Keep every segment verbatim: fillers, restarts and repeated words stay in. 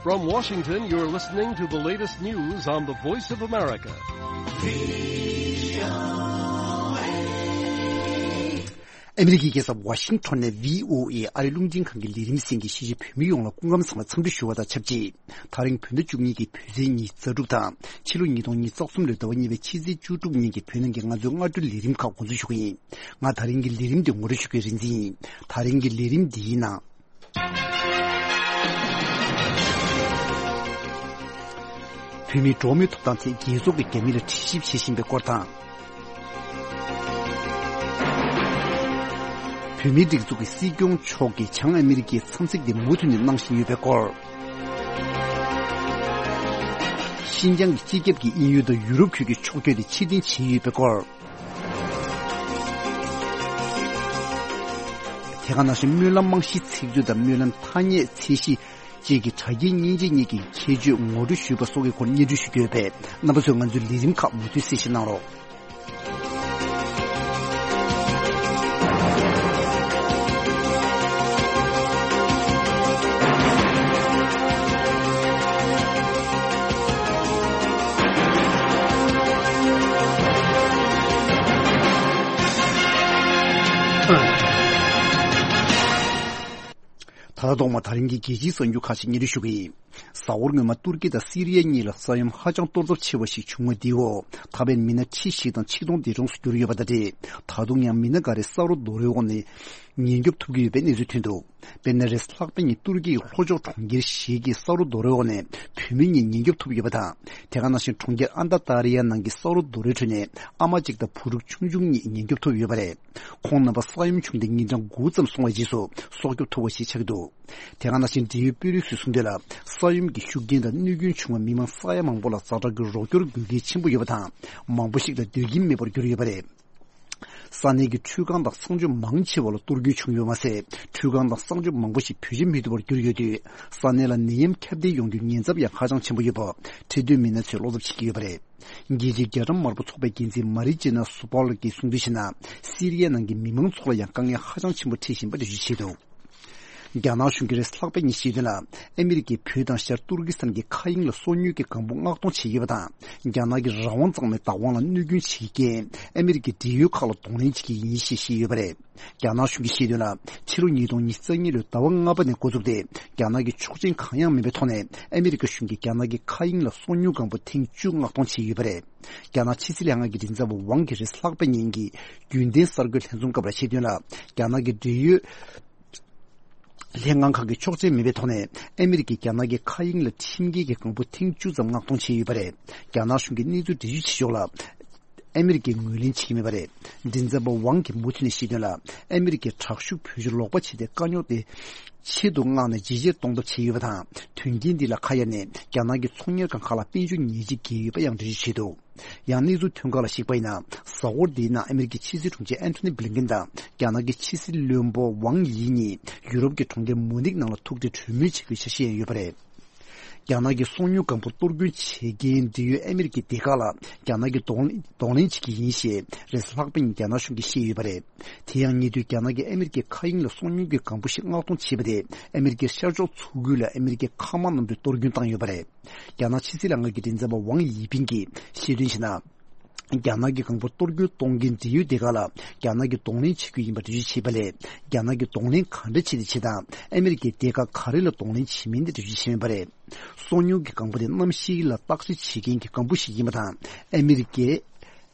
From Washington, you're listening to the latest news on the Voice of America. ཨ་མི་རི་ཀའི་རྒྱལ་ས་ཝ་ཤིང་ཊོན་ནས་བྷི་ཨོ་ཨེ་ཨ་རིའི་རླུང་འཕྲིན་ཁང་གི་ལས་རིམ་གསན་མཁན་གཞིས་བྱེས་བོད་མི་ཡོངས་ལ་སྐུ་ཁམས་བཟང་ལ་འཚམས་འདྲི་ཞུ་བ་དང་ཆབས་ཅིག་ད་རིང་བོད་ཟླ་བཅུ་གཉིས་ཀྱི་བོད་ཚེས་ཉི་ཤུ་རྩ་དྲུག་དང་ཕྱི་ལོ་ཉིས་སྟོང་ཉི་ཤུ་རྩ་གསུམ་ལོའི་ཟླ་བ་གཉིས་པའི་ཕྱི་ཚེས་བཅུ་དྲུག་ཉིན་གྱི་བོད་ནང་གི་ང་ཚོའི་སྔ་དྲོའི་ལས་རིམ་ཁག་འགོ་འཛུགས་ཞུ་གི་ཡིན། ང་ད་རིང་གི་ལས་རིམ་འདི་ངོ་སྤྲོད་ཞུ་མཁན་རིག་འཛིན་ཡིན། ད་རིང་གི་ལས་རིམ་འདིའི་ནང་། བོད་མིའི་འགྲོ་བ་མིའི་ཐོབ་ཐང་ཐད་རྒྱལ་ཚོགས་ཀྱི་རྒྱ་མི་ལ་དྲི་ཞིབ་བྱེད་བཞིན་པའི་སྐོར་དང་། བོད་མིའི་སྒྲིག་འཛུགས་ཀྱི་སྲིད་སྐྱོང་མཆོག་གིས་བྱང་ཨ་མི་རི་ཀའི་འཚམས་གཟིགས་དེ་མུ་མཐུད་ནས་གནང་བཞིན་ཡོད་པའི་སྐོར། ཤིན་ཅང་གི་སྤྱི་ཁྱབ་ཀྱི་དབྱིན་ཡུལ་དང་ཡུ་རོབ་ཁུལ་གྱི་ཕྱོགས་བསྐྱོད་དེ་ཕྱིར་འཐེན་བྱས་ཡོད་པའི་སྐོར། དེ་ག་ནང་བཞིན་སྨོན་ལམ་རྨང་གཞིའི་ཚིག་མཛོད་དང་སྨོན་ལམ་ཐ་སྙད་ཚད་གཞི་བཅས་ཀྱི་དྲ་རྒྱའི་མཉེན་ཆས་གཉིས་ཀྱི་ཁྱད་ཆོས་ངོ་སྤྲོད་ཞུས་པ་སོགས་ཀྱི་སྐོར་སྙན་སྒྲོན་ཞུ་རྒྱུ་ཡོད་པས། རྣམ་པ་ཚོས་ང་ཚོའི་ལས་རིམ་ཁག་མུ་མཐུད་གསན་བཞེས་གནང་རོགས། ད་ལྟ་ཐོག་མ་ད་རིང་གི་རྒྱལ་སྤྱིའི་གསར་འགྱུར་ཁག་ཅིག་སྙན་སྒྲོན་ཞུ་གི་ཡིན། གཟའ་འཁོར་སྔོན་མ་ཏུར་ཀི་དང་སི་རི་ཡ་གཉིས་ལ་ས་ཡོམ་ཧ་ཅང་གཏོར་ཚབས་ཆེ་བ་ཞིག་བྱུང་བ་འདིའི་འོག་ད་ཕན་མི་སྣ་ཁྲི་བཞི་དང་ཆིག་སྟོང་འདས་གྲོངས་སུ་གྱུར་ཡོད་པ་དང་འབྲེལ། ད་དུང་ཡང་མི་སྣ་འགའ་རེ་ས་རོ་རྡོ་རོའི་འོག་ནས་ཉེན་སྐྱོབ་ཐུབ་ཀྱི་ཡོད་པའི་གནས་ཚུལ་ཐོན་འདུག་དཔེར་ན། རེས་ལྷག་པའི་ཉིན་ཏུར་ཀི་ཡི་ལྷོ་ཕྱོགས་གྲོང་ཁྱེར་ཞིག་གི་ས་རོ་རྡོ་རོའི་འོག་ནས་བུད་མེད་གཉིས་ཉེན་སྐྱོབ་ཐུབ་ཡོད་པ་དང་། དེ་ག་ནང་བཞིན་གྲོང་ཁྱེར་ཨན་ཏ་ཏ་རི་ཡ་ནང་གི་ས་རོ་རྡོ་རོའི་ཁྲོད་ནས་ཨ་མ་གཅིག་དང་བུ་ཕྲུག་ཆུང་ཆུང་གཉིས་ཉེན་སྐྱོབ་ཐུབ་ཡོད་པ་རེད། ཁོང་རྣམ་པ་ས་ཡོམ་བྱུང་སྟེ་ཉིན་གྲངས་དགུ་ཙམ་སོང་བའི་རྗེས་སུ་སྲོག་སྐྱོབ་ཐུབ་པ་ཞིག་ཆགས་ཀྱི་འདུག་དེ་ག་ནང་བཞིན་འབྲེལ་ཡོད་དཔོན་རིགས་ཚོས་གསུངས་དོན་ལ། ས་ཡོམ་གྱི་ཤུགས་རྐྱེན་དང་གནོད་སྐྱོན་བྱུང་བ་མི་མང་ས་ཡ་མང་པོ་ལ་ཛ་དྲག་གི་རོགས་སྐྱོར་དགོས་གལ་ཆེན་པོ་ཡོད་པ་དང་། མང་པོ་ཞིག་ལ་སྡོད་ཁྱིམ་མེད་པར་གྱུར་ཡོད་པ་རེད། ས་གནས་ཀྱི་ཁྲུས་ཁང་དང་གསང་སྤྱོད་མང་ཆེ་བ་ལ་གཏོར་སྐྱོན་བྱུང་ཡོད་མ་ཟད། ཁྲུས་ཁང་དང་གསང་སྤྱོད་མང་པོ་ཞིག་བེད་སྤྱོད་མི་ཐུབ་པར་གྱུར་ཡོད་དུས། ས་གནས་ལ་ནད་ཡམས་ཁྱབ་གདལ་ཡོང་རྒྱུའི་ཉེན་ཚབས་ཡང་ཧ་ཅང་ཆེན་པོ་ཡོད་པ་འཕྲོད་བསྟེན་མི་སྣ་ཚོས་བློ་འཚབ་བྱེད་ཀྱི་ཡོད་པ་རེད། རྒྱལ་སྤྱིའི་རྒྱ་གྲམ་དམར་པོ་ཚོགས་པའི་འགན་འཛིན་མ་རི་ཇི་ན་སུ་པཱལ་གྱིས་གསུངས་དོན་བྱས་ན། སི་རི་ཡ་ནང་གི་མི་མང་ཚོ་ལ་ཡང་དཀའ་ངལ་ཧ་ཅང་ཆེན་པོ་འཕྲད་བཞིན་པ་འགྲེལ་བརྗོད་བྱས་འདུག་རྒྱ་ནག་གཞུང་གིས་རེས་ལྷག་པའི་ཉིན་བཤད་དོན་ལ། ཨ་མི་རི་ཀས་བོད་དང་ཤར་ཏུར་ཀི་སི་ཐན་གྱི་མཁའ་དབྱིངས་ལ་སོ་ཉུལ་གྱི་སྒང་སྦུག་མངགས་གཏོང་བྱས་ཡོད་པ་དང་། རྒྱ་ནག་གི་རང་དབང་གཙང་མའི་བདག་དབང་ལ་གནོད་སྐྱོན་བྱེད་མཁན་ཨ་མི་རི་ཀའི་འབྲེལ་ཡོད་ཁག་ལ་གདོང་ལེན་བྱེད་ཀྱི་ཡིན་ཞེས་བཤད་ཡོད་པ་རེད། རྒྱ་ནག་གཞུང་གིས་བཤད་དོན་ལ། ཕྱི་ལོ་ཉིས་སྟོང་ཉི་ཤུ་རྩ་གཉིས་ལོའི་ཟླ་བ་ལྔ་པ་ནས་འགོ་བཙུགས་ཏེ། རྒྱ་ནག་གིས་ཆོག་མཆན་གང་ཡང་མེད་པའི་ཐོག་ནས་ཨ་མི་རི་ཀ་གཞུང་གིས་རྒྱ་ནག་གི་མཁའ་དབྱིངས་ལ་སོ་ཉུལ་སྒང་སྦུག་ཐེངས་བཅུ་མངགས་གཏོང་བྱས་ཡོད་པ་རེད། རྒྱ་ནག་ཕྱི་སྲིད་ལྷན་ཁང་གི་མགྲིན་ཚབ་པ་ཝང་གིས་རེས་ལྷག་པའི་ཉིན་གྱི་རྒྱུན་ལྡན་གསར་འགོད་ལྷན་འཛོམས་སྐབས་ལ་བཤད་དོན་ལ། རྒྱ་ནག་གི་འབྲེལ་ཡོད་ལྷན་ཁང་ཁག་གིས་ཆོག་མཆན་མེད་པའི་ཐོག་ནས་ཨ་མི་རི་ཀས་རྒྱ་ནག་གི་མཁའ་དབྱིངས་ལ་ཁྲིམས་འགལ་གྱི་སྒང་སྦུག་ཐེངས་བཅུ་ཙམ་མངགས་གཏོང་བྱས་ཡོད་པ་རེད། རྒྱ་ནག་གཞུང་གིས་གནས་ཚུལ་འགྲེལ་བརྗོད་བྱེད་ཕྱོགས་ལ། ཨ་མི་རི་ཀས་ངོས་ལེན་བྱེད་ཀྱི་མེད་པ་རེད། མགྲིན་ཚབ་པ་ཝང་གིས་མུ་མཐུད་ནས་བཤད་དོན་ལ། ཨ་མི་རི་ཀས་དྲག་ཤུགས་བེད་སྤྱོད་ལོག་པ་བྱས་ཏེ་དཀའ་རྙོག་དེ་ཆེད་དུ་མངགས་ནས་ཇེ་ཆེར་གཏོང་ཐབས་བྱས་ཡོད་པ་དང་། དོན་རྐྱེན་འདི་ལ་ཁ་གཡར་ནས་རྒྱ་ནག་གི་ཚོང་གཉེར་ཁང་ཁག་ལ་དཔལ་འབྱོར་ཉེས་ཆད་བཀལ་ཡོད་པ་ཡང་འགྲེལ་བརྗོད་བྱས་འདུག་ཡང་གནས་ཚུལ་ཐོན་ཁག་ལ་གཞིགས་པ་ཡིན་ན། གཟའ་འཁོར་འདིའི་ནང་ཨ་མི་རི་ཀའི་ཕྱི་སྲིད་དྲུང་ཆེ་ཨན་ཐོ་ནི་བྷི་ལིན་ཀེན་དང་རྒྱ་ནག་གི་ཕྱི་སྲིད་བློན་པོ་ཝང་ཡི་གཉིས་ཡུ་རོབ་ཀྱི་གྲོང་ཁྱེར་མུ་ནིག་ནང་ལ་ཐུག་འཕྲད་གྲོས་མོལ་བྱེད་རྒྱུའི་འཆར་གཞི་ཡང་ཡོད་པ་རེད། རྒྱ་ནག་གི་སོ་ཉུལ་སྒང་སྦུག་གཏོར་སྐྱོན་བྱེད་མཁན་འབྲེལ་ཡོད་ཨ་མི་རི་ཀའི་སྡེ་ཁག་ལ་རྒྱ་ནག་གིས་གདོང་གདོང་ལེན་བྱེད་ཀྱི་ཡིན་ཞེས་རེས་ལྷག་པའི་ཉིན་རྒྱ་ནག་གཞུང་གིས་བཤད་ཡོད་པ་རེད། དེ་ཡང་ཉེ་དུས་རྒྱ་ནག་གིས་ཨ་མི་རི་ཀའི་མཁའ་དབྱིངས་ལ་སོ་ཉུལ་གྱི་སྒང་སྦུག་ཞིག་མངགས་གཏོང་བྱས་པ་དེས་ཨ་མི་རི་ཀའི་ཤར་ཕྱོགས་མཚོ་ཁུལ་ལ་ཨ་མི་རི་ཀའི་མཁའ་དམག་གནམ་གྲུས་གཏོར་སྐྱོན་བཏང་ཡོད་པ་རེད། རྒྱ་ནག་ཕྱི་སྲིད་ལྷན་ཁང་གི་མགྲིན་ཚབ་པ་ཝང་ཡི་ཕིང་གིས་བཤད་དོན་བྱས་ན། རྒྱ་ནག་གི་སྒང་སྦུག་གཏོར་སྐྱོན་གཏོང་མཁན་འབྲེལ་ཡོད་སྡེ་ཁག་ལ་རྒྱ་ནག་གིས་གདོང་ལེན་བྱེད་ཀྱི་ཡིན་པ་འགྲེལ་བརྗོད་བྱས་པ་ལས། རྒྱ་ནག་གིས་གདོང་ལེན་ག་འདྲ་བྱས་ཏེ་བྱེད་དང་ཨ་མི་རི་ཀས་སྡེ་ཁག་ག་རེ་ལ་གདོང་ལེན་བྱེད་མིན་དེ་འགྲེལ་བརྗོད་བྱས་མེད་པ་རེད། སོ་ཉུལ་གྱི་སྒང་སྦུག་དེ་གནམ་གཤིས་ལ་བརྟག་དཔྱད་བྱེད་མཁན་གྱི་སྒང་སྦུག་ཞིག་ཡིན་པ་དང་། ཨ་མི་རི་ཀས་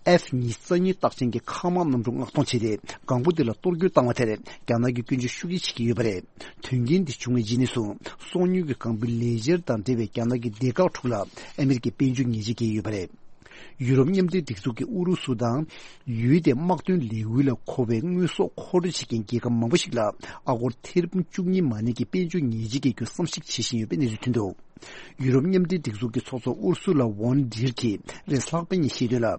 ཨེཕ་ཉི་ཤུ་རྩ་གཉིས་རྟགས་ཅན་གྱི་མཁའ་དམག་གནམ་གྲུ་མངགས་གཏོང་བྱས་ཏེ་སྒང་སྦུག་དེ་ལ་གཏོར་སྐྱོན་བཏང་བ་དེར་རྒྱ་ནག་གིས་སྐྱོན་བརྗོད་ཤུགས་ཆེ་བྱེད་ཀྱི་ཡོད་པ་རེད། དོན་རྐྱེན་འདི་བྱུང་བའི་རྗེས་ནས་བཟུང་སོ་ཉུལ་གྱི་སྒང་སྦུག་ལས་འཆར་དང་འབྲེལ་བའི་རྒྱ་ནག་གི་སྡེ་ཁག་དྲུག་ལ་ཨ་མི་རི་ཀས་དཔལ་འབྱོར་ཉེས་ཆད་བཀལ་ཡོད་པ་རེད། ཡུ་རོབ་མཉམ་འབྲེལ་སྒྲིག་འཛུགས་ཀྱིས་ཨུ་རུ་སུ་དང་ཡུལ་དེའི་དམག་དོན་ལས་འགུལ་ལ་མཁོ་བའི་དངོས་ཟོག་མཁོ་སྤྲོད་བྱེད་མཁན་རྒྱལ་ཁབ་མང་པོ་ཞིག་ལ་ཨ་སྒོར་ཐེར་འབུམ་བཅུ་གཉིས་མ་ནས་ཀྱི་དཔལ་འབྱོར་ཉེས་ཆད་བཀལ་རྒྱུའི་བསམ་གཞིག་བྱེད་བཞིན་ཡོད་པའི་གནས་ཚུལ་ཐོན་འདུག་ཡུ་རོབ་མཉམ་འབྲེལ་སྒྲིག་འཛུགས་ཀྱི་ཚོགས་གཙོ་ཨུར་སུ་ལ་ཝོན་ཌེར་གྱིས་རེས་ལྷག་པའི་ཉིན་བཤད་དོན་ལ།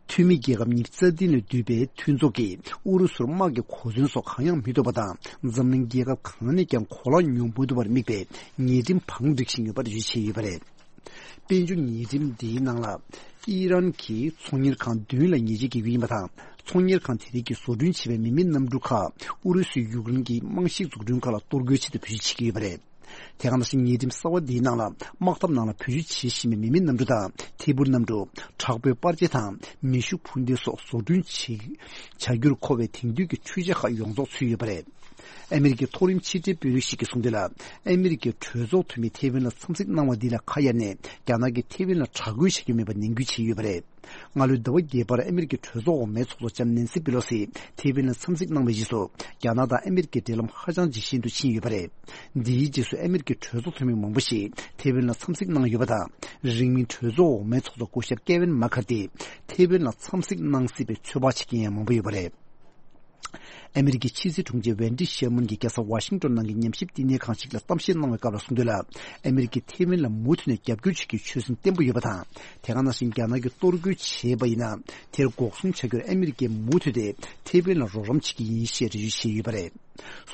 འཐུས་མི་རྒྱལ་ཁབ་ཉི་ཤུ་རྩ་བདུན་ལས་འདུས་པའི་མཐུན་ཚོགས་ཀྱིས་ཨུ་རུ་སུར་དམག་གི་གོ་མཚོན་སོགས་གང་ཡང་མི་ཐོབ་པ་དང་། འཛམ་གླིང་རྒྱལ་ཁབ་གང་ནས་ཀྱང་གོ་ལག་ཉོ་མི་ཐུབ་པར་དམིགས་པའི་ཉེས་ཁྲིམས་བང་སྒྲིག་བཞིན་ཡོད་པ་འགྲེལ་བརྗོད་བྱས་ཡོད་པ་རེད། དཔལ་འབྱོར་ཉེས་ཁྲིམས་འདིའི་ནང་ལ། ཨི་རན་གྱིས་ཚོང་གཉེར་ཁང་བདུན་ལ་ཉེས་ཆད་བཀལ་རྒྱུ་ཡིན་པ་དང་། ཚོང་གཉེར་ཁང་དེ་རིགས་ཀྱིས་བཟོ་སྐྲུན་བྱས་པའི་མི་མེད་གནམ་གྲུ་ཁག་ཨུ་རུ་སུས་ཡུཀ་རེན་གྱི་རྨང་གཞིའི་འཛུགས་སྐྲུན་ཁག་ལ་གཏོར་རྒོལ་ཆེད་དུ་བེད་སྤྱོད་བྱེད་ཀྱི་ཡོད་པ་རེད། དེ་ག་ནང་བཞིན་ཉེས་ཁྲིམས་གསར་བ་འདིའི་ནང་ལ། དམག་འཐབ་ནང་ལ་བེད་སྤྱོད་བྱེད་བཞིན་པའི་མི་མེད་གནམ་གྲུ་དང་། ཐད་འཕུར་གནམ་གྲུ། དྲག་པོའི་པར་ཆས་དང་། མེ་ཤུགས་འཕུར་མདེལ་སོགས་བཟོ་སྐྲུན་བྱེད། བྱ་རྒྱུར་མཁོ་བའི་དེང་དུས་ཀྱི་འཕྲུལ་ཆས་ཁག་ཡོངས་རྫོགས་ཚུད་ཡོད་པ་རེད། ཨ་མི་རི་ཀའི་མཐོ་རིམ་ཕྱི་འབྲེལ་དཔོན་རིགས་ཤིག་གིས་གསུངས་དོན་ལ། ཨ་མི་རི་ཀའི་གྲོས་ཚོགས་འཐུས་མིས་ཐེ་ཝན་ལ་འཚམས་གཟིགས་གནང་བ་འདི་ལ་ཁ་གཡར་ནས། རྒྱ་ནག་གིས་ཐེ་ཝན་ལ་དྲག་རྒོལ་བྱ་རྒྱུ་མེད་པ་ནན་སྐུལ་བྱས་ཡོད་པ་རེད། སྔ་ལོའི་ཟླ་བ་བརྒྱད་པར་ཨ་མི་རི་ཀའི་གྲོས་ཚོགས་འོག་མའི་ཚོགས་གཙོ་ལྕམ་ནན་སི་པེ་ལོ་སི་ཐེ་ཝན་ལ་འཚམས་གཟིགས་གནང་བའི་རྗེས་སུ། རྒྱ་ནག་དང་ཨ་མི་རི་ཀའི་འབྲེལ་ལམ་ཧ་ཅང་ཇེ་ཞན་དུ་ཕྱིན་ཡོད་པ་རེད། འདིའི་རྗེས་སུ་ཨ་མི་རི་ཀའི་གྲོས་ཚོགས་འཐུས་མི་མང་པོ་ཞིག་ཐེ་ཝན་ལ་འཚམས་གཟིགས་གནང་ཡོད་པ་དང་། རིང་མིན་གྲོས་ཚོགས་འོག་མའི་ཚོགས་གཙོ་སྐུ་ཞབས་ཀེ་ཝིན་མ་ཁར་ཏི་ཐེ་ཝན་ལ་འཚམས་གཟིགས་གནང་སྲིད་པའི་ཚོད་དཔག་བྱེད་མཁན་ཡང་མང་པོ་ཡོད་པ་རེད། ཨ་མི་རི་ཀའི་ཕྱི་སྲིད་དྲུང་ཆེ་ཝེན་ཏི་ཤེར་མན་གྱིས་རྒྱལ་ས་ཝ་ཤིང་ཏོན་ནང་གི་ཉམས་ཞིབ་བསྟི་གནས་ཁང་ཞིག་ལ་གཏམ་བཤད་གནང་བའི་སྐབས་ལ་གསུངས་དོན་ལ། ཨ་མི་རི་ཀས་ཐེ་ཝན་ལ་མུ་མཐུད་ནས་རྒྱབ་སྐྱོར་བྱེད་རྒྱུའི་ཆོད་སེམས་བརྟན་པོ་ཡོད་པ་དང་། དེ་ག་ནང་བཞིན་རྒྱ་ནག་གིས་གཏོར་རྒོལ་བྱས་པ་ཡིན་ན། དེར་འགོག་སྲུང་བྱ་རྒྱུར་ཨ་མི་རི་ཀས་མུ་མཐུད་དེ་ཐེ་ཝན་ལ་རོགས་རམ་བྱེད་ཀྱི་ཡིན་ཞེས་འགྲེལ་བརྗོད་བྱས་ཡོད་པ་རེད།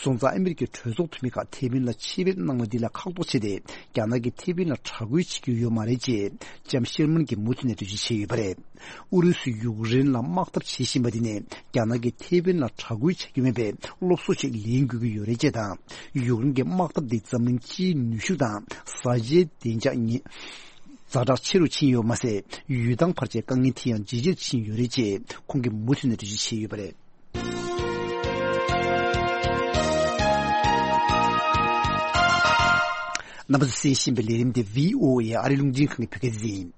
སོང་ཙང་ཨ་མི་རི་ཀའི་གྲོས་ཚོགས་འཐུས་མི་ཁག་ཐེ་ཝན་ལ་ཆེད་ཕེབས་གནང་བ་འདི་ལ་ཁག་ཐོག་ཆེ་སྟེ། རྒྱ་ནག་གིས་ཐེ་ཝན་ལ་དྲག་རྒོལ་བྱེད་ཀྱི་ཡོད་མ་རེད་ཅེས་ལྕམ་ཤེར་མན་གྱིས་མུ་མཐུད་ནས་འགྲེལ་བརྗོད་བྱས་ཡོད་པ་རེད། ཨུ་རུ་སུས་ཡུཀ་རེན་ལ་དམག་འཐབ་བྱེད་བཞིན་པ་འདི་ནས་རྒྱ་ནག་གིས་ཐེ་ཝན་ལ་དྲག་རྒོལ་བྱ་རྒྱུ་མིན་པའི་སློབ་གསོ་ཞིག་ལེན་དགོས་ཀྱི་ཡོད་རེད་ཅེས་དང་། ཡུཀ་རེན་གྱི་དམག་འཐབ་འདིས་འཛམ་གླིང་སྤྱིའི་ནུས་ཤུགས་དང་བཟའ་བཅའི་བདེ་འཇགས་ཉེ་ཛ་དྲག་ཆེ་རུ་ཕྱིན་ཡོད་མ་ཟད། ཡུལ་ཐང་བར་ཆད་དཀའ་ངལ་དེ་ཡང་ཇེ་ཆེར་ཕྱིན་ཡོད་རེད་ཅེས་ཁོང་གིས་མུ་མཐུད་ནས་འགྲེལ་བརྗོད་བྱས་ཡོད་པ་རེད། རྣམ་པ་ཚོས་གསན་བཞིན་པའི་ལས་རིམ་དེ་བྷི་ཨོ་ཨེ་ཨ་རིའི་རླུང་འཕྲིན་ཁང་གི་བོད་སྐད་སྡེ་ཚན་ཡིན།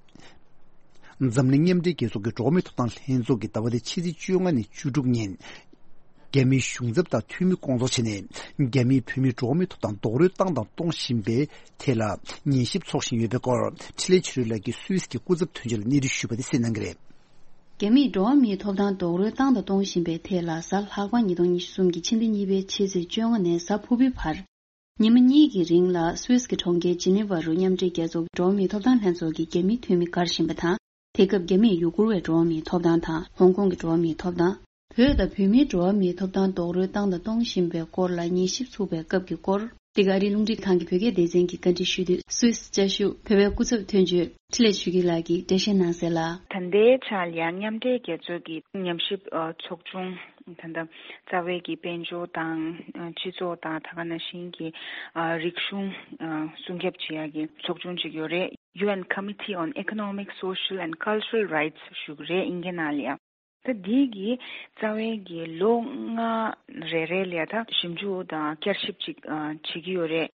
འཛམ་གླིང་མཉམ་འབྲེལ་རྒྱལ་ཚོགས་ཀྱི་འགྲོ་བ་མིའི་ཐོབ་ཐང་ལྷན་ཚོགས་ཀྱིས་ཟླ་བ་འདིའི་ཕྱི་ཚེས་བཅོ་ལྔ་ནས་བཅུ་དྲུག་ཉིན། རྒྱ་མིའི་གཞུང་ཚབ་དང་འཐུས་མི་སྐོང་ཚོགས་བྱས་ནས། རྒྱ་མིས་བོད་མིའི་འགྲོ་བ་མིའི་ཐོབ་ཐང་རྡོག་རོལ་བཏང་དང་གཏོང་བཞིན་པའི་ཐད་ལ་ཉན་ཞིབ་འཚོགས་བཞིན་ཡོད་པའི་སྐོར། འཕྲིན་ལས་ཆོས་སྒྲོན་ལགས་ཀྱིས་སུད་སི་གི་སྐུ་ཚབ་དོན་གཅོད་ལ་གནས་འདྲི་ཞུས་པ་དེ་གསན་གནང་གི་རེད། རྒྱ་མིས་འགྲོ་བ་མིའི་ཐོབ་ཐང་རྡོག་རོལ་བཏང་དང་གཏོང་བཞིན་པའི་ཐད་ལ། གཟའ་ལྷག་པ་ཉིས་སྟོང་ཉི་ཤུ་རྩ་གསུམ་གྱི་ཕྱི་ཟླ་གཉིས་པའི་ཕྱི་ཚེས་བཅོ་ལྔ་ནས་གཟའ་ཕུར་བུའི་བར། ཉི་མ་གཉིས་ཀྱི་རིང་ལ་སུད་སི་གི་གྲོང་ཁྱེར་ཇི་ནི་ཝ་རུ་མཉམ་འབྲེལ་རྒྱལ་ཚོགས་ཀྱི་འགྲོ་བ་མིའི་ཐོབ་ཐང་ལྷན་ཚོགས་ཀྱི་རྒྱ་མིའི་འཐུས་མི་བཀར་བཞིན་པ་དང་། དེ་སྐབས་རྒྱ་མིས་ཡུ་གུར་བའི་འགྲོ་བ་མིའི་ཐོབ་ཐང་དང་། ཧོང་ཀོང་གི་འགྲོ་བ་མིའི་ཐོབ་ཐང་། བོད་དང་བོད་མིའི་འགྲོ་བ་མིའི་ཐོབ་ཐང་རྡོག་རོལ་བཏང་དང་གཏོང་བཞིན་པའི་སྐོར་ལ་ཉན་ཞིབ་ཚུགས་པའི་སྐབས་ཀྱི་སྐོར། འདི་ག་ཨ་རིའི་རླུང་འཕྲིན་ཁང་གི་བོད་སྐད་སྡེ་ཚན་གྱིས་བཀའ་འདྲི་ཞུས་དུས། སུད་སི་བཅའ་བཞུགས་བོད་པའི་སྐུ་ཚབ་དོན་གཅོད་འཕྲིན་ལས་ཆོས་སྐྱིད་ལགས་ཀྱིས་འགྲེལ་བཤད་གནང་གསལ་ལ། ད་ལྟའི་ཆར་ལ་ཡང་མཉམ་འབྲེལ་རྒྱལ་ཚོགས་ཀྱི་ཉམས་ཞིབ་ཨ་ཚོགས་ཆུང་། ད་ལྟ་རྩ་བའི་གི་དཔལ་འབྱོར་དང་ཨ་སྤྱི་ཚོགས་དང་། ད་ག་ནང་བཞིན་གྱི་ཨ་རིག་གཞུང་ཨ་སྲུང་སྐྱོབ་བྱེད་ཡག་གི་ཚོགས་ཆུང་ཅིག་ཡོད་རེད། ཡུ་ཨེན་Committee on Economic, Social and Cultural Rights ཞུ་གི་རེད། དབྱིན་སྐད་ནང་ལ་ཡང་། ད་འདི་གི་རྩ་བའི་གི་ལོ་ལྔ་རེ་རེ་ལ་ད་ཞིབ་འཇུག་དང་བསྐྱར་ཞིབ་ཅིག་ཨ་བྱེད་ཀྱི་ཡོད་རེད།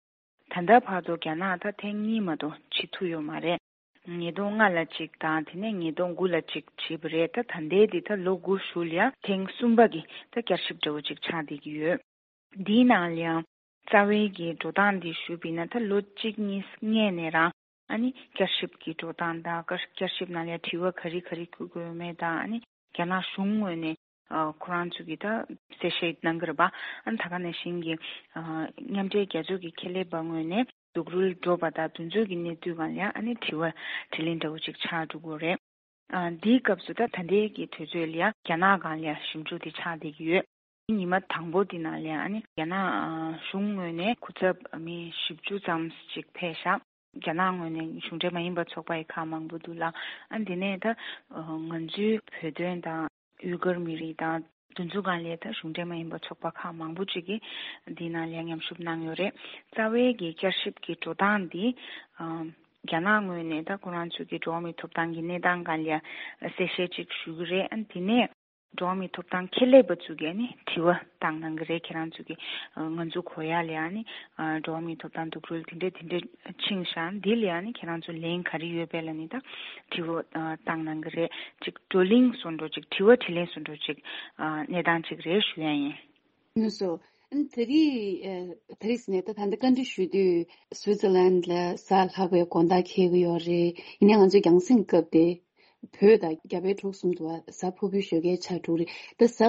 ད་ལྟ་བར་དུ་རྒྱ་ནག་ད་ཐེངས་གཉིས་མ་གཏོགས་བྱེད་ཐུབ་ཡོད་མ་རེད། ཉིས་སྟོང་ལྔ་ལ་གཅིག་དང་། དེ་ནས་ཉིས་སྟོང་དགུ་ལ་གཅིག་བྱས་པ་རེད། ད་ད་ལྟའི་འདི་ད་ལོ་དགུ་གཞུག་ལ་ཡང་ཐེངས་གསུམ་པ་གི་ད་བསྐྱར་ཞིབ་འདྲ་བོ་ཅིག་ཆགས་བསྡད་ཀྱི་ཡོད། འདིའི་ནང་ལ་ཡང་རྩ་བའི་གི་འགྲོ་སྟངས་འདི་ཞུས་པ་ཡིན་ན། ད་ལོ་གཅིག་གཉིས་སྔས་ནས་རང་ཨ་ནི་བསྐྱར་ཞིབ་ཀྱི་འགྲོ་སྟངས་དང་། བསྐྱར་བསྐྱར་ཞིབ་ནང་ལ་ཡང་དྲི་བ་ག་རེ་ག་རེ་བཀོད་དགོས་མེད་དང་། ཨ་ནི་རྒྱ་ནག་གཞུང་ངོས་ནས་ཨ་ཁོ་རང་ཚོ་གི་ད་གསལ་བཤད་གནང་གི་རེད་པ། ཨ་ནི་ད་ག་ནང་བཞིན་གྱི་ཨ་མཉམ་འབྲེལ་རྒྱལ་ཚོགས་ཀྱི་ཁྱད་ལས་པ་ངོས་ནས་རྡོག་རོལ་འགྲོ་བ་དང་། དེ་ཚོ་གི་གནས་ཚུལ་སྒང་ལ་ཡང་ཨ་ནི་དྲི་བ་དྲིས་ལན་འདྲ་བོ་ཅིག་ཆགས་འགྲོ་གི་རེད། ཨ་འདིའི་སྐབས་སུ་ད་ད་ལྟའི་གི་དུས་ཚོད་ལ་ཡང་རྒྱ་ནག་སྒང་ལ་ཡང་ཞིབ་འཇུག་དེ་ཆགས་བསྡད་ཀྱི་ཡོད། ཉི་མ་དང་པོ་འདི་ནང་ལ་ཡང་ཨ་ནི་རྒྱ་ནག་ཨ་གཞུང་ངོས་ནས་སྐུ་ཚབ་མི་བཞི་བཅུ་ཙམ་ཅིག་ཕེབས་ཤག་རྒྱ་ནག་ངོས་ནས་གཞུང་འབྲེལ་མ་ཡིན་པ་ཚོགས་པ་ཡི་ཁག་མང་པོ་འདུག་ལ། ཨ་འདི་ནས་ད་ང་ཚོའི་བོད་དོན་དང་། ཡུ་གུར་མི་རིགས་དང་། དེ་ཚོ་སྒང་ལ་ད་གཞུང་འབྲེལ་མ་ཡིན་པ་ཚོགས་པ་ཁག་མང་པོ་ཅིག་གིས་འདི་ནང་ལ་མཉམ་ཞུགས་གནང་ཡོད་རེད། རྩ་བའི་གི་བསྐྱར་ཞིབ་ཀྱི་འགྲོ་སྟངས་འདི་ཨ་རྒྱ་ནག་ངོས་ནས་ད་ཁོ་རང་ཚོའི་གི་འགྲོ་བ་མིའི་ཐོབ་ཐང་གི་གནས་སྟངས་སྒང་ལ་གསལ་བཤད་ཅིག་ཞུ་གི་རེད། ཨ་དེ་ནས་འགྲོ་བ་མིའི་ཐོབ་ཐང་ཁྱད་ལས་པ་ཚོ་གིས་ཨ་ནི་དྲི་བ་བཏང་གནང་གི་རེད། ཁྱེད་རང་ཚོ་གི་ཨ་ང་ཚོ་གོ་ཡ་ལ་ཨ་ནི་ཨ་འགྲོ་བ་མིའི་ཐོབ་ཐང་རྡོག་རོལ་དེ་འདྲས་དེ་འདྲས་ཕྱིན་ཤག་འདི་ལ་ཨ་ནི་ཁྱེད་རང་ཚོ་ལན་ག་རེ་ཡོད་པས་ལབ་ནས་ད་དྲི་བ་ཨ་བཏང་གནང་གི་རེད། ཅིག་བགྲོ་གླེང་བཟོ་འདྲ་ཅིག་དྲི་བ་དྲིས་ལན་བཟོ་འདྲ་ཅིག་ཨ་གནས་སྟངས་ཅིག་རེད་ཞུ་ཡ་ཡིན། ལགས་སོ། ཨ་ནི་ད་རེས་ཨ་ད་རེས་ནས་ད་ད་ལྟ་བཀའ་འདྲི་ཞུ་དུས་སུའི་ཙི་ལན་ལ་གཟའ་ལྷག་པའི་དགོང་དག་འཁེལ་གྱི་ཡོད་རེད། ཡིན་ནའི་ང་ཚོའི་རྒྱང་སྲིང་སྐབས་དེ་བོད་དང་རྒྱ་བལ་འབྲུག་གསུམ་དུ་བ་གཟའ་ཕུར་བུའི་ཞོགས་ཀའི་ཆ་དྲུག་རེད། ད་གཟའ་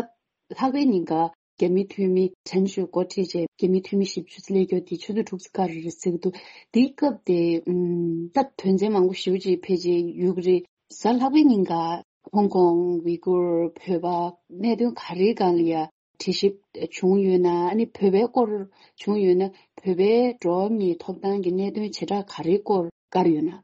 ལྷག་པའི་ཉིན་ཀ་རྒྱ་མིའི་འཐུས་མི་དྲན་ཞུ་འགོ་ཁྲིད་བྱས། རྒྱ་མིའི་འཐུས་མི་བཞི་བཅུ་ཙམ་སླེབས་ཀྱི་ཡོད་དེ། ཆུ་ཚོད་དྲུག་ཙམ་བཀག་རེད་ཟེར་གྱི་འདུག་དེའི་སྐབས་དེ་ཨམ་ད་དོན་ཚན་མང་པོ་ཞེ་པོ་ཅིག་ཕལ་ཆེར་ཡོད་ཀྱི་རེད། གཟའ་ལྷག་པའི་ཉིན་ཀ་ཧོང་ཀོང་ཝི་གུར་བོད་པ་གནད་དོན་ག་རེའི་སྒང་ལ་ཡ་དྲི་ཞིབ་བྱུང་ཡོད་ན། ཨ་ནི་བོད་པའི་སྐོར་བྱུང་ཡོད་ན། བོད་པའི་འགྲོ་བ་མིའི་ཐོབ་ཐང་གི་གནད་དོན་བྱེ་བྲག་ག་རེའི་སྐོར་བཀར་ཡོད་ན།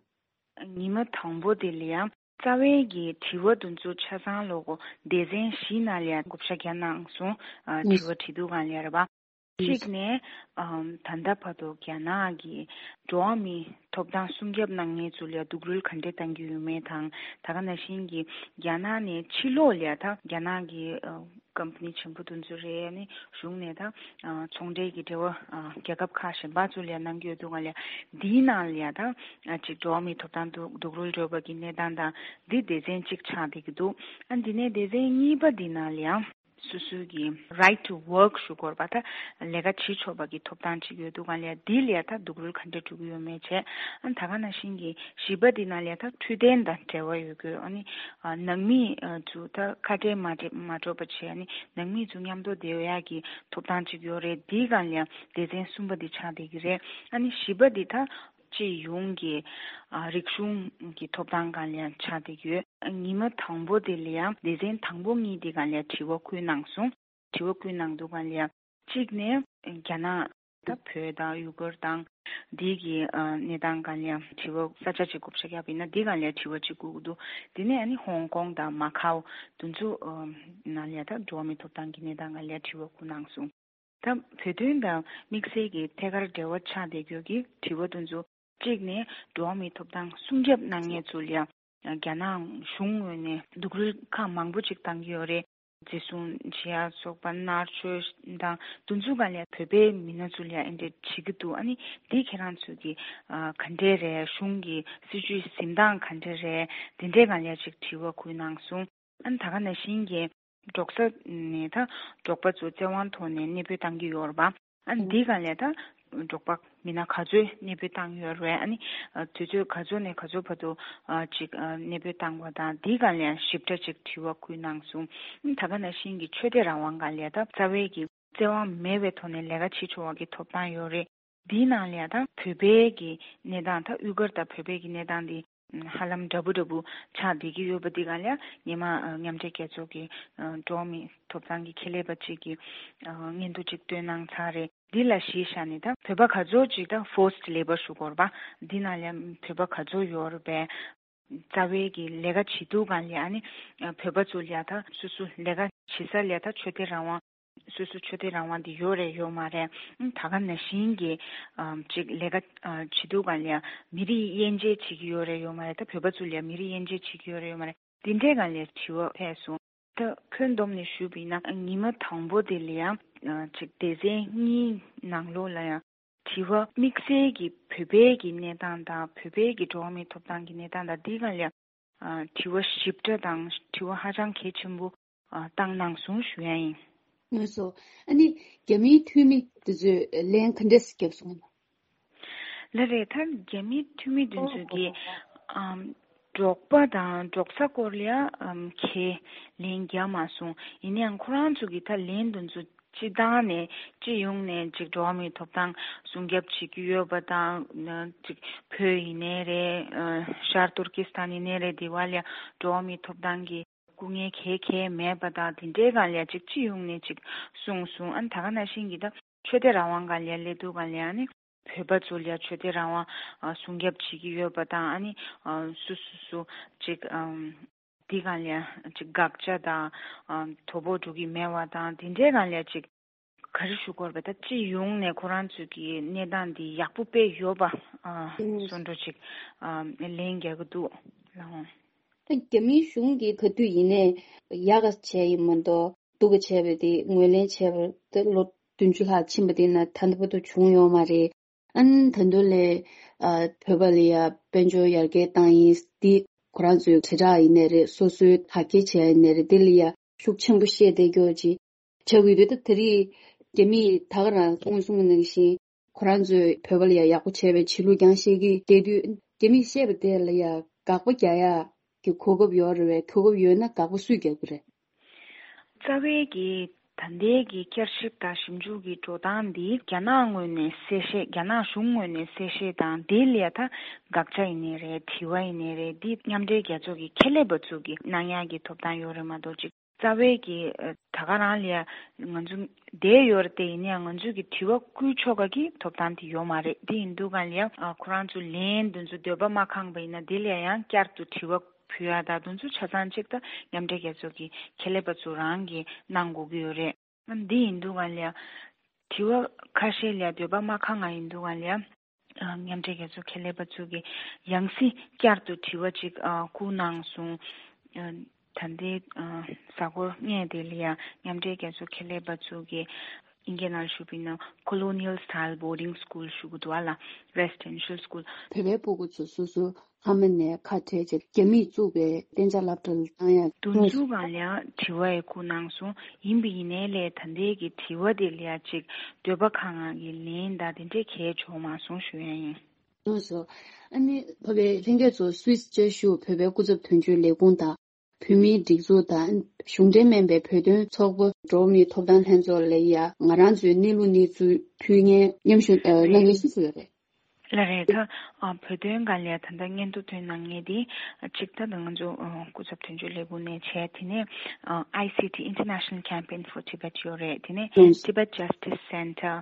ཉི་མ་དང་པོ་དེ་ལ་ཡང་རྩ་བའི་གི་དྲི་བ་དེ་ཚོ་ཆ་ཚང་ལོ་གོ་སྡེ་ཚན་བཞིའི་ནང་ལ་ཡང་བགོ་བཤའ་བརྒྱབ་གནང་སོང་། ཨ་དྲི་བ་དྲི་དུས་སྒང་ལ་ཡ་རེད་པ། གཅིག་ནས་ཨམ་ད་ལྟ་བར་དུ་རྒྱ་ནག་གི་འགྲོ་བ་མིའི་ཐོབ་ཐང་སྲུང་སྐྱོབ་གནང་མཁན་ཚོ་ལ་སྡུག་རུལ་ག་འདྲས་བཏང་གི་ཡོད་མེད་དང་། ད་ག་ནང་བཞིན་གྱི་རྒྱ་ནག་ནས་ཕྱི་ལོགས་ལ་ད་རྒྱ་ནག་གི་ཨ་ཀམ་པ་ནི་ཆེན་པོ་དེ་ཚོ་རེད། ཨ་ནི་གཞུང་ནས་ད་ཨ་ཚོང་འབྲེལ་གྱི་འབྲེལ་བ་ཨ་རྒྱལ་ཁབ་ཁག་གཞན་པ་ཚོ་ལ་གནང་གི་ཡོད་འདུག་ག་ལ། འདིའི་ནང་ལ་ད་ཨ་ཅིག་འགྲོ་བ་མིའི་ཐོབ་ཐང་སྡུག་སྡུག་རུལ་འགྲོ་བ་གི་གནས་སྟངས་དང་འདི་སྡེ་ཚན་གཅིག་ཆགས་བསྡད་ཀྱི་འདུག་ཨ་འདི་ནས་སྡེ་ཚན་གཉིས་པ་འདི་ནང་ལ་ཡང་། སོ་སོའི་གི་right to work ཞུ་དགོས་པ། ད་ལས་ཀ་བྱེད་ཆོག་པ་གི་ཐོབ་ཐང་ཅིག་ཡོད་འདུག་ག་ལ། འདི་ལ་ད་སྡུག་རུལ་ག་འདྲ་འགྲོ་གི་ཡོད་མེད་བྱས། ཨ་ད་ག་ནང་བཞིན་གྱི་བཞི་པ་འདི་ནང་ལ་ད་འཕྲོད་བསྟེན་དང་འབྲེལ་བ་ཡོད་དགོས། ཨ་ནི་ཨ་ནང་མི་ཨ་ཚོ་ད་ཁ་བྲལ་མ་བྲལ་མ་འགྲོ་བ་བྱས། ཨ་ནི་ནང་མི་ཚོ་མཉམ་དུ་བསྡད་ཡག་གི་ཐོབ་ཐང་ཅིག་ཡོད་རེད། འདིའི་སྒང་ལ་སྡེ་ཚན་གསུམ་པ་འདི་ཆགས་བསྡད་ཀྱི་རེད། ཨ་ནི་བཞི་པ་འདི་ད་སྤྱི་ཡོངས་ཀྱི་ཨ་རིག་གཞུང་གི་ཐོབ་ཐང་སྒང་ལ་ཆགས་བསྡད་ཀྱི་ཡོད། ཉི་མ་དང་པོ་དེ་ལ་ཡང་སྡེ་ཚན་དང་པོ་གཉིས་དེ་སྒང་ལ་དྲི་བ་བཀོད་གནང་སོང་། དྲི་བ་བཀོད་གནང་འདུག་ག་ལ། གཅིག་ནས་རྒྱ་ནག་དང་བོད་དང་ཡུ་གུར་དང་འདི་གི་ཨ་གནས་སྟངས་སྒང་ལ་དྲི་བ། ས་ཆ་གཅིག་བགོ་བཤའ་བརྒྱབ་པ་ཡིན་ན་འདི་སྒང་ལ་དྲི་བ་གཅིག་བཀོད་ཀྱི་འདུག་དེ་ནས་ཨ་ནི་ཧོང་ཀོང་དང་མ་ཁའོ་དེ་ཚོ་ཨ་ནང་ལ་ད་འགྲོ་བ་མིའི་ཐོབ་ཐང་གི་གནས་སྟངས་སྒང་ལ་དྲི་བ་བཀོད་གནང་སོང་། ད་བོད་དོན་དང་དམིགས་བསལ་གྱི་ཐད་ཀར་འབྲེལ་བ་ཆགས་བསྡད་ཡོད་ཀྱི་དྲི་བ་དེ་ཚོ། གཅིག་ནས་འགྲོ་བ་མིའི་ཐོབ་ཐང་སྲུང་སྐྱོབ་གནང་མཁན་ཚོ་ལ་ཡང་རྒྱ་ནག་གཞུང་ངོས་ནས་སྡུག་རུལ་ཁག་མང་པོ་ཅིག་བཏང་གི་ཡོད་རེད། འཛིན་བཟུང་བྱེད་ཡ་སོགས་པ། མནར་གཅོད་དང་དེ་ཚོ་སྒང་ལ་བོད་པའི་མི་སྣ་ཚོ་ལ་ཡང་འདི་འདྲ་བྱེད་ཀྱི་འདུག་ཨ་ནི་འདི་ཁྱེད་རང་ཚོས་ཀྱི་ཨ་ག་འདྲས་རེད། གཞུང་གི་སྲིད་བྱུས་འཛིན་སྟངས་ག་འདྲས་རེད། འདི་འདྲའི་སྒང་ལ་ཅིག་དྲི་བ་བཀོད་གནང་སོང་། ཨ་ནི་ད་ག་ནང་བཞིན་གྱི་འབྲོག་ས་ནས་ད་འབྲོག་པ་ཚོ་བཙན་དབང་ཐོག་ནས་གནས་སྤོས་བཏང་གི་ཡོད་རེད་པ། ཨ་ནི་འདི་སྒང་ལ་ད་འབྲོག་པ་མི་སྣ་ག་ཚོད་གནས་སྤོས་བཏང་ཡོད་རེད། ཨ་ནི་ཨ་དུས་ཚོད་ག་ཚོད་ནས་ག་ཚོད་བར་དུ་ཨ་ཅིག་ཨ་གནས་སྤོས་བཏང་བ་དང་འདི་སྒང་ལ་ཞིབ་ཕྲ་ཅིག་དྲི་བ་བཀོད་གནང་སོང་། ཨ་ནི་ད་ག་ནང་བཞིན་གྱི་ཆོས་དད་རང་དབང་སྒང་ལ་ད་རྩ་བའི་གི་བཙན་དབང་མེད་པའི་ཐོག་ནས་ལས་ཀ་བྱེད་ཆོག་པ་གི་ཐོབ་ཐང་ཡོད་རེད། འདིའི་ནང་ལ་ཡང་ད་བོད་པའི་གི་གནས་སྟངས། ད་ཡུ་གུར་དང་བོད་པའི་གི་གནས་སྟངས་འདི་ཧ་ལམ་འདྲ་པོ་འདྲ་པོ་ཆགས་བསྡད་ཀྱི་ཡོད་པ་འདི་སྒང་ལ་ཡང་སྔོན་མ་ཨ་མཉམ་འབྲེལ་རྒྱལ་ཚོགས་ཀྱི་ཨ་འགྲོ་བ་མིའི་ཐོབ་ཐང་གི་ཁྱད་ལས་པ་གཅིག་གིས་ཨ་སྙན་ཐོ་གཅིག་བཏོན་གནང་ཚར་རེད། འདི་ལ་གཞི་བཞག་ནས་ད་བོད་པ་ག་ཚོད་ཅིག་ད་forced labour ཞུ་དགོས་རེད་པ། འདི་ནང་ལ་བོད་པ་ག་ཚོད་ཡོད་རེད་པས། རྩ་བའི་གི་ལས་ཀ་བྱེད་དུས་སྒང་ལ་ཨ་ནི་ཨ་བོད་པ་ཚོ་ལ་ད་སོ་སོ་ལས་ཀ་བྱེད་ས་ལ་ད་ཆོས་དད་རང་དབང་། སོ་སོ་ཆོས་དད་རང་དབང་འདི་ཡོད་རེད་ཡོད་མ་རེད། ཨ་ད་ག་ནང་བཞིན་གྱི་ཨ་ཅིག་ལས་ཀ་ཨ་བྱེད་དུས་སྒང་ལ་མི་རིགས་དབྱེ་འབྱེད་བྱེད་ཀྱི་ཡོད་རེད་ཡོད་མ་རེད། ད་བོད་པ་ཚོ་ལ་མི་རིགས་དབྱེ་འབྱེད་བྱེད་ཀྱི་ཡོད་རེད་ཡོད་མ་རེད། འདི་འདྲའི་སྒང་ལ་དྲི་བ་ཕེབས་སོང་། ད་ཁྱོན་བསྡོམས་ནས་ཞུས་པ་ཡིན་ན་ཉི་མ་དང་པོ་དེ་ལ་ཡང་ཨ་ཅིག་སྡེ་ཚན་གཉིས་ནང་ལོགས་ལ་ཡང་དྲི་བ་དམིགས་བསལ་གྱི་བོད་པའི་གི་གནས་སྟངས་དང་བོད་པའི་གི་འགྲོ་བ་མིའི་ཐོབ་ཐང་གི་གནས་སྟངས་དང་འདི་སྒང་ལ་ཨ་དྲི་བ་ཞིབ་ཕྲ་དང་དྲི་བ་ཧ་ཅང་གལ་ཆེན་པོ་ཨ་བཏང་གནང་སོང་ཞུ་ཡ་ཡིན། ལགས་སོ། ཨ་ནི་རྒྱ་མིའི་འཐུས་མི་དེ་ཚོས་ལན་ག་འདྲས་བརྒྱབ་སོང་ལགས། ལགས་རེད། ད་རྒྱ་མིའི་འཐུས་མི་དེ་ཚོས་ཀྱིས་ཨམ་འབྲོག་པ་དང་འབྲོག་ས་སྐོར་ལ་ཡ་ཨམ་གའི་ལན་བརྒྱབ་མ་སོང་། ཡིན་ནའང་ཁོ་རང་ཚོ་གིས་ད་ལན་དེ་ཚོ་སྤྱི་བཏང་ནས་སྤྱི་ཡོངས་ནས་ཅིག་འགྲོ་བ་མིའི་ཐོབ་ཐང་སྲུང་སྐྱོབ་བྱེད་ཀྱི་ཡོད་པ་དང་། ཅིག་བོད་ཡིན་ནའི་རེད། ཨ་ཤར་ཏུར་ཀི་སི་ཐན་ཡིན་ནའི་རེད། འདི་བ་ལ་འགྲོ་བ་མིའི་ཐོབ་ཐང་གི་སྐུ་ངལ་ག་ག་མེད་པ་དང་དེ་འདྲའི་སྒང་ལ་ཅིག་སྤྱི་ཡོངས་ནས་ཅིག་གསུངས་སོང་། ཨ་ནི་ད་ག་ནང་བཞིན་གྱི་ད་ཆོས་དད་རང་དབང་སྒང་ལ་སླེབས་དུས་སྒང་ལ་ཨ་ནི་བོད་པ་ཚོ་ལ་ཆོས་དད་རང་དབང་ཨ་སྲུང་སྐྱོབ་བྱེད་ཀྱི་ཡོད་པ་དང་། ཨ་ནི་ཨ་སུ་སུ་སུ་ཅིག་ཨམ་འདི་སྒང་ལ་ཅིག་དགག་བྱ་དང་ཨ་དོ་ཕོག་འགྲོ་གི་མེད་པ་དང་དེ་འདྲའི་སྒང་ལ་ཅིག་ག་རེ་ཞུ་དགོས་རེད་པ། ད་སྤྱི་ཡོངས་ནས་ཁོ་རང་ཚོས་ཀྱི་གནས་སྟངས་འདི་ཡག་པོ་དཔེ་ཡོད་པ་ཨ་ཨུམ་བཟོ་འདྲ་ཅིག་ཨ་ལན་རྒྱག་གི་འདུག་ལགས། ད་རྒྱ་མིའི་གཞུང་གིས་ག་དུས་ཡིན་ནའི་ཡག་ག་བྱས་ཡིན་མ་གཏོགས་སྡུག་ག་བྱས་པ་དེ་ངོས་ལེན་བྱས་པ་དེ་ལོ་བདུན་ཅུ་ལྷག་ཕྱིན་པ་དེ་ན་ད་ལྟ་བར་དུ་བྱུང་ཡོད་མ་རེད། ཨ་ནི་ད་དུང་ལས་ཨ་བོད་པ་ལ་ཡ་དཔལ་འབྱོར་ཡར་རྒྱས་བཏང་ཡིན། འདི་ཁོ་རང་ཚོའི་དྲིལ་བསྒྲགས་ཡིན་ནའི་རེད། སོ་སོའི་དག་སྐྱེལ་བྱས་ཡིན་ནའི་རེད། འདི་ལ་ཡ་ཤུགས་ཆེན་པོ་བཤད་བསྡད་རྒྱུ་ཅིག་ཆགས་ཀྱི་ཡོད་དུས། ད་དེ་རིང་རྒྱ་མིས་ད་ག་རང་སྔོན་སོང་ནང་བཞིན་ཁོ་རང་ཚོས་བོད་པ་ལ་ཡ་ཡག་པོ་བྱས་པའི་བྱེད་ལུགས་རྐྱང་བཤད་ཀྱི་བསྡད་དུས། རྒྱ་མིས་བཤད་པ་དེ་ལ་ཡ་དགག་པ་རྒྱག་ཡ་གི་གོ་སྐབས་ཡོད་རེད་པས། གོ་སྐབས་ཡོད་ན་དགག་པ་སུས་རྒྱག་གི་རེད། རྩ་བའི་གི་ད་ལྟའི་གི་བསྐྱར་ཞིབ་དང་ཞིབ་འཇུག་གི་འགྲོ་སྟངས་འདི་རྒྱ་ནག་ངོས་ནས་གསལ་བཤད། རྒྱ་ནག་གཞུང་ངོས་ནས་གསལ་བཤད་དང་། དེ་ལ་ཡ་ད་དགག་བྱ་ཡིན་ནའི་རེད། དྲི་བ་ཡིན་ནའི་རེད། འདི་མཉམ་འབྲེལ་རྒྱལ་ཚོགས་ཀྱི་ཁྱད་ལས་པ་ཚོ་གི་གནང་ཡག་གི་ཐོབ་ཐང་ཡོད་རེད་མ་གཏོགས་ཅིག་རྩ་བའི་གི་ཨ་ད་ག་རང་ལ་ཡ་ང་ཚོ་བསྡད་ཡོད་རེད་དེ། ཡིན་ནའང་ང་ཚོས་ཀྱི་དྲི་བ་བསྐུལ་ཆོག་ག་གི་ཐོབ་ཐང་དེ་ཡོད་མ་རེད། དེ་ཡིན་དུས་སྒང་ལ་ཡ་ཨ་ཁོ་རང་ཚོ་ལན་དེ་ཚོ་འདོད་པ་མ་ཁེངས་པ་ཡིན་ན་དེ་ལ་ཡ་ཡང་བསྐྱར་དུ་དྲི་བ་ཕུལ་ཡ་དང་དེ་ཚོ་ཆ་ཚང་གཅིག་ད་མཉམ་འབྲེལ་རྒྱལ་ཚོགས་ཀྱི་ཁྱད་ལས་པ་ཚོ་རང་གིས་གནང་དགོས་ཀྱི་ཡོད་རེད། ཨ་འདི་ཡིན་དུས་སྒང་ལ་ཡ་ དྲི་བ་ཁ་ཤས་ལ་འདོད་པ་མ་ཁེངས་པ་ཡིན་དུས་ག་ལ་ཡ། ཨ། མཉམ་འབྲེལ་རྒྱལ་ཚོགས་ཁྱད་ལས་པ་ཚོ་གིས་ཡང་སྲིད་བསྐྱར་དུ་དྲི་བ་ཅིག་ཨ། བསྐུར་གནང་སོང་། ཨ། ད་ལྟའི་ཨ། གཟའ་འཁོར་ལྔ་དེ་ལ་ཡ་མཉམ་འབྲེལ་རྒྱལ་ཚོགས་ཁྱད་ལས་པ་ཚོ་གིས་ཨིན་སྐད་ནང་ཞུས་པ་ཡིན་ན་colonial style boarding school ཞུ་གི་འདུག་ཨ་ལ། residential school། བོད་པའི་སྤུ་གུ་ཚོ་སོ་སོ་ཕ་མ་ནས་ཁ་བྲལ་བྱས་རྒྱ་མིས་བཙུགས་པའི་གཏན་འཇགས་སློབ་གྲྭ་ལ་བཏང་ཡ། དེ་ཚོ་གང་ལ་ཡང་དྲི་བ་ཡང་བསྐུར་གནང་སོང་། ཡིན་པ་ཡིན་ནའི་ལས་ད་ལྟའི་གི་དྲི་བ་དེ་ལ་ཡང་ཅིག་འདོད་པ་ཁེངས་ཡ་གི་ལན་དང་དེ་འདྲས་གང་ཡང་བྱུང་མ་སོང་ཞུ་ཡ་ཡིན། ལགས་སོ། ཨ་ནི་བོད་པའི་ལྷན་རྒྱས་ཚོ་སུད་སི་བཅའ་བཞུགས་བོད་པའི་སྐུ་ཚབ་དོན་གཅོད་ལས་ཁུངས་དང་། བོད་མིའི་སྒྲིག་འཛུགས་དང་གཞུང་འབྲེལ་མིན་པའི་བོད་དོན་ཚོགས་པ། འགྲོ་བ་མིའི་ཐོབ་ཐང་ལྷན་ཚོགས་ལ་ཡ་ང་རང་ཚོའི་གནས་ལུགས་གནས་ཚུལ་ཕུལ་མཁན་མཉམ་ཞུགས་ཨ། གནང་མཁན་ཤིག་ཡོད་རེད། ལགས་རེད། ད་ཨ། བོད་དོན་སྒང་ལ་ད་ལྟ་སྙན་ཐོ་བཏོན་གནང་མཁན་དེ་གཅིག་ད་ལྟ་ང་ཚོ་ཨ། སྐུ་ཚབ་དོན་གཅོད་ལས་ཁུངས་ནས་བྱས། དེ་ནས་ཨ། I C T International Campaign for Tibet ཡོད་རེད། དེ་ནས་ལགས། Tibet Justice Center,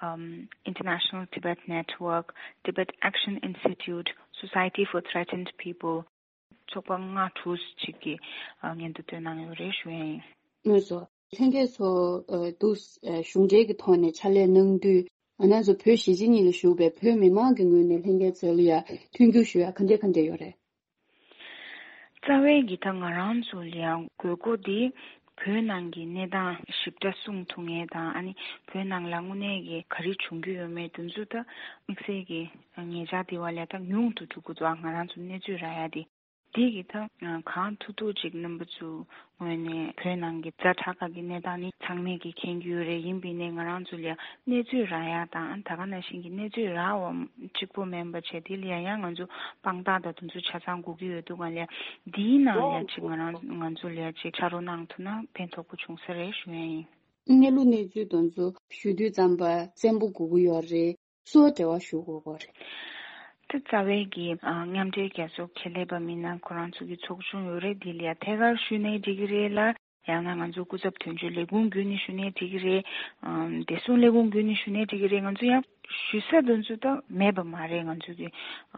um, International Tibet Network, Tibet Action Institute, Society for Threatened People, ཚོགས་པ་ལྔ་དྲུག་ཅིག་གིས་ཨ། སྙན་ཐོ་བཏོན་གནང་ཡོད་རེད་ཞུ་ཡ་ཡིན། ལགས་སོ། ལྷན་རྒྱས་ཚོ་ཨ། འདུག་ཨ། གཞུང་འབྲེལ་གྱི་ཐོག་ནས་ཕྱག་ལས་གནང་དུས། ང་རང་ཚོ་བོད་གཞིས་བྱེས་གཉིས་ལ་བཞུགས་པའི་བོད་མི་མང་གི་ངོས་ནས་ལྷན་རྒྱས་ཚོ་ལ་ཡ་མཐུན་འགྱུར་ཞུ་ཡ་ག་འདྲས་ག་འདྲས་ཡོད་རེད། རྩ་བའི་གི་ད་ང་རང་ཚོ་ལ་ཡ་དགོས་མཁོ་དེ་བོད་ནང་གི་གནས་སྟངས་ཞིབ་ཕྲ་གསུང་ཐུབ་མཁན་དང་། ཨ་ནི་བོད་ནང་ལ་དངོས་གནས་ཀྱི་ག་རེ་བྱུང་རྒྱུ་ཡོད་མེད་དེ་ཚོ་ད་དམིགས་བསལ་གྱི་ཉེ་ཆར་དེ་བ་ལ་ད་ཉུང་དུ་འགྲོ་གི་འདུག་ང་རང་ཚོ་གནས་ཚུལ་རག་ཡ་དེ། དེ་གི་ད་གང་ཐུབ་ཐུབ་ཅིག་རྣམ་པ་ཚོ་ངོས་ནས་བོད་ནང་གི་ཛ་དྲག་གི་གནས་སྟངས་ནི་ཚང་མས་ཀྱི་མཁྱེན་གྱི་ཡོད་རེད། ཡིན་པ་ཡིན་ནའི་ང་རང་ཚོ་ལ་ཡ་གནས་ཚུལ་རག་ཡ་དང་། ད་ག་ནང་བཞིན་གྱི་གནས་ཚུལ་རག་པ་གཅིག་པོ་མིན་པ་བྱས། དེ་ལ་ཡ་ཡང་ང་ཚོ་དཔང་རྟགས་དང་དེ་ཚོ་ཆ་ཚང་དགོས་ཀྱི་ཡོད་དུས་ག་ལ་ཡ་འདིའི་ནང་ལ་ཡ་ཅིག་ང་རང་ང་ཚོ་ལ་ཡ་ཅིག་ཕྱག་རོགས་གནང་ཐུབ་ན་ཕན་ཐོགས་པོ་བྱུང་ས་རེད་ཞུ་ཡ་ཡིན། གནས་ལུགས་གནས་ཚུལ་དེ་ཚོ་ཞུ་དུས་ཙམ་པ་བཙན་པོ་དགོས་ཀྱི་ཡོད་རེད། སུ་འབྲེལ་བ་ཞུ་དགོས་ཀྱི་རེད། དེ་རྩ་བའི་གི་ཨ། མཉམ་འབྲེལ་རྒྱལ་ཚོགས་ཁྱད་ལས་པ་མིན་ན་ཁོ་རང་ཚོ་གི་ཚོགས་ཆུང་ཡོད་རེད། དེ་ལ་ཡ་ཐད་ཀར་ཞུས་ནའི་འགྲིག་གི་རེད་ལ། ཡང་ན་ང་ཚོ་སྐུ་ཚབ་དོན་གཅོད་ལས་ཁུངས་བརྒྱུད་ནས་ཞུས་ནའི་འགྲིག་གི་རེད། ཨམ། བདེ་སྲུང་ལས་ཁུངས་བརྒྱུད་ནས་ཞུས་ནའི་འགྲིག་གི་རེད། ང་ཚོ་ཡང་ཞུ་ས་དེ་ཚོ་ད་མེད་པ་མ་རེད། ང་ཚོ་གི་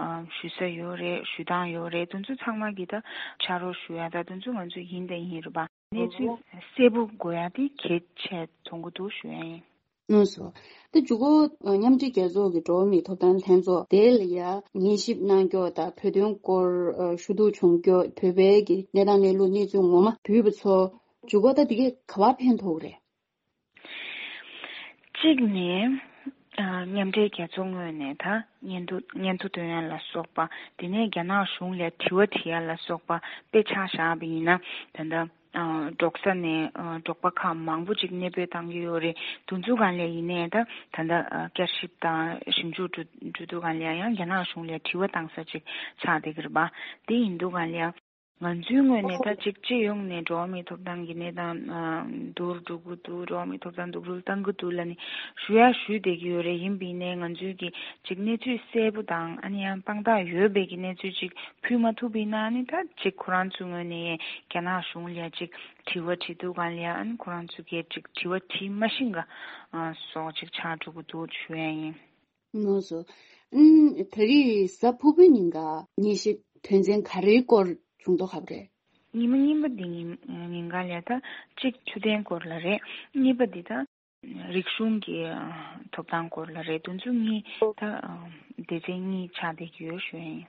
ཨམ། ཞུ་ས་ཡོད་རེད། ཞུ་སྟངས་ཡོད་རེད། དེ་ཚོ་ཚང་མ་གི་ད་ཕྱག་རོགས་ཞུ་ཡ་ད་དེ་ཚོ་ང་ཚོ་ཡིན་དང་ཡིན་རེད་པ། གནས་ཚུལ་གསལ་པོ་དགོས་ཡ་དེ་གལ་ཆེ་མཐོང་གི་འདུག་ཞུ་ཡ་ཡིན། ལགས་སོ། དེ་མཇུག་གུ་མཉམ་འབྲེལ་རྒྱལ་ཚོགས་ཀྱི་འགྲོ་བ་མིའི་ཐོབ་ཐང་ལྷན་ཚོགས་དེ་ལ་ཡ་ཉན་ཞིབ་གནང་རྒྱུ་དང་། བོད་དོན་སྐོར་ཞུ་གཏུག་བྱུང་རྒྱུ། བོད་པའི་གི་གནས་སྟངས་གནས་ལུགས་གནས་ཚུལ་ངོ་མ་འབུལ་བ་ཚོ་མཇུག་གུ་ད་དེ་གས་ག་པར་ཕན་ཐོགས་རེད། གཅིག་ནས་ཨ། མཉམ་འབྲེལ་རྒྱལ་ཚོགས་ངོས་ནས་ད་སྙན་ཐོ་སྙན་ཐོ་འདོན་ཡ་ལ་སོགས་པ། དེ་ནས་རྒྱ་ནག་གཞུང་ལ་དྲི་བ་དྲི་ཡ་ལ་སོགས་པ་དཔེ་ཆ་བཞག་པ་ཡིན་ན། ད་ལྟ་ཨ། འབྲོག་ས་ནས་ཨ། འབྲོག་པ་ཁག་མང་པོ་ཅིག་གནས་སྤོས་བཏང་གི་ཡོད་རེད། དེ་ཚོ་སྒང་ལ་ཡིན་ནའི་ད་ད་ལྟ་ཨ། བསྐྱར་ཞིབ་དང་ཞིབ་འཇུག་འགྲོ་འགྲོ་དུས་སྒང་ལ་ཡང་རྒྱ་ནག་གཞུང་ལ་དྲི་བ་བཏང་ས་ཅིག་ཆགས་བསྡད་ཀྱི་རེད་པ། དེ་ཡིན་དུས་སྒང་ལ་ཡང་ང་ཚོའི་ངོས་ནས་ད་ཅིག་སྤྱི་ཡོངས་ནས་འགྲོ་བ་མིའི་ཐོབ་ཐང་གི་གནས་སྟངས་ཨ། སྡུག་རུ་འགྲོ་གི་འདུག་འགྲོ་བ་མིའི་ཐོབ་ཐང་སྡུག་རུ་བཏང་གི་འདུག་ལབ་ནས་ཞུ་ཡ་ཞུས་བསྡད་ཀྱི་ཡོད་རེད། ཡིན་པ་ཡིན་ནའི་ང་ཚོའི་གི་ཅིག་གནས་ཚུལ་གསལ་པོ་དང་། ཨ་ནི་ཡང་དཔང་རྟགས་ཡོད་པའི་གི་གནས་ཚུལ་ཅིག་ཕུལ་མ་ཐུབ་པ་ཡིན་ན། ཨ་ནི་ད་ཅིག་ཁོ་རང་ཚོའི་ངོས་ནས་རྒྱ་ནག་གཞུང་ལ་ཅིག་དྲི་བ་དྲི་དུས་སྒང་ལ་ཡ། ཨ་ནི་ཁོ་རང་ཚོ་གིས་ཅིག་དྲི་བ་དྲི་མ་ཤེས་ག་ཨ། སོགས་ཅིག་ཆགས་འགྲོ་གི་འདུག་ཞུ་ཡ་ཡིན། ལགས་སོ། ཨུམ། ད་རེས་གཟའ་ཕུར་བུའི་ཉིན་ཀ་ཉན་ཞིབ་དོན་ཚན་ག་རེའི་སྐོར་བྱུང་མདོག་ཁ་པོ་རེད། ཉི་མ་གཉིས་པ་འདི་ཉིན་ཉིན་ཀ་ལ་ད་གཅིག་ཆུ་ཚན་སྐོར་ལ་རེད། གཉིས་པ་འདི་ད་རིག་གཞུང་གི་ཐོབ་ཐང་སྐོར་ལ་རེད། དེ་ཚོ་གཉིས་ད་སྡེ་ཚན་གཉིས་ཆགས་བསྡད་ཀྱི་ཡོད་ཞུ་ཡ་ཡིན།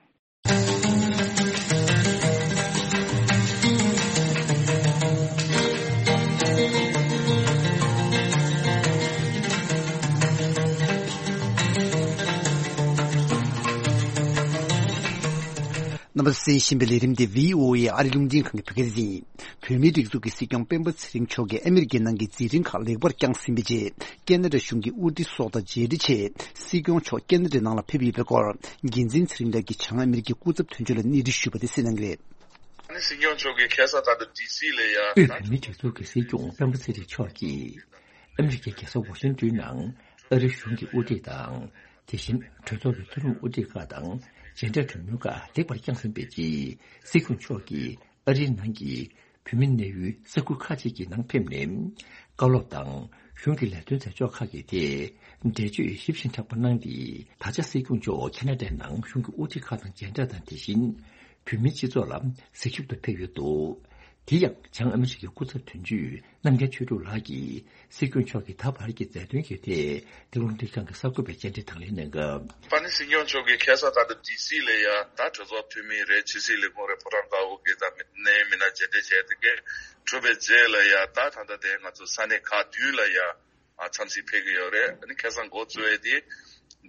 རྣམ་པ་གསན་བཞིན་པའི་ལས་རིམ་འདི་བྷི་ཨོ་ཨེ་ཨ་རི་རླུང་འཕྲིན་ཁང་གི་བོད་སྐད་སྡེ་ཚན་ཡིན། བོད་མིའི་སྒྲིག་འཛུགས་ཀྱི་སྲིད་སྐྱོང་སྤེན་པ་ཚེ་རིང་མཆོག་གིས་ཨ་མི་རི་ཀའི་ནང་གི་འཛིན་རིམ་ཁག་ལེགས་པར་བསྐྱངས་ཟིན་པའི་རྗེས། ཀེ་ན་ཌ་གཞུང་གི་དབུ་ཁྲིད་སོགས་དང་མཇལ་འཕྲད་ཆེད། སྲིད་སྐྱོང་མཆོག་ཀེ་ན་ཌའི་ནང་ལ་ཕེབས་ཡོད་པའི་སྐོར། འགན་འཛིན་ཚེ་རིང་ལགས་ཀྱིས་བྱང་ཨ་མི་རི་ཀའི་སྐུ་ཚབ་དོན་གཅོད་ལ་གནས་འདྲི་ཞུས་པ་དེ་གསན་གནང་གི་རེད། ཨ་ནི་སྲིད་སྐྱོང་མཆོག་གིས་ཁ་སང་ད་ལྟ་ཌི་སི་ལ་ཡ། དབུས་བོད་མིའི་སྒྲིག་འཛུགས་ཀྱི་སྲིད་སྐྱོང་སྤེན་པ་ཚེ་རིང་མཆོག་གིས་ཨ་མི་རི་ཀའི་རྒྱལ་ས་ཝ་ཤིང་ཏོན་ནང་ཨ་རིའི་གཞུང་གི་དབུ་ཁྲིད་དང་། དེ་བཞིན་གྲོས་ཚོགས་ཀྱི་མཐོ་རིམ་དབུ་ཁྲིད་ཁག་དང་མཇལ་འཕྲད་གྲོས་མོལ་ཁག་ལེགས་པར་བསྐྱངས་ཟིན་པའི་རྗེས། སྲིད་སྐྱོང་མཆོག་གིས་ཨ་རིའི་ནང་གི་བོད་མི་གནས་ཡུལ་ས་ཁུལ་ཁག་ཅིག་གི་ནང་ཕེབས་ནས། བཀའ་སློབ་དང་གཞུང་གི་ལས་དོན་མཛད་ཕྱོགས་ཁག་གི་ཐད་འགྲེལ་བརྗོད་ཞིབ་ཅིང་དྲག་པོ་གནང་སྟེ། ད་ཆ་སྲིད་སྐྱོང་མཆོག་ཁེ་ན་ཌའི་ནང་གཞུང་གི་དབུ་ཁྲིད་ཁག་དང་མཇལ་འཕྲད་དང་། དེ་བཞིན་བོད་མིའི་སྤྱི་ཚོགས་ལ་གཟིགས་ཞིབ་ཏུ་ཕེབས་ཡོད་འདུག་དེ་ཡང་བྱང་ཨ་མི་རི་ཀའི་སྐུ་ཚབ་དོན་གཅོད་རྣམ་རྒྱལ་ཆོས་གྲུབ་ལགས་ཀྱིས་སྲིད་སྐྱོང་མཆོག་གི་ད་བར་གྱི་མཛད་དོན་གྱི་ཐད་ཏེ་རླུང་འཕྲིན་ཁང་གི་གསར་འགོད་པའི་བཅར་འདྲི་དང་ལེན་གནང་སྐབས། ཨ་ནི་སྲིད་སྐྱོང་མཆོག་གིས་ཁ་སང་ད་ལྟ་ཌི་སི་ལ་ཡ་ད་གྲོས་ཚོགས་འཐུས་མི་རེད། ཕྱི་སྲིད་ལས་ཁུངས་རེད། ཕོ་བྲང་དཀར་པོ་གི་ད་མི་གནད་ཡོད་མི་སྣ་མཇལ་འཕྲད་བྱས་དེ་གས་གྲུབ་པའི་རྗེས་ལ་ཡ་ད་ད་ལྟ་དེ་ང་ཚོ་ས་གནས་ཁག་བདུན་ལ་ཡ་ཨ་འཚམས་གཟིགས་ཕེབས་ཀྱི་ཡོད་རེད། ཨ་ནི་ཁ་སང་འགོ་བཙུགས་ཡས་དེ་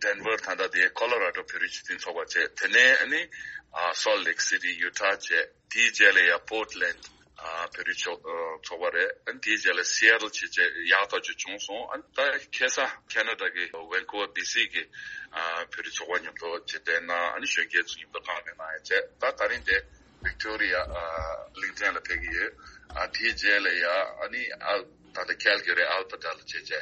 ཌེན་ཝར་ད་ལྟ་དེ་ཁོ་ལོ་ར་ཌོ་བོད་རིགས་སྤྱི་མཐུན་ཚོགས་པ་བྱས། དེ་ནས་ཨ་ནི་ཨ་སོལ་ལེག་སི་ཊི་ཡུ་ཊ་བྱས། དེའི་རྗེས་ལ་ཡ་པོར་ཊི་ལེན་ཌི་ཨ་བོད་རིགས་ཚོགས་ཨ་ཚོགས་པ་རེད། ཨ་ནི་དེའི་རྗེས་ལ་སི་ཨེ་ཊལ་བྱས་བྱས་ཡག་ཐག་ཆོད་བྱུང་སོང་། ཨ་ནི་ད་ཁ་སང་ཁེ་ན་ཌ་གི་ཝན་ཀུ་ཝར་ཌི་སི་གི་ཨ་བོད་རིགས་ཚོགས་པ་མཉམ་དུ་མཇལ་འཕྲད་གནང་། ཨ་ནི་གཞོན་སྐྱེས་ཚོ་མཉམ་དུ་བཀའ་མོལ་གནང་ཡས་བྱས། ད་ད་རིང་དེ་ཝིག་ཊོ་རི་ཡ་ཨ་གླིང་ཕྲན་ལ་ཕེབས་ཀྱི་ཡོད། ཨ་དེའི་རྗེས་ལ་ཡ་ཨ་ནི་ཨ་ད་ལྟ་ཁལ་གྷ་རི་ཨལ་བྷར་ཊ་ལ་བྱས་བྱས་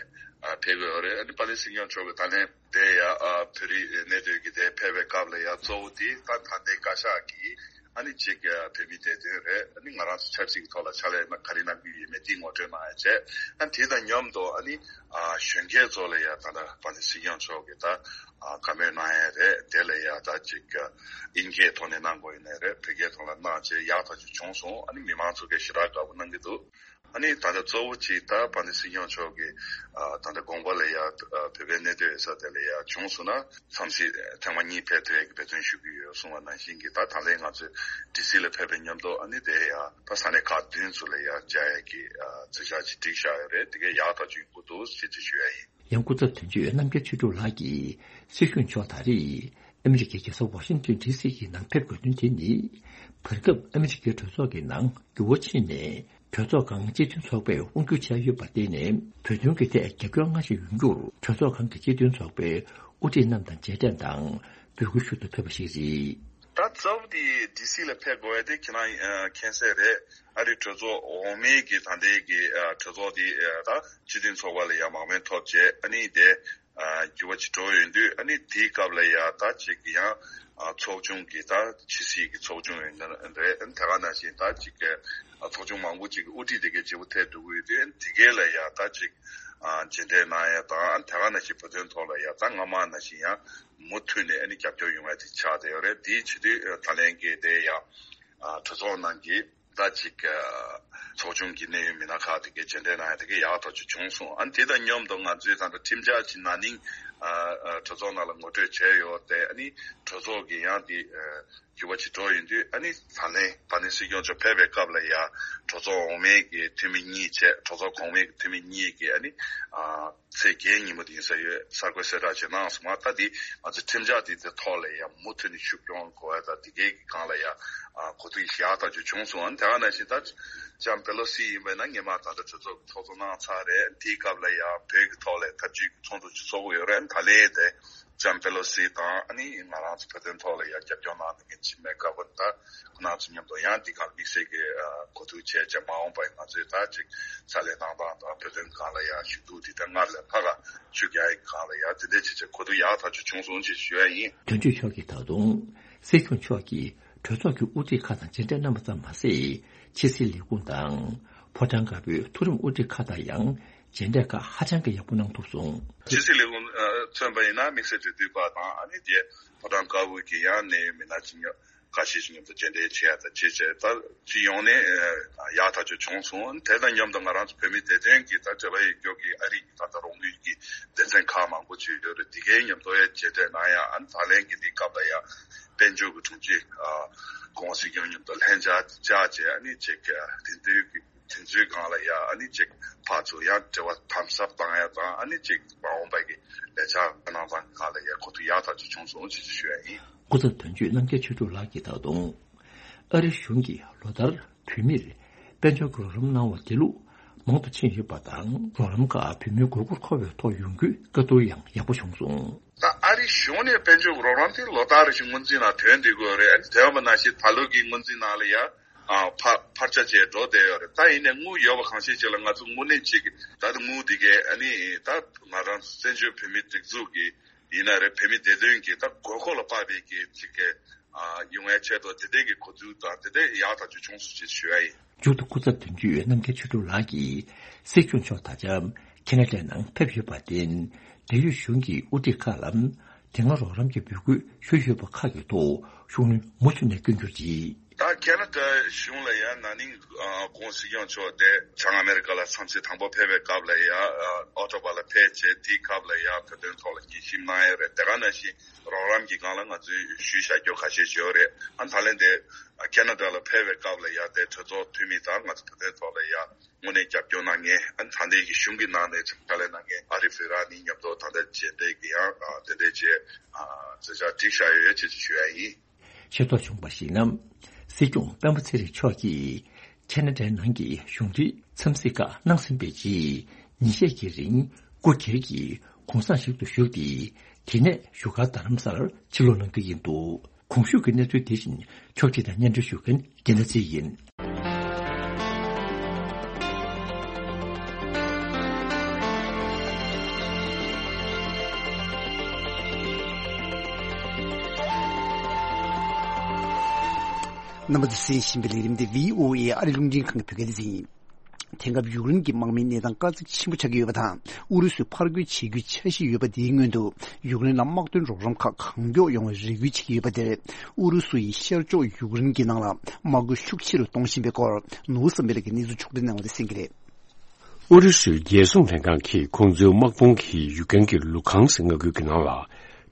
ཨ་ཕེབས་ཀྱི་ཡོད་རེད། ཨ་ནི་དཔལ་ལྡན་སྲིད་སྐྱོང་མཆོག་གིས་ད་ལན་དེ་ཡ་ཨ་བོད་རིགས་གནས་སྡོད་ཀྱི་དེ་ཕེབས་པའི་སྐབས་ལ་ཡ་གཙོ་བོ་དེ་ད་ད་ལྟའི་བཀའ་ཤག་གིས་ཨ་ནི་གཅིག་བོད་མིའི་བདེ་དོན་རེད། ཨ་ནི་ང་རང་ཚོ་ཆབ་སྲིད་ཀྱི་ཐོག་ལ་ཕྱག་ལས་ག་རེ་གནང་གི་ཡོད་མེད་དེ་ངོ་སྤྲོད་གནང་ཡ་བྱས། ཨ་ནི་དེ་དང་མཉམ་དུ་ཨ་ནི་ཨ་གཞོན་སྐྱེས་ཚོ་ལ་ཡ་ད་ལྟ་དཔལ་ལྡན་སྲིད་སྐྱོང་མཆོག་གིས་ད་ཨ་བཀའ་མོལ་གནང་ཡ་རེད། དེ་ལ་ཡ་ད་གཅིག་དབྱིན་སྐད་ཐོག་ནས་གནང་དགོས་ཡིན་ནའི་རེད། བོད་སྐད་ཐོག་ལ་གནང་བྱས་ཡག་ཐག་ཆོད་བྱུང་སོང་། ཨ་ནི་མི་མང་ཚོ་གས་ཞེ་དྲག་དགའ་པོ་གནང་གི་འདུག་ཨ་ནི་ད་ལྟ་གཙོ་བོ་གཅིག་ད་དཔལ་ལྡན་སྲིད་སྐྱོང་མཆོག་གིས་ཨ་ད་ལྟ་དགོངས་པ་ལ་ཡ་ཨ་བོད་པའི་གནས་སྡོད་ཡོད་ས་དེ་ལ་ཡ་བྱུང་སོང་ན་འཚམས་ཤིག་ཐེངས་མ་གཉིས་ཕེབས་ཐུབ་ཡས་ཀྱི་འབད་བརྩོན་ཞུ་གི་ཡོད་གསུངས་པ་ནང་བཞིན་གྱི། ད་ད་ལན་ང་ཚོས་ཌི་སི་ལ་ཕེབས་པའི་མཉམ་དུ་ཨ་ནི་དེ་ཡ་ད་ས་གནས་ཁག་བདུན་ཚོ་ལ་ཡ་བཅར་ཡས་ཀྱི་ཨ་འཛིན་བྱ་ཅིག་བསྒྲིགས་བཞག་ཡོད་རེད། དེ་གས་ཡག་ཐག་ཆོད་ཡོང་གི་འདུག་ཅེས་ཅིག་ཞུ་ཡ་ཡིན། ཡང་སྐུ་ཚབ་དོན་གཅོད་རྣམ་རྒྱལ་ཆོས་གྲུབ་ལགས་ཀྱིས་སྲིད་སྐྱོང་མཆོག་ད་རེས་ཨ་མི་རི་ཀའི་རྒྱལ་ས་ཝ་ཤིང་ཏོན་ཌི་སི་གི་ནང་ཕེབས་དགོས་དོན་དེ་ནི། བར་སྐབས་ཨ་མི་རི་ཀའི་གྲོས་ཚོགས་ཀྱི་ནང་འགྱུར་བ་ཕྱིན་ནས། གྲོས་ཚོགས་ཁང་སྤྱི་མཐུན་ཚོགས་པས་དབང་སྒྱུར་བྱས་ཡོད་པར་བརྟེན་ནས། བོད་དོན་གྱི་ཐད་རྒྱབ་སྐྱོར་སྔར་བཞིན་ཡོང་རྒྱུར། གྲོས་ཚོགས་ཁང་གི་སྤྱི་མཐུན་ཚོགས་པའི་དབུ་ཁྲིད་རྣམས་དང་མཇལ་འཕྲད་དང་འབོད་སྐུལ་ཞུ་ཏུ་ཕེབས་པ་ཞིག་རེད། ད་གཙོ་བོ་དེ་ཌི་སི་ལ་ཕེབས་དགོས་ཡ་དེ་ཁྱེད་རང་ཨ་མཁྱེན་གསལ་རེད། ཨ་རི་གྲོས་ཚོགས་འོག་མའི་གི་ད་ལྟའི་གི་ཨ་གྲོས་ཚོགས་དེ་ཨ་ད་སྤྱི་མཐུན་ཚོགས་པ་ལ་ཡ་མང་མོས་ཐོབ་བྱས། ཨ་ནི་དེ་ཨ་འགྱུར་བ་ཅིག་འགྲོ་ཡོང་དུས། ཨ་ནི་དེའི་སྐབས་ལ་ཡ་ད་ཅིག་ཡང་ཨ་ཚོགས་ཆུང་གི་ད་ཕྱི་སྲིད་ཀྱི་ཚོགས་ཆུང་ཡིན་ན་རེད། ཨ་ནི་དེ་ག་ནང་བཞིན་ད་ཅིག་ཨ་ཚོགས་ཆུང་མང་པོ་ཅིག་གི་དབུ་ཁྲིད་དེ་གའི་བརྗེ་པོ་ཐེབས་འགྲོ་གི་ཡོད་དུས། ཨ་ནི་དེ་གའི་ལ་ཡ་ད་ཅིག་ཨ་མཇལ་འཕྲད་གནང་ཡ་དང་། ཨ་ནི་དེ་ག་ནང་བཞིན་བོད་དོན་ཐོག་ལ་ཡ་ད་སྔ་མ་ནང་བཞིན་ཡང་མུ་མཐུད་ནས་ཨ་ནི་རྒྱབ་སྐྱོར་ཡོང་ཡ་དེ་ཆགས་བསྡད་ཡོད་རེད། དེའི་ཕྱི་དུས་ཨ་ད་ལན་གྱི་དེ་ཡ་ཨ་གྲོས་ཚོགས་ནང་གི་ད་ཅིག་ཨ་ཚོགས་ཆུང་གི་གནད་ཡོད་མི་སྣ་ཁག་དེ་གའི་མཇལ་འཕྲད་གནང་ཡ་དེ་གའི་ཡག་ཐག་ཆོད་བྱུང་སོང་། ཨ་ནི་དེ་དང་མཉམ་དུ་ང་ཚོའི་ད་ལྟ་ཁྲིམས་འཆར་ཅིག་ན་ནིང་ཨ་ཨ་གྲོས་ཚོགས་ནང་ལ་ངོ་སྤྲོད་བྱས་ཡོད་དེ། ཨ་ནི་གྲོས་ཚོགས་ཀྱི་ཡང་དེ་ཨ་འགྱུར་བ་ཅིག་འགྲོ་ཡོང་དུས། ཨ་ནི་ད་ལན་དཔལ་ལྡན་སྲིད་སྐྱོང་མཆོག་ཕེབས་པའི་སྐབས་ལ་ཡ་གྲོས་ཚོགས་འོག་མའི་གི་འཐུས་མི་གཉིས་བྱས། གྲོས་ཚོགས་གོང་མའི་གི་འཐུས་མི་གཉིས་ཀྱིས་ཨ་ནི་ཨ་ཚེས་བརྒྱད་ཉིན་མོ་དེ་ཡིན་ས་ཡོད། གསར་འགོད་གསལ་བསྒྲགས་ཅིག་གནང་སོང་བ། ད་འདི་ང་ཚོའི་ཁྲིམས་འཆར་འདི་དེ་ཐོག་ལ་ཡང་མུ་མཐུད་ནས་ཤུགས་སྐྱོན་དགོས་ཡ་ད་འདི་གའི་གི་སྒང་ལ་ཡ་ཨ་གོ་བསྡུར་ཡག་ཐག་ཆོད་བྱུང་སོང་། ཨ་ནི་དེ་ག་ནང་བཞིན་ད་ལྕམ་པེ་ལོ་སི་ཡིན་པ་ཡིན་ན་སྔོན་མ་ད་ལྟ་གྲོས་ཚོགས་ཀྱི་ཚོགས་གཙོ་གནང་ཚར་རེད། དེའི་སྐབས་ལ་ཡང་བོད་ཀྱི་ཐོག་ལ་ཐབས་ཇུས་ཀྱི་ཚོགས་འདུ་ཅིག་ཚོགས་ཀྱི་ཡོད་རེད། ཨ་ནི་ད་ལན་དེ་ལྕམ་པེ་ལོ་སི་དང་ཨ་ནི་ང་རང་ཚོ་བོད་དོན་ཐོག་ལ་ཡང་རྒྱབ་སྐྱོར་གནང་བསྡད་མཁན་ཅིག་མེད་སྐབས་ད་ཁོང་རྣམ་ཚོ་མཉམ་དུ་ཡང་འདི་ག་དམིགས་བསལ་གྱི་ཨ་གོ་བསྡུར་བྱས་བྱས། མ་འོངས་པར་ང་ཚོས་ད་ཅིག་ཕྱག་ལས་གནང་སྟངས་དང་བོད་དོན་སྒང་ལ་ཡང་ཞུ་གཏུག་འདི་ད་སྔར་ལས་ལྷག་ག་ཤུགས་རྒྱག་ཡག་སྒང་ལ་ཡང་དེ་འདྲའི་ཅིག་ཅིག་གོ་བསྡུར་ཡག་ཐག་ཆོད་བྱུང་སོང་ཅེས་ཞུ་ཡ་ཡིན། དོན་གཅོད་མཆོག་གིས་ད་དུང་སྲིད་སྐྱོང་མཆོག་གིས་གྲོས་ཚོགས་ཀྱི་དབུ་ཁྲིད་ཁག་དང་མཇལ་འཕྲད་གནང་བ་ཙམ་མ་ཟད། ཕྱི་སྲིད་ལས་ཁུངས་དང་ཕོ་བྲང་དཀར་པོའི་མཐོ་རིམ་དབུ་ཁྲིད་ཁག་དང་ཡང་མཇལ་འཕྲད་ཁག་ཧ་ཅང་གི་ཡག་པོ་གནང་ཐུབ་སོང་། ཕྱི་སྲིད་ལས་ཁུངས་ཨ་མཚོན་པ་ཡིན་ན་དམིགས་བསལ་འབྲེལ་མཐུད་པ་དང་། ཨ་ནི་དེ་ཕོ་བྲང་དཀར་པོ་གི་ཡང་གནད་ཡོད་མི་སྣ་ཅིག་ཉོ་ཁ་ཤས་ཤིག་མཉམ་དུ་མཇལ་འཕྲད་བྱས་ཡ་དང་བྱས་བྱས་ད་སྤྱི་ཡོངས་ནས་ཡག་ཐག་ཆོད་བྱུང་སོང་། དེ་དང་མཉམ་དུ་ང་རང་ཚོ་བོད་མིའི་བདེ་དོན་གྱི་ད་འབྲེལ་བ་ཡོད་རྒྱུ་གི་ཨ་རི་གི་ད་ལྟ་རོགས་དངུལ་གྱི་སྡེ་ཚན་ཁག་མང་པོ་ཅིག་ཡོད་རེད། དེ་གའི་མཉམ་དུ་ཡང་མཇལ་འཕྲད་གནང་ཡ། ཨ་ནི་ད་ལན་གྱི་འདིའི་སྐབས་ལ་ཡ་དཔལ་འབྱོར་གྱི་དྲུང་ཆེ་ཨ་སྐུ་ངོ་སྲིད་སྐྱོང་མཉམ་དུ་ལྷན་བཅར་བཅར་བྱས། ཨ་ནི་ཅིག་དེ་འདྲའི་གི་དེ་ཚོའི་སྒང་ལ་ཡ་ཨ་ནི་ཅིག་ཕར་ཚུར་ཡང་འབྲེལ་བ་དམ་ཟབ་བཏང་ཡ་དང་། ཨ་ནི་ཅིག་མ་འོངས་པ་གི་ལས་འཆར་གནང་སྟངས་སྒང་ལ་ཡ་གོ་བསྡུར་ཡག་ཐག་ཆོད་བྱུང་སོང་ཅེས་ཞུ་ཡ་ཡིན། སྐུ་ཚབ་དོན་གཅོད་རྣམ་རྒྱལ་ཆོས་གྲུབ་ལགས་ཀྱིས་ད་དུང་ཨ་རི་གཞུང་གིས་ལོ་ལྟར་བོད་མིར་དཔལ་འབྱོར་གྱི་རོགས་རམ་གནང་བ་དེ་ལུགས་མང་དུ་ཕྱིན་ཡོད་པ་དང་། རོགས་རམ་ཁག་བོད་མིའི་དགོས་མཁོར་མཁོ་བའི་ཐོག་ཡོང་རྒྱུའི་བཀའ་བསྡུར་ཡང་ཡག་པོ་བྱུང་སོང་། ད་ཨ་རི་གཞུང་ནས་དཔལ་འབྱོར་གྱི་རོགས་རམ་དེ་ལོ་ལྟར་རེ་བཞིན་སྔོན་རྩིས་ནང་ཐོན་བསྡད་ཀྱི་ཡོད་རེད། ཨ་ནི་དེ་ཡང་མ་ནང་བཞིན་ད་ལོ་གི་སྔོན་རྩིས་ནང་ལ་ཡ་ཨ་འཕར་འཕར་ཆ་ཅིག་འགྲོ་བསྡད་ཡོད་རེད། ད་ཡིན་ནའི་དངུལ་ཡོད་པ་གང་ཤེས་ཅིག་ལ་ང་ཚོ་དངོས་གནས་ཅིག་ད་དངུལ་འདི་གས་ཨ་ནི་ད་ང་རང་བཙན་བྱོལ་བོད་མིའི་སྒྲིག་འཛུགས་ཀྱི་ཡིན་ན་རེད། བོད་མིའི་བདེ་དོན་གྱི་ད་དགོས་མཁོ་ལ་དཔག་པའི་གི་ཅིག་གི་ཨ་ཡོང་བའི་ཆེད་དུ་དེ་འདྲའི་གི་གོ་བསྡུར་དང་དེ་འདྲའི་ཡག་ཐག་ཆོད་བྱུང་སོང་ཅེས་ཞུ་ཡ་ཡིན། མཇུག་ཏུ་སྐུ་ཚབ་དོན་གཅོད་རྣམ་རྒྱལ་ཆོས་གྲུབ་ལགས་ཀྱིས་སྲིད་སྐྱོང་མཆོག་ད་ཆ་ཁེ་ན་ཌའི་ནང་ཕེབས་ཡོད་པར་བརྟེན། འབྲེལ་ཡོད་གཞུང་གི་དབུ་ཁྲིད་ཁག་ལ་དེ་སྔ་རོགས་རམ་གྱི་འབོད་སྐུལ་ཞུས་ཡོད་པ་ཁག་གི་ཐོག་ཤུགས་སྣོན་མུ་མཐུད་ནས་སྐྱོན་གྱུར་ཅིག། ད་ཁེ་ན་ཌ་གཞུང་ལ་ཡ་ན་ནིང་ཨ་༸གོང་སྲིད་སྐྱོང་མཆོག་དེ་བྱང་ཨ་མེ་རི་ཀ་ལ་འཚམས་གཟིགས་དང་པོ་ཕེབས་པའི་སྐབས་ལ་ཡ་ཨ་ཨོ་ཊ་ཝ་ལ་ཕེབས་བྱས། དེའི་སྐབས་ལ་ཡ་བོད་དོན་ཐོག་ལ་ངེས་ཤེས་གནང་ཡ་རེད། དེ་ག་ནང་བཞིན་རོགས་རམ་གྱི་སྒང་ལ་ང་ཚོས་ཞུས་བཞག་རྒྱུ་ཁ་ཤས་ཡོད་རེད། ཨ་ད་ལན་དེ་ཁེ་ན་ཌ་ལ་ཕེབས་པའི་སྐབས་ལ་ཡ་དེ་གྲོས་ཚོགས་འཐུས་མི་དང་ང་ཚོ་བོད་དོན་ཐོག་ལ་ཡ་དངོས་གནས་རྒྱབ་སྐྱོར་གནང་མཁན། ཨ་ད་ལྟའི་གི་གཞུང་གི་ནང་ནས་ཕྱག་ལས་གནང་མཁན་ཨ་རིབ་ཧྥི་ར་ནི་མཉམ་དུ་ད་ལྟ་མཇལ་འཕྲད་ཀྱི་ཡང་ཨ་དེ་འདྲའི་བྱས་ཨ་མཛད་འཆར་བསྒྲིགས་བཞག་ཡོད་ཅེས་ཞུ་ཡ་ཡིན། ཤེས་རྟོགས་བྱུང་བར་གཞིགས་ན། སྲིད་སྐྱོང་སྤེན་པ་ཚེ་རིང་མཆོག་གིས་ཁེ་ན་ཌའི་ནང་གི་གཞུང་འབྲེལ་འཚམས་གཟིགས་ཁག་གནང་ཟིན་པའི་རྗེས། ཉིན་ཤས་ཀྱི་རིང་སྒོ་སྒེར་གྱི་གུང་སེང་ཞིག་ཏུ་ཞུགས་ཏེ། དེ་ནས་བཞུགས་སྒར་རྡ་རམ་ས་ལར་ཕྱིར་ལོག་གནང་གི་ཡིན་འདུག་གོང་ཞུས་ཀྱི་གནས་ཚུལ་དེ་བཞིན་ཕྱོགས་སྒྲིག་དང་སྙན་སྒྲོན་ཞུ་མཁན་རྒྱལ་མཚན་ཡིན། རྣམ་པ་ཚོས་གསན་བཞིན་པའི་ལས་རིམ་དེ་བྷི་ཨོ་ཨེ་ཨ་རིའི་རླུང་འཕྲིན་ཁང་གི་བོད་སྐད་སྡེ་ཚན་ཡིན། དེང་སྐབས་ཡུཀ་རེན་གྱི་དམག་མིའི་གནས་སྟངས་དཀའ་ཚེགས་ཆེན་པོ་ཆགས་ཀྱི་ཡོད་པ་དང་། ཨུ་རུ་སུས་ཕར་རྒོལ་བྱེད་རྒྱུའི་འཆར་གཞི་ཡོད་པ་དེའི་སྔོན་དུ། ཡུཀ་རེན་ལ་དམག་དོན་རོགས་རམ་ཁག་གང་མགྱོགས་ཡོང་བའི་རེ་སྐུལ་བྱེད་ཀྱི་ཡོད་པ་དེར། ཨུ་རུ་སུ་ཡིས་ཤར་ཕྱོགས་ཡུཀ་རེན་གྱི་ནང་ལ་དམག་འཁྲུག་ཤུགས་ཆེ་རུ་གཏོང་བཞིན་པའི་སྐོར། ནོར་བུ་བསམ་འཕེལ་ལགས་ཀྱིས་གནས་ཚུལ་ཕྱོགས་སྒྲིག་གནང་བ་དེ་གསན་གྱི་རེད། ཨུ་རུ་སུའི་རྒྱལ་སྲུང་ལྷན་ཁང་གིས་ཁོང་ཚོའི་དམག་དཔུང་གིས་ཡུཀ་རེན་གྱི་ལུ་ཁང་སི་མངའ་ཁུལ་གྱི་ནང་ལ་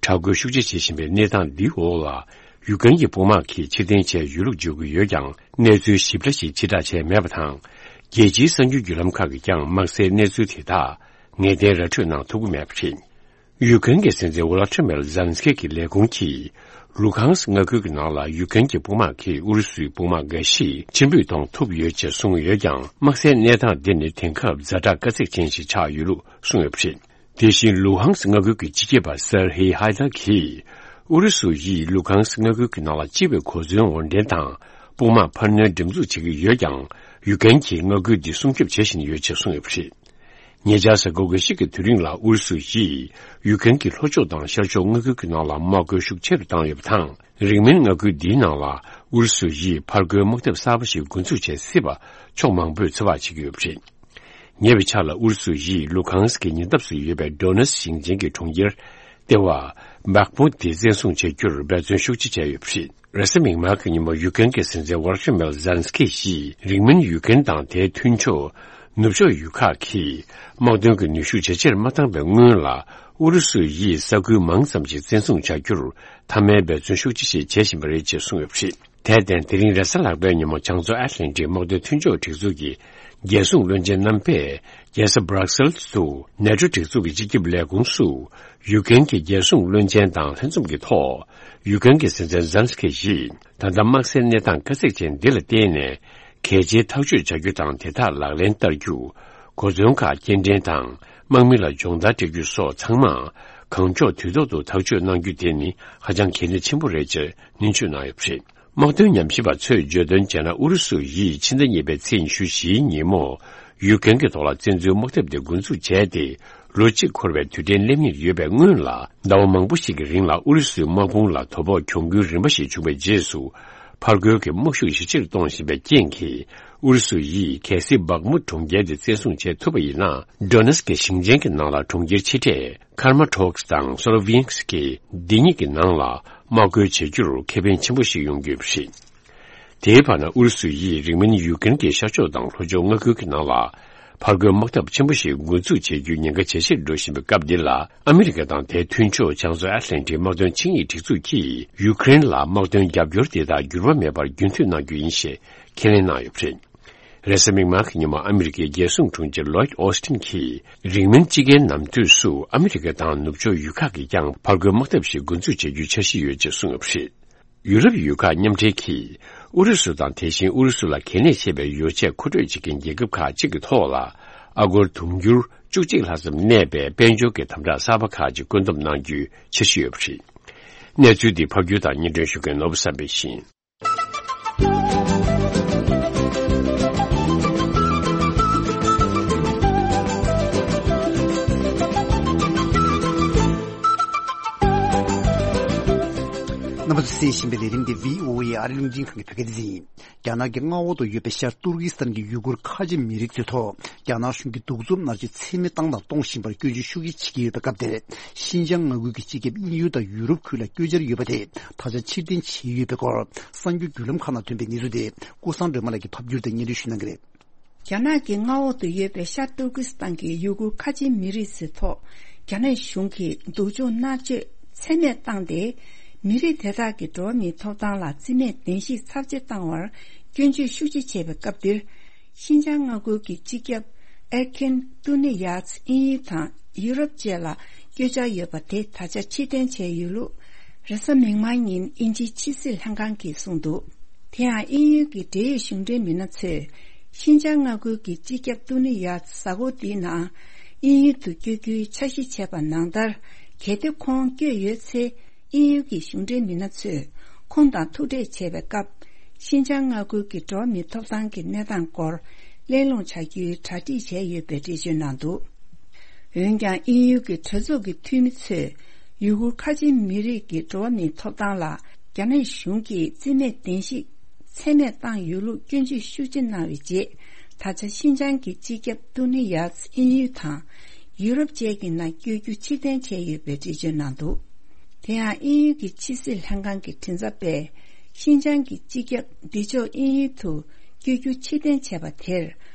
དྲག་རྒོལ་ཤུགས་ཆེ་བྱེད་བཞིན་པའི་གནས་སྟངས་འདིའི་འོག་ལ། ཡུཀ་རེན་གྱི་དཔུང་དམག་གིས་ཕྱིར་འཐེན་བྱས་ཡོད་ལུགས་བརྗོད་ཀྱི་ཡོད་ཀྱང་། གནས་ཚུལ་ཞིབ་ཕྲ་ཞིག་ཕྱིར་བསྒྲགས་བྱས་མེད་པ་དང་། རྒྱལ་སྤྱིའི་གསར་འགྱུར་བརྒྱུད་ལམ་ཁག་གིས་ཀྱང་དམག་སའི་གནས་ཚུལ་དེ་དག་ངེས་གཏན་ར་འཕྲོད་གནང་ཐུབ་ཀྱི་མེད་པ་རེད། ཡུཀ་རེན་གྱི་སྲིད་འཛིན་ཝོ་ལོ་ཏི་མེར་ཛེ་ལན་སི་ཀི་གི་ལས་ཁུངས་ཀྱིས། ལུ་ཁང་སི་མངའ་ཁུལ་གྱི་ནང་ལ་ཡུཀ་རེན་གྱི་དཔུང་དམག་གིས་ཨུ་རུ་སུའི་དཔུང་དམག་འགའ་ཞིག་ཕྱིར་འབུད་གཏོང་ཐུབ་ཡོད་ཅེས་གསུངས་ཡོད་ཀྱང་། དམག་སའི་གནས་སྟངས་འདི་ནི་དེང་སྐབས་ཛ་དྲག་དཀའ་ཚེགས་ཅན་ཞིག་ཆགས་ཡོད་ལུགས་གསུངས་ཡོད་པ་རེད། དེ་བཞིན་ལུ་ཧང་སི་མངའ་ཁུལ་གྱི་སྤྱི་ཁྱབ་པ་སེར་ཧེ་ཧའེ་ཏར་གྱིས། ཨུ་རུ་སུ་ཡིས་ལུ་ཧང་སི་མངའ་ཁུལ་གྱི་ནང་ལ་སྤྱི་པའི་གོ་མཚོན་དབོར་འདྲེན་དང་། དཔུང་དམག་འཕར་སྣོན་འགྲེམས་འཛུགས་བྱེད་ཀྱི་ཡོད་ཀྱང་། ཡུཀ་རེན་གྱིས་མངའ་ཁུལ་འདི་སྲུང་སྐྱོབ་བྱེད་བཞིན་ཡོད་ཅེས་གསུངས་ཡོད་པ་རེད། ཉེ་ཆར་གཟའ་འཁོར་འགའ་ཞིག་གི་དུས་རིང་ལ་ཨུ་རུ་སུ་ཡིས་ཡུཀ་རེན་གྱི་ལྷོ་ཕྱོགས་དང་ཤར་ཕྱོགས་མངའ་ཁུལ་གྱི་ནང་ལ་དམག་རྒོལ་ཤུགས་ཆེ་རུ་བཏང་ཡོད་པ་དང་། རིང་མིན་མངའ་ཁུལ་འདིའི་ནང་ལ་ཨུ་རུ་སུ་ཡིས་ཕར་རྒོལ་དམག་འཐབ་གསར་པ་ཞིག་འགོ་འཛུགས་བྱེད་སྲིད་པ་ཕྱོགས་མང་པོས་ཚོད་དཔག་བྱེད་ཀྱི་ཡོད་པ་རེད། ཉེ་བའི་ཆར་ལ་ཨུ་རུ་སུ་ཡིས་ལུ་ཁང་སི་ཀྱི་ཉེ་འདབས་སུ་ཡོད་པའི་ཌོ་ནེ་སི་ཞིང་ཆེན་གྱི་གྲོང་ཁྱེར་ལྟེ་བ་བྷག་མུ་ཏི་བཙན་བཟུང་བྱ་རྒྱུར་འབད་བརྩོན་ཤུགས་ཆེ་བྱས་ཡོད་པ་རེད། རེས་གཟའ་མིག་དམར་གྱི་ཉིན་མོ་ཡུ་ཀེན་གྱི་སྲིད་འཛིན་ཝོ་ལོ་ཏི་མེར་ཛེ་ལན་སི་ཀི་ཡིས་རིང་མིན་ཡུ་ཀེན་དང་དེའི་མཐུན་ཕྱོགས་ནུབ་ཕྱོགས་ཡུལ་ཁག་གིས་དམག་དོན་གྱི་ནུས་ཤུགས་ཇེ་ཆེར་མ་བཏང་བའི་སྔོན་ལ་ཨུ་རུ་སུ་ཡིས་ས་ཁུལ་མང་ཙམ་ཞིག་བཙན་བཟུང་བྱ་རྒྱུར་མཐའ་མའི་འབད་བརྩོན་ཤུགས་ཆེ་ཞིག་བྱེད་བཞིན་པ་རེད་ཅེས་གསུངས་ཡོད་པ་རེད། དེར་བརྟེན། དེ་རིང་རེས་གཟའ་ལྷག་པའི་ཉིན་མོ་བྱང་མཚོ་ཨེཊ་ལན་ཊིག་དམག་དོན་མཐུན་ཕྱོགས་སྒྲིག་འཛུགས་ཀྱི་རྒྱལ་སྲུང་བློན་ཆེན་རྣམ་པས་རྒྱལ་ས་སྦྲག་སེལ་དུ་ནེ་ཊོ་སྒྲིག་འཛུགས་ཀྱི་སྤྱི་ཁྱབ་ལས་ཁུངས་སུ་ཡུ་ཀེན་གྱི་རྒྱལ་སྲུང་བློན་ཆེན་དང་ལྷན་འཛོམས་ཀྱི་ཐོག་ཡུ་ཀེན་གྱི་སྲིད་འཛིན་ཛེ་ལན་སི་ཀི་ཡིས་ད་ལྟ་དམག་སའི་གནས་སྟངས་དཀའ་ཚེགས་ཅན་འདི་ལ་བརྟེན་ནས་གལ་ཆེའི་ཐག་གཅོད་བྱ་རྒྱུ་དང་དེ་དག་ལག་ལེན་བསྟར་རྒྱུ། གོ་མཚོན་ཁག་སྐྱེལ་འདྲེན་དང་དམག་མི་ལ་སྦྱོང་བརྡར་སྤྲད་རྒྱུ་སོགས་ཚང་མ་གང་མགྱོགས་དུས་ཐོག་ཏུ་ཐག་གཅོད་གནང་རྒྱུ་དེ་ནི་ཧ་ཅང་གལ་གནད་ཆེན་པོ་རེད་ཅེས་ནན་བརྗོད་གནང་ཡོད་པ་རེད། དམག་དོན་ཉམས་ཞིབ་པ་ཚོས་བརྗོད་དོན་བྱས་ན། ཨུ་རུ་སུ་ཡིས་ཕྱི་ཟླ་གཉིས་པའི་ཚེས་ཉི་ཤུ་བཞིའི་ཉིན་མོ་ཡུ་ཀེན་གྱི་ཐོག་ལ་བཙན་འཛུལ་དམག་འཐབ་དེ་འགོ་འཛུགས་བྱས་ཏེ། ལོ་གཅིག་འཁོར་བའི་དུས་དྲན་སླེབས་ཉེར་ཡོད་པའི་སྔོན་ལ། ཟླ་བ་མང་པོ་ཞིག་གི་རིང་ལ་ཨུ་རུ་སུའི་དམག་དཔུང་ལ་དོ་ཕོག་གྱོང་གུན་རིམ་པ་ཞིག་བྱུང་བའི་རྗེས་སུ། ཕར་རྒོལ་གྱི་དམག་ཤུགས་ཡིད་ཆེས་གཏོང་བཞིན་པའི་རྐྱེན་གྱིས། ཨུ་རུ་སུ་ཡིས་གལ་སྲིད་བག་མུ་གྲོང་ཁྱེར་དེ་བཙན་བཟུང་བྱེད་ཐུབ་པ་ཡིན་ན། ཌོ་ནེ་སི་ཀི་ཞིང་ཆེན་གྱི་ནང་ལ་གྲོང་ཁྱེར་ཆེ་གྲས་ཁར་མ་ཊོག་སི་དང་སོ་ལོ་བྷིན་སི་ཀི་འདི་གཉིས་ཀྱི་ནང་ལ་དམག་རྒོལ་བྱེད་རྒྱུར་ཁེ་ཕན་ཆེན་པོ་ཞིག་ཡོང་གི་ཡོད་པ་རེད། དེའི་བར་ན་ཨུ་རུ་སུ་ཡིས་རིང་མིན་ཡུ་ཀེན་གྱི་ཤར་ཕྱོགས་དང་ལྷོ་ཕྱོགས་མངའ་ཁུལ་གྱི་ནང་ལ་ཕར་རྒོལ་དམག་འཐབ་ཆེན་པོ་ཞིག་འགོ་འཛུགས་བྱེད་རྒྱུའི་ཉེན་ཁ་ཇེ་ཆེར་འགྲོ་བཞིན་པའི་སྐབས་འདི་ལ། ཨ་མི་རི་ཀ་དང་དེའི་མཐུན་ཕྱོགས་བྱང་མཚོ་ཨེཊ་ལན་ཊིག་དམག་དོན་ཆིངས་ཡིག་སྒྲིག་འཛུགས་ཀྱིས་ཡུ་ཀེ་རེན་ལ་དམག་དོན་རྒྱབ་སྐྱོར་དེ་དག་འགྱུར་བ་མེད་པར་རྒྱུན་མཐུད་གནང་རྒྱུ་ཡིན་ཞེས་ཁས་ལེན་གནང་ཡོད་པ་རེད། རེས་གཟའ་མིག་དམར་གྱི་ཉིན་མོ་ཨ་མི་རི་ཀའི་རྒྱལ་སྲུང་དྲུང་ཆེ་ལོའིད་ཨོ་སི་ཊིན་གྱིས། རིང་མིན་དཔྱིད་ཀའི་ནམ་དུས་སུ་ཨ་མི་རི་ཀ་དང་ནུབ་ཕྱོགས་ཡུལ་ཁག་གིས་ཀྱང་ཕར་རྒོལ་དམག་འཐབ་ཞིག་འགོ་འཛུགས་བྱེད་རྒྱུའི་འཆར་གཞི་ཡོད་ཅེས་གསུངས་ཡོད་པ་རེད། ཡུ་རོབ་ཡུལ་ཁག་མཉམ་འབྲེལ་གྱིས་ཨུ་རུ་སུ་དང་དེ་བཞིན་ཨུ་རུ་སུ་ལ་གལ་གནད་ཆེ་བའི་ཡོ་བྱད་མཁོ་སྤྲོད་བྱེད་མཁན་རྒྱལ་ཁབ་ཁག་ཅིག་གི་ཐོག་ལ་ཨ་སྒོར་དུང་ཕྱུར་བཅུ་གཅིག་ལྷག་ཙམ་གནས་པའི་དཔལ་འབྱོར་གྱི་དམ་དྲག་གསར་པ་ཁག་ཅིག་བཀོད་འདོམས་གནང་རྒྱུའི་འཆར་གཞི་ཡོད་པ་རེད། གནས་ཚུལ་འདི་ཕབ་སྒྱུར་དང་སྙན་སྒྲོན་ཞུ་མཁན་ནོར་བུ་བསམ་འཕེལ་ཡིན། རྣམ་པ་ཚོ་ གསན་བཞིན་པའི་ལས་རིམ་དེ་བྷི་ཨོ་ཨེ་ཨ་རི་རླུང་འཕྲིན་ཁང་གི་བོད་སྐད་སྡེ་ཚན་ཡིན། རྒྱ་ནག་གི་མངའ་འོག་ཏུ་ཡོད་པའི་ཤར་ཏུར་ཀི་སི་ཐན་གྱི་ཡུ་གུར་ཁ་ཆེ་མི་རིགས་ཚོའི་ཐོག་རྒྱ་ནག་གཞུང་གིས་གདུག་རྩུབ་མནར་གཅོད་ཚད་མེད་བཏང་དང་གཏོང་བཞིན་པར་སྐྱོན་བརྗོད་ཤུགས་ཆེ་བྱེད་ཀྱི་ཡོད་པའི་སྐབས་དེར། ཤིན་ཅང་མངའ་ཁུལ་གྱི་སྤྱི་ཁྱབ་དབྱིན་ཡུལ་དང་ཡུ་རོབ་ཁུལ་ལ་བསྐྱོད་འཆར་ཡོད་པ་དེ་ད་ཆ་ཕྱིར་འཐེན་བྱས་ཡོད་པའི་སྐོར་གསར་འགྱུར་བརྒྱུད་ལམ་ཁག་ནང་ཐོན་པའི་གནས་ཚུལ་དེ་ཀུན་བཟང་སྒྲོལ་མ་ལགས་ཀྱིས་ཕབ་བསྒྱུར་དང་སྙན་སྒྲོན་ཞུ་གནང་གི་རེད། རྒྱ་ནག་གི་མངའ་འོག་ཏུ་ཡོད་པའི་ཤར་ཏུར་ཀི་སི་ཐན་གྱི་ཡུ་གུར་ཁ་ཆེའི་མི་རིགས་ཚོའི་ཐོག་རྒྱ་ནག་གཞུང་གིས་སྡུག་སྦྱོང་མནར་གཅོད་ཚད་མེད་བཏང་སྟེ། མི་རིགས་དེ་དག་གི་འགྲོ་བ་མིའི་ཐོབ་ཐང་ལ་བརྩི་མེད་གདན་ཞུས་ཚབས་ཆེ་བཏང་བར་སྐྱོན་བརྗོད་ཤུགས་ཆེ་བྱས་པའི་སྐབས་འདིར། ཤིན་ཅང་མངའ་ཁུལ་གྱི་སྤྱི་ཁྱབ་ཨེར་ཁིན་ཏུ་ནི་ཡཱས་དབྱིན་ཡུལ་དང་ཡུ་རོབ་བཅས་ལ་བསྐྱོད་འཆར་ཡོད་པ་དེ་ད་ཆ་ཕྱིར་འཐེན་བྱས་ཡོད་ལུགས། རེས་གཟའ་མིག་དམར་ཉིན་དབྱིན་ཇིའི་ཕྱི་སྲིད་ལྷན་ཁང་གིས་གསུངས་འདུག་དེ་ཡང་དབྱིན་ཡུལ་གྱི་འབྲེལ་ཡོད་གཞུང་འབྲེལ་མི་སྣ་ཚོས་ཤིན་ཅང་མངའ་ཁུལ་གྱི་སྤྱི་ཁྱབ་ཏུ་ནི་ཡཱ་གཟའ་འཁོར་འདིའི་ནང་དབྱིན་ཡུལ་དུ་བསྐྱོད་རྒྱུའི་འཆར་གཞི་བྱས་པ་ནང་ལྟར། གལ་ཏེ་ཁོང་བསྐྱོད་ཡོད་ཚེ། དབྱིན་ཡུལ་གྱི་གཞུང་འབྲེལ་མི་སྣ་ཚོས་ཁོང་དང་ཐུག་འཕྲད་བྱས་པའི་སྐབས། ཤིན་ཅང་མངའ་ཁུལ་གྱི་འགྲོ་བ་མིའི་ཐོབ་ཐང་གི་གནས་སྟངས་སྐོར་གླེང་སློང་བྱ་རྒྱུའི་གྲ་སྒྲིག་བྱས་ཡོད་པའི་འགྲེལ་བརྗོད་གནང་འདུག་འོན་ཀྱང་དབྱིན་ཡུལ་གྱི་གྲོས་ཚོགས་ཀྱི་འཐུས་མི་ཚོས་ཡུ་གུར་ཁ་ཆེའི་མི་རིགས་ཀྱི་འགྲོ་བ་མིའི་ཐོབ་ཐང་ལ་རྒྱ་ནག་གཞུང་གིས་བརྩི་མེད་གདན་ཞུ་ཚད་མེད་བཏང་ཡོད་ལུགས་སྐྱོན་བརྗོད་ཤུགས་ཆེ་གནང་བའི་རྗེས། ད་ཆ་ཤིན་ཅང་གི་སྤྱི་ཁྱབ་ཏུ་ནི་ཡཱས་དབྱིན་ཡུལ་དང་ཡུ་རོབ་བཅས་ཀྱི་ནང་བསྐྱོད་རྒྱུ་ཕྱིར་འཐེན་བྱས་ཡོད་པའི་འགྲེལ་བརྗོད་གནང་འདུག་དེ་ཡང་དབྱིན་ཡུལ་གྱི་ཕྱི་སྲིད་ལྷན་ཁང་གི་མགྲིན་ཚབ་པས། ཤིན་ཅང་གི་སྤྱི་ཁྱབ་འདི་ཕྱོགས་དབྱིན་ཡུལ་དུ་བསྐྱོད་རྒྱུ་ཕྱིར་འཐེན་བྱས་པ་དེར།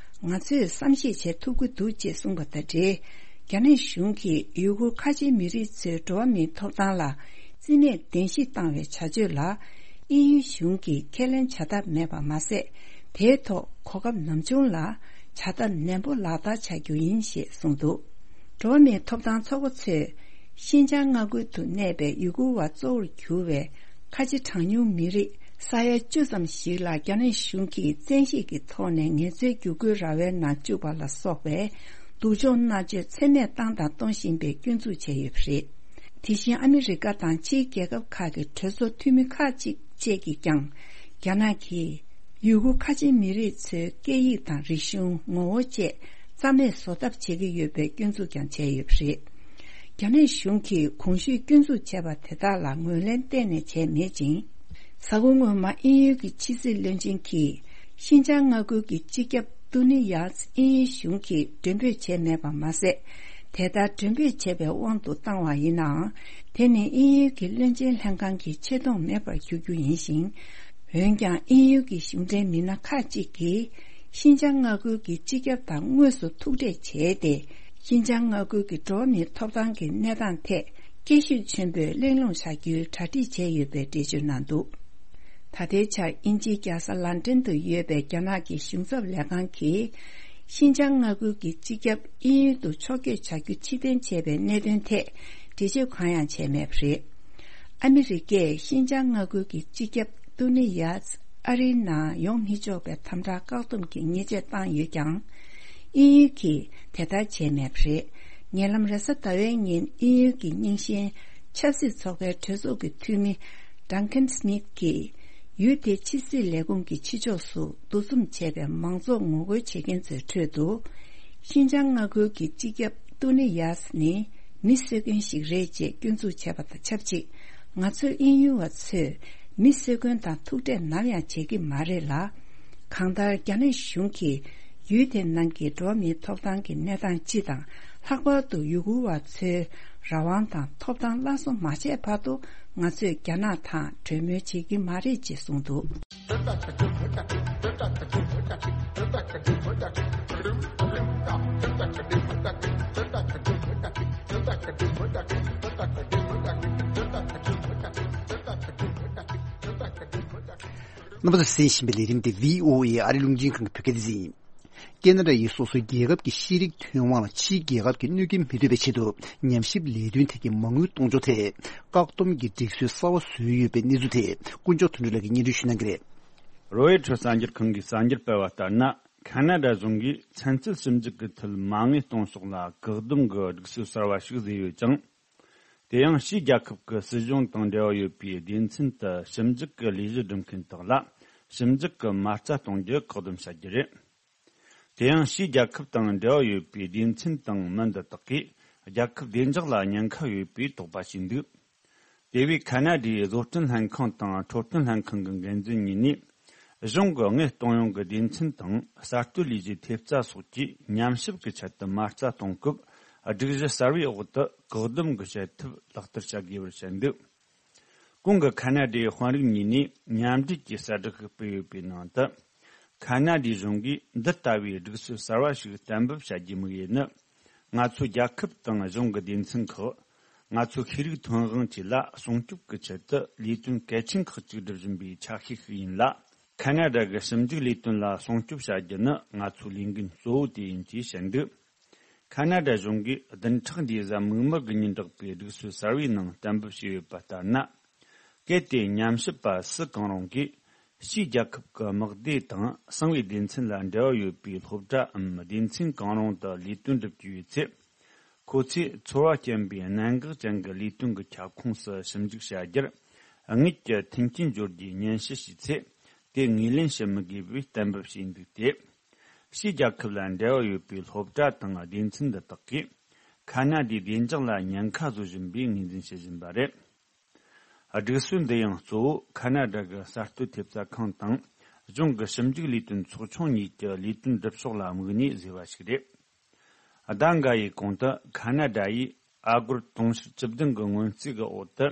ང་ཚོས་བསམ་ཤེས་བྱེད་ཐུབ་ཀྱི་འདུག་ཅེས་གསུངས་པ་དང་འབྲེལ། རྒྱ་ནག་གཞུང་གིས་ཡུ་གུར་ཁ་ཆེའི་མི་རིགས་ཚོའི་འགྲོ་བ་མིའི་ཐོབ་ཐང་ལ་བརྩི་མེད་གདན་ཞུ་བཏང་བའི་བྱ་སྤྱོད་ལ། དབྱིན་ཡུལ་གཞུང་གིས་ཁས་ལེན་བྱ་ཐབས་མེད་པ་མ་ཟད། དེའི་ཐོག་གོ་སྐབས་ནམ་བྱུང་ལ་བྱ་ཐབས་ནན་པོ་ལག་བསྟར་བྱ་རྒྱུ་ཡིན་ཞེས་གསུངས་འདུག་འགྲོ་བ་མིའི་ཐོབ་ཐང་ཚོགས་པ་ཚོས་ཤིན་ཅང་མངའ་ཁུལ་དུ་གནས་པའི་ཡུ་གུར་བ་གཙོ་བོར་གྱུར་བའི་ཁ་ཆེ་གྲངས་ཉུང་མི་རིགས་ས་ཡ་བཅུ་ཙམ་ཞིག་ལ་རྒྱ་ནག་གཞུང་གིས་བཙན་ཤེད་ཀྱི་ཐོག་ནས་ངལ་རྩོལ་བསྒྱུར་བཀོད་ར་བའི་ནང་བཅུག་པ་ལ་སོགས་པའི་སྡུག་སྦྱོང་མནར་གཅོད་ཚད་མེད་བཏང་དང་གཏོང་བཞིན་པའི་སྐྱོན་འཛུགས་བྱས་ཡོད་པ་རེད། དེ་བཞིན་ཨ་མི་རི་ཀ་དང་ཕྱིའི་རྒྱལ་ཁབ་ཁག་གི་གྲོས་ཚོགས་འཐུས་མི་ཁག་ཅིག་བཅས་ཀྱིས་ཀྱང་། རྒྱ་ནག་གིས་ཡུ་གུར་ཁ་ཆེའི་མི་རིགས་ཚོའི་སྐད་ཡིག་དང་རིག་གཞུང་། ངོ་བོ་བཅས་རྩ་མེད་བཟོ་ཐབས་བྱེད་ཀྱི་ཡོད་པའི་སྐྱོན་འཛུགས་ཀྱང་བྱས་ཡོད་པ་རེད། རྒྱ་ནག་གཞུང་གིས་གོང་ཞུས་སྐྱོན་འཛུགས་བྱས་པ་དེ་དག་ལ་ངོས་ལེན་གཏན་ནས་བྱས་མེད་ཅིང་། གཟའ་འཁོར་སྔོན་མ་དབྱིན་ཡུལ་གྱི་ཕྱི་སྲིད་བློན་ཆེན་གྱིས། ཤིན་ཅང་མངའ་ཁུལ་གྱི་སྤྱི་ཁྱབ་ཏུ་ནི་ཡཱས་དབྱིན་ཡུལ་གཞུང་གིས་མགྲོན་འབོད་བྱས་མེད་པ་མ་ཟད། དེ་ལྟར་མགྲོན་འབོད་བྱས་པའི་དབང་དུ་བཏང་བ་ཡིན་ནའང་། དེ་ནི་དབྱིན་ཡུལ་གྱི་བློན་ཆེན་ལྷན་ཁང་གི་ཆེ་མཐོང་མེད་པར་གྱུར་རྒྱུ་ཡིན་ཞིང་། འོན་ཀྱང་དབྱིན་ཡུལ་གྱི་གཞུང་འབྲེལ་མི་སྣ་ཁག་ཅིག་གིས། ཤིན་ཅང་མངའ་ཁུལ་གྱི་སྤྱི་ཁྱབ་དང་དངོས་སུ་ཐུག་འཕྲད་བྱས་ཏེ། ཤིན་ཅང་མངའ་ཁུལ་གྱི་འགྲོ་བ་མིའི་ཐོབ་ཐང་གི་གནས་སྟངས་ཐད་དགྱེས་ཤུགས་ཆེན་པོས་གླེང་སློང་བྱ་རྒྱུའི་གྲ་སྒྲིག་བྱས་ཡོད་པའི་འགྲེལ་བརྗོད་གནང་འདུག་ད་ལྟའི་ཆར་དབྱིན་ཇིའི་རྒྱལ་ས་ལན་ཀྲན་དུ་ཡོད་པའི་རྒྱ་ནག་གི་གཞུང་ཚབ་ལས་ཁང་གིས། ཤིན་ཅང་མངའ་ཁུལ་གྱི་སྤྱི་ཁྱབ་དབྱིན་ཡུལ་དུ་ཕྱོགས་བསྐྱོད་བྱ་རྒྱུ་ཕྱིར་འཐེན་བྱས་པའི་གནད་དོན་ཐད་འགྲེལ་བརྗོད་གང་ཡང་བྱས་མེད་པ་རེད། ཨ་མི་རི་ཀས་ཤིན་ཅང་མངའ་ཁུལ་གྱི་སྤྱི་ཁྱབ་ཏུ་ནི་ཡཱས་ཨ་རིའི་ནང་ཡོང་མི་ཆོག་པའི་དམ་དྲག་བཀག་སྡོམ་གྱི་ཉེས་ཆད་བཏང་ཡོད་ཀྱང་། དབྱིན་ཡུལ་གྱིས་དེ་ལྟར་བྱས་མེད་པ་རེད། ཉེ་ལམ་རེས་གཟའ་ཟླ་བའི་ཉིན་དབྱིན་ཡུལ་གྱི་རྙིང་ཞེན་ཆབ་སྲིད་ཚོགས་པའི་གྲོས་ཚོགས་ཀྱི་འཐུས་མི་Duncan Smith་གྱིས། ཡུལ་དེའི་ཕྱི་སྲིད་ལས་ཁུངས་ཀྱི་ཕྱི་ཕྱོགས་སུ་འདུ་འཛོམས་བྱས་པའི་མང་ཚོགས་ངོ་རྒོལ་བྱེད་མཁན་ཚོའི་ཁྲོད་དུ། ཤིན་ཅང་མངའ་ཁུལ་གྱི་སྤྱི་ཁྱབ་ཏུ་ནི་ཡཱས་ནི་མི་གསོད་མཁན་ཞིག་རེད་ཅེས་སྐྱོན་འཛུགས་བྱས་པ་དང་ཆབས་ཅིག་ང་ཚོ་དབྱིན་ཡུལ་བ་ཚོས་མི་གསོད་མཁན་དང་ཐུག་འཕྲད་ནམ་ཡང་བྱེད་ཀྱི་མ་རེད་ལ། གང་ལྟར་རྒྱ་ནག་གཞུང་གིས་ཡུལ་དེ་ནང་གི་འགྲོ་བ་མིའི་ཐོབ་ཐང་གི་གནས་སྟངས་སྤྱི་དང་། ལྷག་པར་དུ་ཡུ་གུར་བ་ཚོའི་རང་དབང་དང་ཐོབ་ཐང་སླར་གསོ་མ་བྱས་བར་དུ། ང་ཚོས་རྒྱ་ནག་དང་གྲོས་མོལ་བྱེད་ཀྱི་མ་རེད་ཅེས་གསུངས་འདུག་རྣམ་པ་ཚོས་གསན་བཞིན་པའི་ལས་རིམ་དེ་བྷི་ཨོ་ཨེ་ཨ་རི་རླུང་འཕྲིན་ཁང་གི་བོད་སྐད་སྡེ་ཚན་ཡིན། ཁེ་ན་ཌ་ཡིས་སོ་སོའི་རྒྱལ་ཁབ་ཀྱི་ཤེས་རིག་ཐོན་དབང་ལ་ཕྱིའི་རྒྱལ་ཁབ་ཀྱིས་གནོད་སྐྱོན་མི་ཐེབས་པའི་ཆེད་དུ་ཉམས་ཞིབ་ལས་དོན་ཐད་ཀྱི་མ་དངུལ་གཏོང་ཕྱོགས་ཐད་བཀག་སྡོམ་གྱི་སྒྲིག་སྲོལ་གསར་པ་བཟོས་ཡོད་པའི་གནས་ཚུལ་ཐད་དཀོན་མཆོག་དོན་གྲུབ་ལགས་ཀྱིས་སྙན་སྒྲོན་ཞུ་གནང་གི་རེད། རོའི་ཊར་གསར་འགྱུར་ཁང་གིས་གསར་འགྱུར་སྤེལ་བ་ལྟར་ན། ཁེ་ན་ཌ་གཞུང་གིས་ཚན་རྩལ་ཞིབ་འཇུག་གི་ཐད་མ་དངུལ་གཏོང་ཕྱོགས་ལ་བཀག་སྡོམ་གྱི་སྒྲིག་སྲོལ་གསར་བ་ཞིག་བཟོས་ཡོད་ཅིང་། དེ་ཡང་ཕྱིའི་རྒྱལ་ཁབ་ཀྱི་སྲིད་གཞུང་དང་འབྲེལ་བ་ཡོད་པའི་སྡེ་ཚན་དུ་ཞིབ་འཇུག་གི་ལས་གཞི་སྒྲུབ་མཁན་དག་ལ་ཞིབ་འཇུག་གི་མ་རྩ་གཏོང་རྒྱུ་བཀག་སྡོམ་བྱ་རྒྱུ་རེད། དེ་ཡང་ཕྱིའི་རྒྱལ་ཁབ་དང་འབྲེལ་བ་ཡོད་པའི་སྡེ་ཚན་དང་མི་འདི་དག་གིས་རྒྱལ་ཁབ་བདེ་འཇགས་ལ་ཉེན་ཁ་ཡོད་པའི་དོགས་པ་བྱས་འདུག་དེ་བས་ཁ་ན་ཌའི་བཟོ་སྐྲུན་ལྷན་ཁང་དང་འཕྲོད་བསྟེན་ལྷན་ཁང་གི་འགན་འཛིན་གཉིས་ནས། གཞུང་གི་དངུལ་གཏོང་ཡོང་གི་སྡེ་ཚན་དང་གསར་གཏོད་ལས་གཞིའི་ཐེབས་རྩ་སོགས་ཀྱིས་ཉམས་ཞིབ་ཀྱི་ཆེད་དུ་མ་རྩ་གཏོང་སྐབས། སྒྲིག་གཞི་གསར་བའི་འོག་ཏུ་བཀག་སྡོམ་གྱི་བྱེད་ཐབས་ལག་བསྟར་བྱ་དགོས་པར་བཤད་འདུག་གོང་གི་ཁ་ན་ཌའི་དཔོན་རིགས་གཉིས་ནས་མཉམ་འབྲེལ་གྱིས་གསལ་བསྒྲགས་ཤིག་སྤེལ་ཡོད་པའི་ནང་དུ། ཁ་ན་ཌའི་གཞུང་གིས་འདི་ལྟ་བུའི་སྒྲིག་སྲོལ་གསར་བ་ཞིག་གཏན་འབེབས་བྱ་རྒྱུའི་དམིགས་ཡུལ་ནི། ང་ཚོའི་རྒྱལ་ཁབ་དང་གཞུང་གི་སྡེ་ཚན་ཁག་ང་ཚོའི་ཤེས་རིག་ཐོན་དབང་བཅས་ལ་སྲུང་སྐྱོབ་ཀྱི་ཆེད་དུ་ལས་དོན་གལ་ཆེན་ཁག་ཅིག་སྒྲུབ་བཞིན་པའི་ཆ་ཤས་ཤིག་ཡིན་ལ། ཁ་ན་ཌ་གི་ཞིབ་འཇུག་ལས་དོན་ལ་སྲུང་སྐྱོབ་བྱ་རྒྱུ་ནི་ང་ཚོའི་ལས་འགན་གཙོ་བོ་དེ་ཡིན་ཅེས་བཤད་འདུག་ཁ་ན་ཌ་གཞུང་གིས་བདུན་ཕྲག་འདིའི་གཟའ་མིག་དམར་གྱི་ཉིན་བསྒྲགས་པའི་སྒྲིག་སྲོལ་གསར་བའི་ནང་གཏན་འབེབས་བྱས་ཡོད་པ་ལྟར་ན། གལ་ཏེ་ཉམས་ཞིབ་པ་སུ་གང་རུང་གིས་ཕྱིའི་རྒྱལ་ཁབ་ཀྱི་དམག་སྡེ་དང་གསང་བའི་སྡེ་ཚན་ལ་འབྲེལ་བ་ཡོད་པའི་སློབ་གྲྭའམ་སྡེ་ཚན་གང་རུང་དུ་ལས་དོན་སྒྲུབ་ཀྱི་ཡོད་ཚེ། ཁོ་ཚོས་ཚོར་བ་སྐྱེན་པའི་གནད་འགག་ཅན་གྱི་ལས་དོན་གྱི་ཁྱབ་ཁོངས་སུ་ཞིབ་འཇུག་བྱ་རྒྱུར་དངུལ་གྱི་མཐུན་རྐྱེན་སྦྱོར་རྒྱུའི་སྙན་ཞུ་ཞུས་ཚེ། དེ་ངོས་ལེན་བྱེད་མི་དགོས་པའི་གཏན་འབེབས་བྱས་འདུག་སྟེ། ཕྱིའི་རྒྱལ་ཁབ་ལ་འབྲེལ་བ་ཡོད་པའི་སློབ་གྲྭ་དང་སྡེ་ཚན་འདི་དག་གིས་ཁ་ན་ཌའི་བདེ་འཇགས་ལ་ཉེན་ཁ་བཟོ་བཞིན་པའི་ངོས་འཛིན་བྱེད་བཞིན་པ་རེད། སྒྲིག་སྲོལ་འདི་ཡང་གཙོ་བོ་ཁ་ན་ཌ་གི་གསར་གཏོད་ཐེབས་རྩ་ཁང་དང་གཞུང་གི་ཞིབ་འཇུག་ལས་དོན་ཚོགས་ཆུང་གཉིས་ཀྱི་ལས་དོན་སྒྲུབ་ཕྱོགས་ལ་དམིགས་ནས་བཟོས་པ་ཞིག་རེད། ཟླ་འགའ་ཡི་གོང་དུ་ཁ་ན་ཌ་ཡིས་ཨ་སྒོར་དུང་ཕྱུར་བཅུ་བདུན་གྱི་སྔོན་རྩིས་ཀྱི་འོག་ཏུ་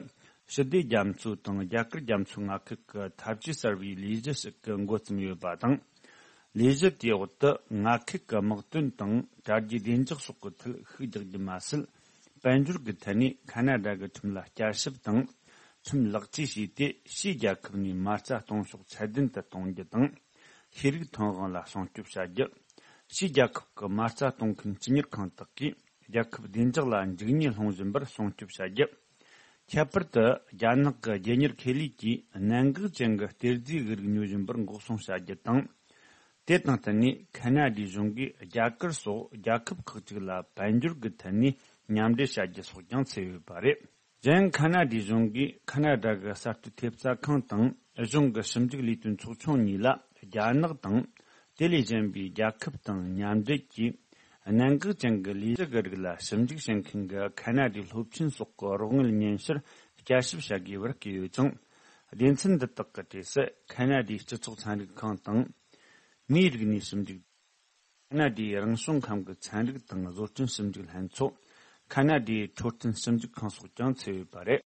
ཞི་བདེ་རྒྱ་མཚོ་དང་རྒྱ་གར་རྒྱ་མཚོའི་མངའ་ཁུལ་གྱི་འཐབ་ཇུས་གསར་བའི་ལས་གཞི་ཞིག་འགོ་བརྩམས་ཡོད་པ་དང་། ལས་གཞི་དེའི་འོག་ཏུ་མངའ་ཁུལ་གྱི་དམག་དོན་དང་དྲ་རྒྱའི་བདེ་འཇགས་སོགས་ཀྱི་ཐད་ཤུགས་རྒྱག་རྒྱུ་མ་ཟད། དཔལ་འབྱོར་གྱི་ཐད་ནས་ཁ་ན་ཌ་གི་ཁྲིམས་ལ་བསྐྱར་ཞིབ་དང་། ཁྲིམས་ལེགས་བཅོས་བྱས་ཏེ་ཕྱིའི་རྒྱལ་ཁབ་ནས་མ་རྩ་གཏོང་ཕྱོགས་ཚད་ལྡན་དུ་གཏོང་རྒྱུ་དང་། ཤེས་རིག་ཐོན་དབང་ལ་སྲུང་སྐྱོབ་བྱ་རྒྱུ། ཕྱིའི་རྒྱལ་ཁབ་ཀྱི་མ་རྩ་གཏོང་མཁན་སྤྱི་གཉེར་ཁང་དག་གིས་རྒྱལ་ཁབ་བདེ་འཇགས་ལ་འཇིགས་ཉེན་སློང་བཞིན་པར་སྲུང་སྐྱོབ་བྱ་རྒྱུ། ཁྱད་པར་དུ་རྒྱ་ནག་གི་རྒྱལ་གཉེར་ཁེ་ལས་ཀྱིས་གནད་འགག་ཅན་གྱི་གཏེར་རྫས་དབུལ་རིགས་ཉོ་བཞིན་པར་འགོག་སྲུང་བྱ་རྒྱུ་དང་། དེ་དང་བསྟུན་ནས་ཁ་ན་ཌའི་གཞུང་གིས་རྒྱ་གར་སོགས་རྒྱལ་ཁབ་ཁག་ཅིག་ལ་དཔལ་འབྱོར་གྱི་ཐད་ནས་མཉམ་འབྲེལ་བྱ་རྒྱུ་སོགས་ཀྱང་ཚུད་ཡོད་པ་རེད། གཞན་ཁ་ན་ཌའི་གཞུང་གིས་ཁ་ན་ཌ་གི་གསར་གཏོད་ཐེབས་རྩ་ཁང་དང་གཞུང་གི་ཞིབ་འཇུག་ལས་དོན་ཚོགས་ཆུང་གཉིས་ལ་རྒྱ་ནག་དང་དེ་ལས་གཞན་པའི་རྒྱལ་ཁབ་དང་མཉམ་འབྲེལ་གྱིས། གནད་འགག་ཅན་གྱི་ལས་གཞི་གི་རིགས་ལ་ཞིབ་འཇུག་བྱེད་མཁན་གྱི་ཁ་ན་ཌའི་སློབ་ཆེན་སོགས་ཀྱི་རོགས་དངུལ་སྙན་ཞུར་བསྐྱར་ཞིབ་བྱ་དགོས་པར་བཀོད་ཡོད་ཅིང་། སྡེ་ཚན་འདི་དག་གི་གྲས་སུ་ཁ་ན་ཌའི་སྤྱི་ཚོགས་ཚན་རིག་ཁང་དང་། མིའི་རིག་གནས་ཞིབ་འཇུག་ཁ་ན་ཌའི་རང་བྱུང་ཁམས་ཀྱི་ཚན་རིག་དང་བཟོ་སྐྲུན་ཞིབ་འཇུག་ལྷན་ཚོགས། ཁ་ན་ཌའི་འཕྲོད་བསྟེན་ཞིབ་འཇུག་ཁང་སོགས་ཀྱང་ཚུད་ཡོད་པ་རེད།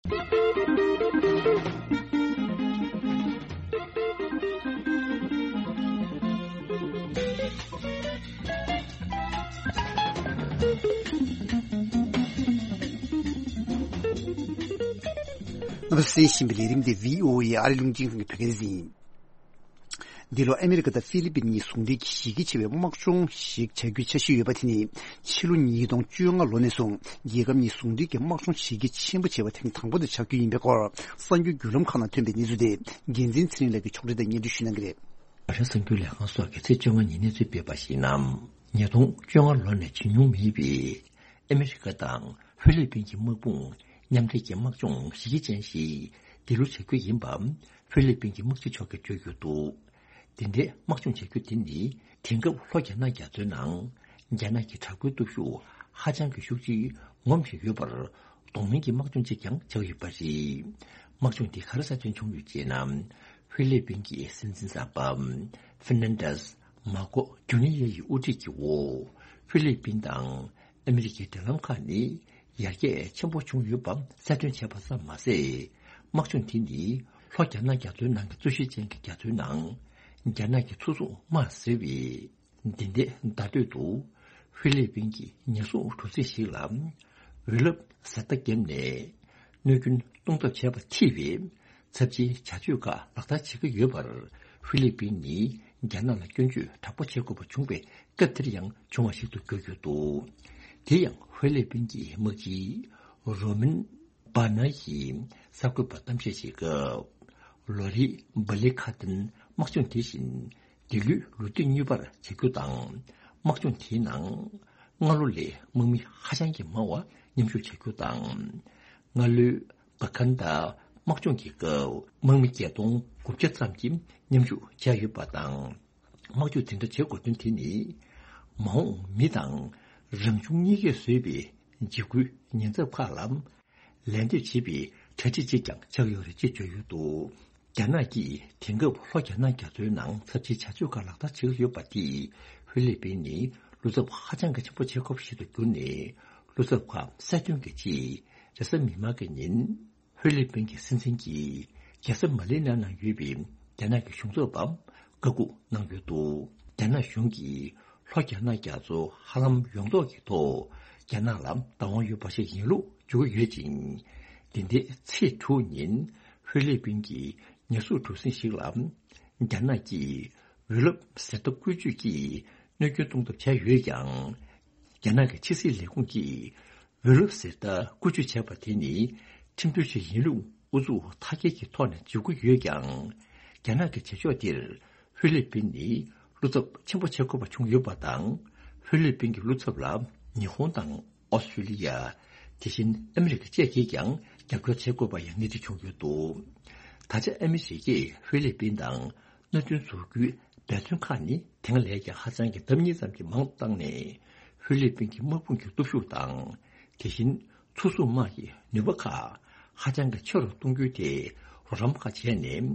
རྣམ་པ་གསན་བཞིན་པའི་ལས་རིམ་འདི་བྷི་ཨོ་ཨེ་ཨ་རི་རླུང་འཕྲིན་ཁང་གི་བོད་སྐད་སྡེ་ཚན་ཡིན། འདི་ལོ་ཨ་མི་རི་ཀ་དང་ཧྥི་ལི་པིན་གཉིས་ཟུང་འབྲེལ་གྱིས་གཞི་རྒྱ་ཆེ་བའི་དམག་སྦྱོང་ཞིག་བྱ་རྒྱུའི་འཆར་གཞི་ཡོད་པ་དེ་ནི་ཕྱི་ལོ་ཉིས་སྟོང་བཅོ་ལྔ་ལོ་ནས་བཟུང་རྒྱལ་ཁབ་གཉིས་ཟུང་འབྲེལ་གྱི་དམག་སྦྱོང་ཞི་རྒྱ་ཆེན་པོ་བྱས་པ་དེ་ནི་དང་པོ་དེ་ཆགས་རྒྱུ་ཡིན་པའི་སྐོར་གསར་འགྱུར་བརྒྱུད་ལམ་ཁག་ནང་ཐོན་པའི་གནས་ཚུལ་དེ་འགན་འཛིན་ཚེ་རིང་ལགས་ཀྱིས་ཕྱོགས་སྒྲིག་དང་སྙན་སྒྲོན་ཞུ་གནང་གི་རེད། རྒྱལ་སྲུང་གི་ལས་ཁང་སོགས་ཀྱིས་ཚེས་བཅོ་ལྔ་ཉིན་གནས་ཚུལ་སྤེལ་བར་གཞིགས་ན། ཉིས་སྟོང་བཅོ་ལྔ་ལོ་ནས་བྱུང་མྱོང་མེད་པའི་ཨ་མི་རི་ཀ་དང་ཧྥི་ལི་པིན་གྱི་དམག་དཔུང་མཉམ་འབྲེལ་གྱི་དམག་སྦྱོང་གཞི་རྒྱ་ཅན་ཞིག་འདི་ལོ་བྱ་རྒྱུ་ཡིན་པ་ཧྥི་ལི་པིན་གྱི་དམག་སྤྱི་མཆོག་གིས་བརྗོད་ཡོད་འདུག་དེ་འདྲའི་དམག་སྦྱོང་བྱ་རྒྱུ་དེ་ནི་དེང་སྐབས་ལྷོ་རྒྱ་ནག་རྒྱ་མཚོའི་ནང་རྒྱ་ནག་གི་དྲག་པོའི་སྟོབས་ཤུགས་ཧ་ཅང་གི་ཤུགས་ཆེ་ངོམ་བཞིན་ཡོད་པར་གདོང་ལེན་གྱི་དམག་སྦྱོང་གཅིག་ཀྱང་ཆགས་ཡོད་པ་རེད། དམག་སྦྱོང་འདི་ག་རེ་གསལ་སྟོན་བྱུང་ཡོད་ཅེ་ན། ཧྥི་ལི་པིན་གྱི་སྲིད་འཛིན་གསར་པ་ཧྥེར་ནན་ཌེས་མཱ་ཀོ་ཇུ་ནི་ཡ་ཡི་དབུ་ཁྲིད་ཀྱི་འོག་ཧྥི་ལི་པིན་དང་ཨ་མི་རི་ཀའི་འབྲེལ་ལམ་ཁག་ནི་ཡར་རྒྱས་ཆེན་པོ་བྱུང་ཡོད་པ་གསལ་སྟོན་བྱས་པ་ཙམ་མ་ཟད། དམག་སྦྱོང་དེ་ནི་ལྷོ་རྒྱ་ནག་རྒྱ་མཚོའི་ནང་གི་རྩོད་གཞི་ཅན་གྱི་རྒྱ་མཚོའི་ནང་རྒྱ་ནག་གི་མཚོ་སྲུང་དམག་ཟེར་བའི། འདི་འདྲའི་བརྡ་སྤྲོད་དུ། ཧྥི་ལི་པིན་གྱིས་ཉེན་སྲུང་གྲུ་གཟིངས་ཤིག་ལ། འོད་རླབས་ཟེར་རྟ་བརྒྱབ་ནས། གནོད་སྐྱོན་གཏོང་ཐབས་བྱས་པ་ཐེ་བའི། ཚབས་ཆེའི་བྱ་སྤྱོད་ཁག་ལག་བསྟར་བྱེད་ཀྱི་ཡོད་པར། ཧྥི་ལི་པིན་ནི་རྒྱ་ནག་ལ་སྐྱོན་བརྗོད་དྲག་པོ་བྱེད་དགོས་པ་བྱུང་བའི་སྐབས་དེར་ཡང་བྱུང་བ་ཞིག་ཏུ་གྱུར་ཡོད་འདུག་དེ་ཡང་ཧྥི་ལི་པིན་གྱི་དམག་སྤྱི་རོ་མིན། པ་ན་ཡིས་གསར་འགོད་པར་གཏམ་བཤད་བྱེད་སྐབས། ལོ་རེའི་སྦ་ལི་ཁ་ཏན་དམག་སྦྱོང་དེ་བཞིན་འདི་ལོའི་ལོ་དུས་གཉིས་པར་བྱ་རྒྱུ་དང་། དམག་སྦྱོང་དེའི་ནང་སྔ་ལོ་ལས་དམག་མི་ཧ་ཅང་གི་མང་བ་མཉམ་ཞུགས་བྱ་རྒྱུ་དང་། སྔ་ལོའི་བ་ཁན་ད་དམག་སྦྱོང་གི་སྐབས་དམག་མི་བརྒྱད་སྟོང་དགུ་བརྒྱ་ཙམ་གྱིས་མཉམ་ཞུགས་བྱས་ཡོད་པ་དང་། དམག་འཇུག་དེ་འདྲ་བྱེད་དགོས་དོན་དེ་ནི། མ་འོངས་མི་དང་རང་བྱུང་གཉིས་ཀས་བཟོས་པའི་འཇིགས་སྐུལ་ཉེན་ཚབས་ཁག་ལ་ལན་འདེབས་བྱེད་པའི་ གྲ་སྒྲིག་ཅིག་ཀྱང་ཆགས་ཡོད་རེད་ཅེས་བརྗོད་ཡོད་འདུག་རྒྱ་ནག་གིས་དེང་སྐབས་ལྷོ་རྒྱ་ནག་རྒྱ་མཚོའི་ནང་ཚབས་ཆེའི་བྱ་སྤྱོད་ཁག་ལག་བསྟར་བྱེད་ཀྱི་ཡོད་པ་དེས་ཧྥི་ལི་པིན་ནི་བློ་འཚབ་ཧ་ཅང་གི་ཆེན་པོ་བྱེད་ཁོ་པ་ཞིག་ཏུ་གྱུར་ནས། བློ་འཚབ་ཁག་གསལ་སྟོན་གྱི་ཆེད་རེས་གཟའ་མིག་དམར་གྱི་ཉིན། ཧྥི་ལི་པིན་གྱི་སྲིད་འཛིན་གྱིས་རྒྱལ་ས་མ་ལི་ན་ནང་ཡོད་པའི་རྒྱ་ནག་གི་གཞུང་ཚབ་པ་བཀའ་འགུག་གནང་ཡོད་འདུག་རྒྱ་ནག་གཞུང་གིས་ལྷོ་རྒྱ་ནག་རྒྱ་མཚོ་ཧ་ལམ་ཡོངས་རྫོགས་ཀྱི་ཐོག་རྒྱ་ནག་ལ་བདག་དབང་ཡོད་པ་ཞིག་ཡིན་ལུགས་བརྗོད་ཀྱི་ཡོད་ཅིང་། འདི་ཟླའི་ཚེས་དྲུག་ཉིན་ཧྥི་ལི་པིན་གྱི་ཉེན་སྲུང་གྲུ་གཟིངས་ཤིག་ལ་རྒྱ་ནག་གིས་འོད་རླབས་ཟེར་ལྟ་བཀོལ་སྤྱོད་ཀྱིས་གནོད་སྐྱོན་གཏོང་ཐབས་བྱས་ཡོད་ཀྱང་། རྒྱ་ནག་གི་ཕྱི་སྲིད་ལས་ཁུངས་ཀྱིས། འོད་རླབས་ཟེར་ལྟ་བཀོལ་སྤྱོད་བྱས་པ་དེ་ནི་ཁྲིམས་མཐུན་ཞིག་ཡིན་ལུགས་ཨུ་ཚུགས་མཐའ་སྐྱེལ་གྱི་ཐོག་ནས་བརྗོད་ཀྱི་ཡོད་ཀྱང་། རྒྱ་ནག་གི་བྱེད་ཕྱོགས་འདིར་ཧྥི་ལི་པིན་ནི་བློ་འཚབ་ཆེན་པོ་བྱེད་དགོས་པ་བྱུང་ཡོད་པ་དང་། ཧྥི་ལི་པིན་གྱི་བློ་འཚབ་ལ་ཉི་ཧོང་དང་ཨོ་སི་ཀྲི་ལི་ཡ། དེ་བཞིན་ཨ་མི་རི་ཀ་བཅས་ཀྱིས་ཀྱང་རྒྱབ་སྐྱོར་བྱེད་དགོས་པ་ཡང་སྣེ་ཁྲིད་བྱུང་ཡོད་འདུག་ད་ཆ་ཨ་མི་རི་ཀས་ཧྥི་ལི་པིན་དང་། མནའ་མཐུན་བཟོ་རྒྱུའི་འབད་བརྩོན་ཁག་ནི་དེང་ལས་ཀྱང་ཧ་ཅང་གི་ལྡབ་གཉིས་ཙམ་གྱིས་མང་དུ་བཏང་ནས། ཧྥི་ལི་པིན་གྱི་དམག་དཔུང་གི་སྟོབས་ཤུགས་དང་། དེ་བཞིན་མཚོ་སྲུང་དམག་གི་ནུས་པ་ཁག་ཧ་ཅང་གི་ཆེ་རུ་གཏོང་རྒྱུའི་ཐད་རོགས་རམ་ཁག་བྱས་ནས།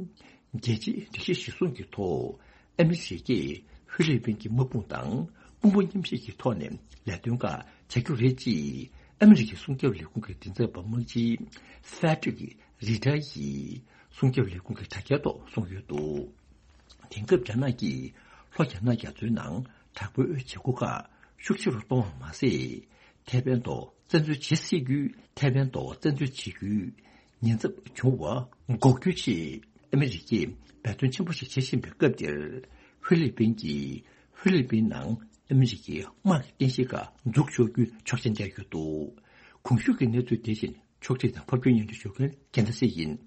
རྒྱལ་སྤྱིའི་སྒྲིག་གཞི་གཞིར་བཟུང་གི་ཐོག་ཨ་མི་རི་ཀས་ཧྥི་ལི་པིན་གྱི་དམག་དཔུང་དང་དཔུང་པ་མཉམ་གཤིབ་ཀྱི་ཐོག་ནས་ལས་དོན་ཁག་བྱ་རྒྱུ་རེད་ཅེས་ཨ་མི་རི་ཀའི་སྲུང་སྐྱོབ་ལས་ཁུངས་ཀྱི་མགྲིན་ཚབ་པ་དམག་སྤྱི་ཧྥེ་ཏྲིག་རི་ཏྲ་ཡིས། སྲུང་སྐྱོབ་ལས་ཁུངས་ཀྱི་དྲ་རྒྱའི་ཐོག་གསུངས་ཡོད་འདུག་དེང་སྐབས་རྒྱ་ནག་གིས་ལྷོ་རྒྱ་ནག་རྒྱ་མཚོའི་ནང་དྲག་པོའི་བྱེད་སྒོ་ཁག་ཤུགས་ཆེ་རུ་གཏོང་བ་མ་ཟད། ཐེ་ཝན་ཐོག་བཙན་འཛུལ་བྱེད་སྲིད་རྒྱུའི་ཐེ་ཝན་ཐོག་བཙན་འཛུལ་བྱེད་རྒྱུའི་ཉེན་ཚབས་བྱུང་བ་འགོག་རྒྱུའི་ཆེད་ཨ་མི་རི་ཀས་འབད་བརྩོན་ཆེན་པོ་ཞིག་བྱེད་བཞིན་པའི་སྐབས་འདིར། ཧྥི་ལི་པིན་གྱིས་ཧྥི་ལི་པིན་ནང་ཨ་མི་རི་ཀའི་དམག་གི་རྟེན་གཞི་ཁག་འཛུགས་ཆོག་རྒྱུའི་ཆོག་མཆན་སྤྲད་ཡོད་འདུག་གོང་ཞུས་ཀྱི་གནས་ཚུལ་དེ་བཞིན། ཕྱོགས་སྒྲིག་དང་ཕབ་སྒྱུར་སྙན་སྒྲོན་ཞུ་མཁན་རྒྱལ་མཚན་སྲས་ཡིན།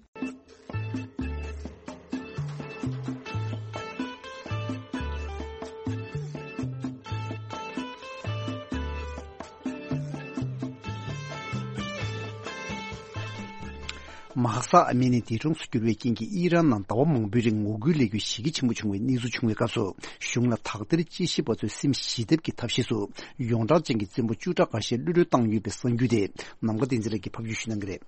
མ་ཧ་ས་ཨ་མི་ནི་འདས་གྲོངས་སུ་གྱུར་བའི་རྐྱེན་གྱིས་ཨི་རན་ནང་ཟླ་བ་མང་པོའི་རིང་ངོ་རྒོལ་ལས་འགུལ་ཞེ་གལ་ཆེན་པོ་བྱུང་བའི་གནས་ཚུལ་བྱུང་བའི་སྐབས་སུ། གཞུང་ལ་དག་ཐེར་དཔྱད་ཞིབ་པ་ཚོས་སེམས་ཞི་བདེ་གི་ཐབས་ཤེས་སུ་ཡོངས་གྲགས་ཅན་གྱི་བཙན་པོ་བཅུ་ཕྲག་འགའ་ཤས་གློད་གྲོལ་བཏང་ཡོད་པའི་གསར་འགྱུར་དེ་ནམ་མཁའ་བསྟན་འཛིན་ལགས་ཀྱིས་ཕབ་སྒྱུར་ཞུ་གནང་གི་རེད།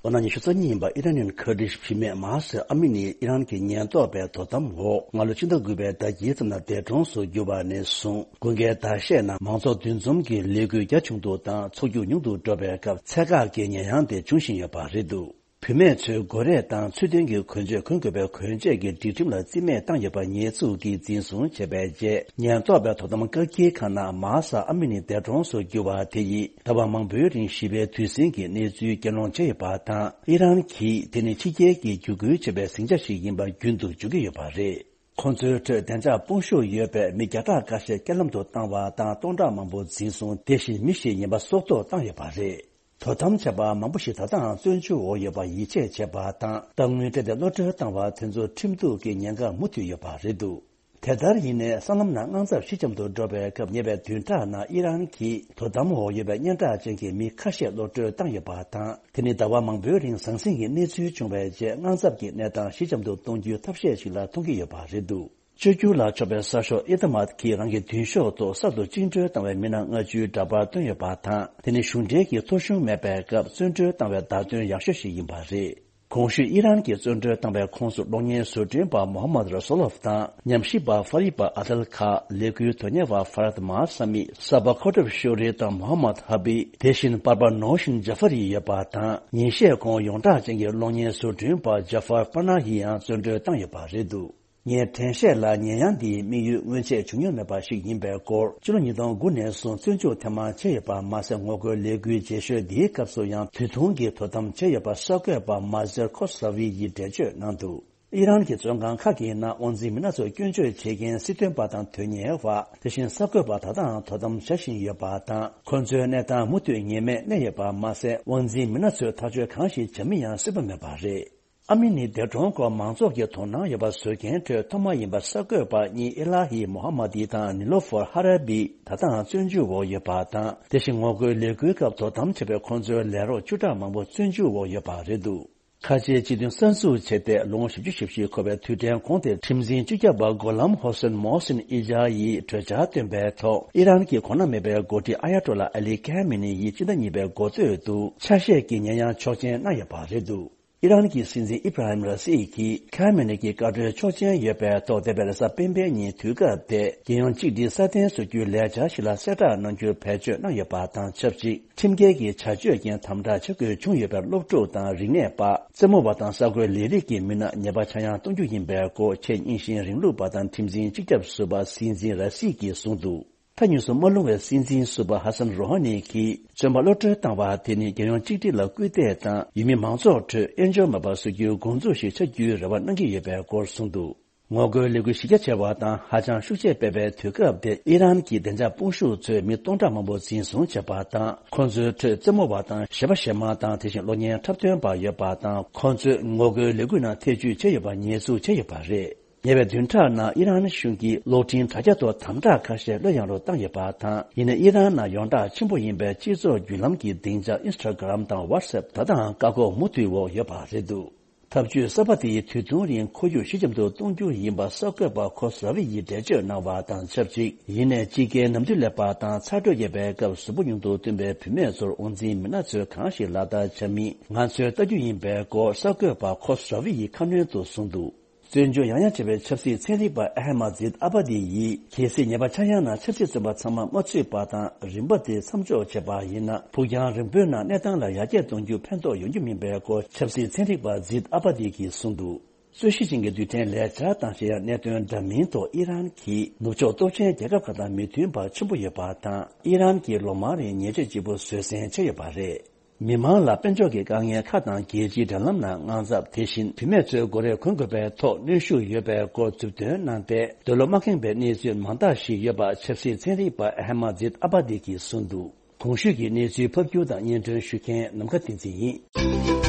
ལོ་ན་ཉི་ཤུ་རྩ་གཉིས་ཡིན་པ་ཨི་རན་ནི་ཁུར་ཌིཤ་བུད་མེད་མ་ཧ་སི་ཨ་མི་ནི་ཨི་རན་གྱི་ཉེན་རྟོག་པའི་དོ་དམ་འོག་སྔ་ལོ་ཕྱི་ཟླ་དགུ་པའི་ཟླ་དཀྱིལ་ཙམ་ལ་འདས་གྲོངས་སུ་གྱུར་བ་ནས་བཟུང་། དགུན་ཁའི་ཟླ་ཤས་ནང་མང་ཚོགས་འདུ་འཛོམས་ཀྱི་ལས་འགུལ་རྒྱ་ཆུང་དུ་དང་ཚོགས་རྒྱུགས་ཉུང་དུ་འགྲོ་བའི་སྐབས་ཚད་བཀག་གི་ཉེས་ཡངས་དེ་འབྱུང་བཞིན་ཡོད་པ་རེད་འདུག་བུད་མེད་ཚོའི་མགོ་རས་དང་ཚུལ་ལྡན་གྱི་གོན་ཆས་གོན་དགོས་པའི་གོན་ཆས་ཀྱི་སྒྲིག་ཁྲིམས་ལ་རྩིས་མེད་བཏང་ཡོད་པ་ཉེས་འཛུགས་ཀྱིས་འཛིན་བཟུང་བྱས་པའི་རྗེས། ཉེན་རྟོག་པའི་དོ་དམ་བཀག་སྐྱིལ་ཁང་ནང་མ་ཧ་ས་ཨ་མི་ནི་འདས་གྲོངས་སུ་གྱུར་བ་དེ་ཡིས་ཟླ་བ་མང་པོའི་རིང་ཞི་བའི་དུས་ཟིང་གི་གནས་ཚུལ་གྱེན་ལངས་བྱས་ཡོད་པ་དང་། ཨི་རན་གྱིས་དེ་ནི་ཕྱི་རྒྱལ་གྱིས་བརྒྱུད་སྐུལ་བྱས་པའི་ཟིང་ཆ་ཞིག་ཡིན་པ་རྒྱུན་དུ་བརྗོད་ཀྱི་ཡོད་པ་རེད། ཁོང་ཚོའི་ཁྲོད་བདེ་འཇགས་དཔུང་ཤུགས་ཡོད་པའི་མི་བརྒྱ་ཕྲག་ཁ་ཤས་རྐྱེན་ལམ་དུ་བཏང་བ་དང་། སྟོང་ཕྲག་མང་པོ་འཛིན་བཟུང་། དེ་བཞིན་མི་ཞིག་ཉེན་པ་སྲོག་ཐོག་བཏང་ཡོད་པ་རེད། དོ་དམ་བྱས་པ་མང་པོ་ཞིག་ད་ལྟའང་བཙོན་འཇུག་འོག་ཡོད་པར་ཡིད་ཆེས་བྱས་པ་དང་། རྟག་དངུལ་སྤྲད་དེ་གློད་གྲོལ་བཏང་བ་དེ་ཚོར་ཁྲིམས་གཏུག་གི་ཉེན་ཁ་མུ་མཐུད་ཡོད་པ་རེད་འདུག་དེ་ལྟར་ཡིན་ནའི་སྲང་ལམ་ནང་དངངས་འཚབ་ཞི་འཇམ་དུ་འགྲོ་བའི་སྐབས། ཉེ་བའི་བདུན་ཕྲག་ནང་ཨི་རན་གྱིས་དོ་དམ་འོག་ཡོད་པའི་སྙན་གྲགས་ཅན་གྱི་མི་ཁ་ཤས་གློད་གྲོལ་བཏང་ཡོད་པ་དང་། དེ་ནི་ཟླ་བ་མང་པོའི་རིང་ཟང་ཟིང་གི་གནས་ཚུལ་བྱུང་བའི་རྗེས། དངངས་འཚབ་ཀྱི་གནས་སྟངས་ཞི་འཇམ་དུ་གཏོང་རྒྱུའི་ཐབས་ཤེས་ཤིག་ལ་མཐོང་གི་ཡོད་པ་རེད་འདུག་བཅོས་བསྒྱུར་ལ་ཕྱོགས་པའི་གསར་ཤོག་ཨི་ཏ་མཱད་ཀྱིས་རང་གི་མདུན་ཤོག་ཐོག་གསར་དུ་བཅིངས་འགྲོལ་བཏང་བའི་མི་སྣ་ལྔ་བཅུའི་འདྲ་པར་བཏོན་ཡོད་པ་དང་། དེ་ནི་གཞུང་འབྲེལ་གྱི་ཐོ་གཞུང་མེད་པའི་སྐབས་བཙོན་གྲོལ་བཏང་བའི་བརྡ་དོན་ཡག་ཤོས་ཤིག་ཡིན་པ་རེད། གོང་ཞུས་ཨི་རན་གྱིས་བཙོན་གྲོལ་བཏང་བའི་ཁོངས་སུ་གློག་བརྙན་བཟོ་སྐྲུན་པ་མོ་ཧ་མད་ར་སོ་ལོབ་དང་། ཉམས་ཞིབ་པ་ཧྥ་རི་པ་ཨ་དལ་ཁ། ལས་འགུལ་དོན་གཉེར་བ་ཧྥ་རད་མ་ཧ་ས་མི། གསར་པ་ཁོ་ཏབ་ཤོ་རི་དང་མོ་ཧ་མད་ཧ་བི། དེ་བཞིན་པར་པ་ནོ་ཤིན་ཇ་ཧྥ་རི་ཡོད་པ་དང་། ཉིན་ཤས་གོང་ཡོངས་གྲགས་ཅན་གྱི་གློག་བརྙན་བཟོ་སྐྲུན་པ་ཇ་ཧྥར་པ་ན་ཧི་ཡང་བཙོན་གྲོལ་བཏང་ཡོད་པ་རེད་འདུག་ངས་དྲན་ཤེས་ལ་ཉེས་ཡངས་འདིའི་དམིགས་ཡུལ་སྔོན་ཆད་བྱུང་མྱོང་མེད་པ་ཞིག་ཡིན་པའི་སྐོར། ཕྱི་ལོ་ཉིས་སྟོང་དགུ་ནས་བཟུང་བཙོན་འཇུག་ཐེངས་མང་བྱས་ཡོད་པ་མ་ཟད། ངོ་རྒོལ་ལས་འགུལ་རྗེས་ཤོས་འདིའི་སྐབས་སུ་ཡང་དུས་ཐུང་གི་དོ་དམ་བྱས་ཡོད་པ་གསར་འགོད་པ་མ་ཟེར་ཁོ་ས་ཝི་ཡིས་འགྲེལ་བརྗོད་གནང་འདུག་ཨི་རན་གྱི་བཙོན་ཁང་ཁག་གི་ནང་དབང་འཛིན་མི་སྣ་ཚོར་སྐྱོན་བརྗོད་བྱེད་མཁན་སྲིད་དོན་པ་དང་དོན་གཉེར་བ། དེ་བཞིན་གསར་འགོད་པ་ད་ལྟའང་དོ་དམ་བྱ་བཞིན་ཡོད་པ་དང་། ཁོ་ཚོའི་གནས་སྟངས་མུ་མཐུད་ངེས་མེད་གནས་ཡོད་པ་མ་ཟད། དབང་འཛིན་མི་སྣ་ཚོས་ཐག་གཅོད་གང་ཞིག་བྱ་མིན་ཡང་སྲིད་པ་མེད་པ་རེད། ཨ་མི་ནི་འདས་གྲོངས་སྐོར་མང་ཚོགས་ཀྱིས་དོ་སྣང་ཡོད་པ་བཟོ་མཁན་ཁྲོད་ཐོག་མ་ཡིན་པ་གསར་འགོད་པ་གཉིས་ཨི་ལ་ཧི་མོ་ཧ་མ་ཏི་དང་ནི་ལོ་ཧྥོར་ཧ་ར་བི་ད་ལྟའང་བཙོན་འཇུག་འོག་ཡོད་པ་དང་། དེ་བཞིན་ངོ་རྒོལ་ལས་འགུལ་སྐབས་དོ་དམ་བྱས་པའི་ཁོང་ཚོའི་ལས་རོགས་བཅུ་ཕྲག་མང་པོ་བཙོན་འཇུག་འོག་ཡོད་པ་རེད་འདུག་ཁ་ཆེའི་སྤྱི་མཐུན་གསར་འཛུགས་བྱས་ཏེ་ལོ་ངོ་བཞི་བཅུ་ཞེ་བཞི་འཁོར་བའི་དུས་དྲན་གོང་དེར་ཁྲིམས་འཛིན་སྤྱི་ཁྱབ་པ་གོ་ལམ་ཧོ་སན་མོ་སིན་ཨི་ཇཱ་ཡིས་གྲོས་འཆར་བཏོན་པའི་ཐོག་ཨི་རན་གྱི་གོང་ན་མེད་པའི་འགོ་ཁྲིད་ཨ་ཡ་ཏོ་ལ་ཨ་ལི་ཁ་མེ་ནི་ཡིས་སྤྱི་ཟླ་གཉིས་པའི་འགོ་སྟོད་དུ་ཆ་ཤས་ཀྱི་ཉེས་ཡངས་ཆོག་མཆན་གནང་ཡོད་པ་རེད་འདུག་ཨི་རན་གྱི་སྲིད་འཛིན་ཨི་བྷ་ར་ཧིམ་ར་སི་གིས་ཁ་མེ་ནི་གྱི་བཀའ་འཁྲོལ་ཆོག་མཆན་ཡོད་པའི་ཐོག་འདས་པའི་རེས་གཟའ་སྤེན་པའི་ཉིན་དུས་སྐབས་དེ་རྒྱལ་ཡོངས་གཅིག་སྒྲིལ་སྲ་བརྟན་བཟོ་རྒྱུའི་ལས་འཆར་ཞིག་ལ་གསལ་བསྒྲགས་གནང་རྒྱུར་བེད་སྤྱོད་གནང་ཡོད་པ་དང་ཆབས་ཅིག་ཁྲིམས་འགལ་གྱི་བྱ་སྤྱོད་ཀྱི་དམ་དྲག་བྱ་དགོས་བྱུང་ཡོད་པའི་སློབ་ཕྲུག་དང་རིག་གནས་པ། རྩེད་མོ་བ་དང་གསར་འགོད་ལས་རིགས་ཀྱི་མི་སྣ་ཉེས་པ་ཆག་ཡང་གཏོང་རྒྱུ་ཡིན་པའི་སྐོར་ཆེས་རྙིང་ཞེན་རིང་ལུགས་པ་དང་ཁྲིམས་འཛིན་སྤྱི་ཁྱབ་ཟུར་པ་སྲིད་འཛིན་ར་སི་གིས་གསུངས་འདུག་མཐའ་མཇུག་སུ་མ་ལྷུང་བའི་སྲིད་འཛིན་ཟུར་པ་ཧ་སན་རོ་ཧ་ནི་གིས་བཙོན་པ་གློད་གྲོལ་བཏང་བ་དེ་ནི་རྒྱལ་ཡོངས་གཅིག་སྒྲིལ་ལ་སྐུལ་འདེད་དང་ཡུལ་མི་མང་ཚོགས་ཁྲོད་དབྱེན་སྦྱོར་མེད་པར་བཟོ་རྒྱུའི་འགོ་འཛུགས་ཤིག་ཆགས་རྒྱུའི་རེ་བ་གནང་གི་ཡོད་པའི་སྐོར་གསུངས་འདུག་ངོ་རྒོལ་ལས་འགུལ་གཞི་རྒྱ་ཆེ་བ་དང་ཧ་ཅང་ཤུགས་ཆེ་སྤེལ་བའི་དུས་སྐབས་དེ་ཨི་རན་གྱི་བདེ་འཇགས་དཔུང་ཤུགས་ཚོས་མི་སྟོང་ཕྲག་མང་པོ་འཛིན་བཟུང་བྱས་པ་དང་ཁོང་ཚོའི་ཁྲོད་རྩེད་མོ་བ་དང་གཞས་པ་གཞས་མ་དང་དེ་བཞིན་གློག་བརྙན་འཁྲབ་སྟོན་པ་ཡོད་པ་དང་ཁོང་ཚོས་ངོ་རྒོལ་ལས་འགུལ་ནང་ཐེ་བྱུས་བྱས་ཡོད་པ་ཉེས་འཛུགས་བྱས་ཡོད་པ་རེད། ཉེ་བའི་བདུན་ཕྲག་ནང་ཨི་རན་གཞུང་གིས་གློག་འཕྲིན་དྲ་རྒྱ་ཐོག་དམ་དྲག་ཁ་ཤས་གློད་ཡངས་རུ་བཏང་ཡོད་པ་དང་ཡིན་ན་ཨི་རན་ནང་ཡོངས་གྲགས་ཆེན་པོ་ཡིན་པའི་སྤྱི་ཚོགས་བརྒྱུད་ལམ་གྱི་སྡིངས་ཆ་ཨིན་སི་ཊ་གྷ་རམ་དང་ཝ་ཊི་སེབ་ད་ལྟའང་བཀག་འགོག་མུ་མཐུད་འོག་ཡོད་པ་རེད་འདུག་ཐབས་ཇུས་གསར་པ་དེའི་དུས་ཐུང་རིང་ཁོར་ཡུག་ཞི་འཇམ་དུ་གཏོང་རྒྱུ་ཡིན་པ་གསར་འགོད་པ་ཁོ་སི་ར་ཝི་ཡིས་འགྲེལ་བརྗོད་གནང་བ་དང་ཆབས་ཅིག་ཡིན་ནའི་དཔྱིད་ཀའི་ནམ་དུས་སླེབས་པ་དང་ཚ་དྲོད་རྒྱས་པའི་སྐབས་གཟུགས་པོ་ཉུང་དུ་བཏོན་པའི་བུད་མེད་ཚོར་དབང་འཛིན་མི་སྣ་ཚོས་གང་ཞིག་ལག་བསྟར་བྱ་མིན་ང་ཚོས་ལྟ་རྒྱུ་ཡིན་པའི་སྐོར་གསར་འགོད་པ་ཁོ་སི་ར་ཝི་ཡིས་ཁ་སྣོན་དུ་གསུངས་འདུག་བཙོན་འཇུག་ཡང་ཡང་བྱས་པའི་ཆབ་སྲིད་ཚན་རིག་པ་ཨ་ཧ་མ་ཛིད་ཨ་བྷ་དི་ཡིས་གལ་སྲིད་ཉེས་པ་ཆག་ཡང་ན་ཆབ་སྲིད་བཙོན་པ་ཚང་མ་མ་ཚུད་པ་དང་རིམ་པ་དེ་མཚམས་འཇོག་བྱས་པ་ཡིན་ན་ཕུགས་རྒྱང་རིང་པོའི་ནང་གནས་སྟངས་ལ་ཡར་རྒྱས་གཏོང་རྒྱུ་ཕན་ཐོགས་ཡོང་རྒྱུ་མིན་པའི་སྐོར་ཆབ་སྲིད་ཚན་རིག་པ་ཛིད་ཨ་བྷ་དི་གིས་གསུངས་འདུག་རྩོད་གཞི་ཅན་གྱི་རྡུལ་ཕྲན་ལས་འཆར་དང་གཞན་ཡང་གནད་དོན་འདྲ་མིན་ཐོག་ཨི་རན་གྱིས་ནུབ་ཕྱོགས་སྟོབས་ཆེན་རྒྱལ་ཁབ་ཁག་དང་མི་མཐུན་པ་ཆེན་པོ་ཡོད་པ་དང་ཨི་རན་གྱིས་ལོ་མང་རིང་ཉེས་ཆད་ལྗིད་པོ་བཟོད་བསྲན་བྱས་ཡོད་པ་རེད། མི་མང་ལ་དཔལ་འབྱོར་གྱི་དཀའ་ངལ་ཁག་དང་རྒྱལ་སྤྱིའི་འབྲེལ་ལམ་ནང་དངངས་འཚབ་དེ་བཞིན་བུད་མེད་ཚོའི་དགོས་རེ་གོན་དགོས་པའི་ཐོག་གནོན་ཤུགས་ཡོད་པའི་སྐོར་མཛུབ་སྟོན་གནང་སྟེ་འདོད་བློ་མ་ཁེངས་པའི་གནས་ཚུལ་མང་དག་ཞིག་ཡོད་པ་ཆབ་སྲིད་ཚན་རིག་པ་ཨ་ཧེ་མ་ཛིད་ཨ་བྷ་དི་གིས་གསུངས་འདུག་གོང་ཞུས་ཀྱི་གནས་ཚུལ་ཕབ་སྒྱུར་དང་སྙན་སྒྲོན་ཞུ་མཁན་ནམ་མཁའ་བསྟན་འཛིན་ཡིན།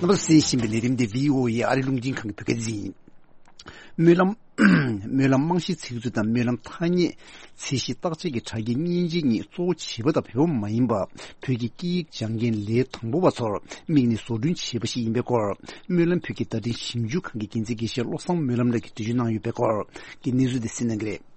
རྣམ་པ་གསན་བཞིན་པའི་ལས་རིམ་འདི་བྷི་ཨོ་ཨེ་ཨ་རི་རླུང་འཕྲིན་ཁང་གི་བོད་སྐད་སྡེ་ཚན་ཡིན། སྨོན་ལམ། སྨོན་ལམ་རྨང་གཞིའི་ཚིག་མཛོད་དང་སྨོན་ལམ་ཐ་སྙད་ཚད་གཞི་བརྟག་དཔྱད་ཀྱི་དྲ་རྒྱའི་མཉེན་ཆས་གཉིས་གཙོ་བོ་བྱིས་པ་དང་བོད་པ་མ་ཡིན་པ་བོད་ཀྱི་སྐད་ཡིག་སྦྱང་མཁན་ལས་དང་པོ་བ་ཚོར་དམིགས་ནས་བཟོ་སྐྲུན་བྱས་པ་ཞིག་ཡིན་པའི་སྐོར། སྨོན་ལམ་བོད་ཀྱི་བརྡ་འཕྲིན་ཞིབ་འཇུག་ཁང་གི་འགན་འཛིན་དགེ་བཤེས་བློ་བཟང་སྨོན་ལམ་ལགས་ཀྱིས་འགྲེལ་བརྗོད་གནང་ཡོད་པའི་སྐོར་གྱི་གནས་ཚུལ་དེ་གསན་གནང་གི་རེད།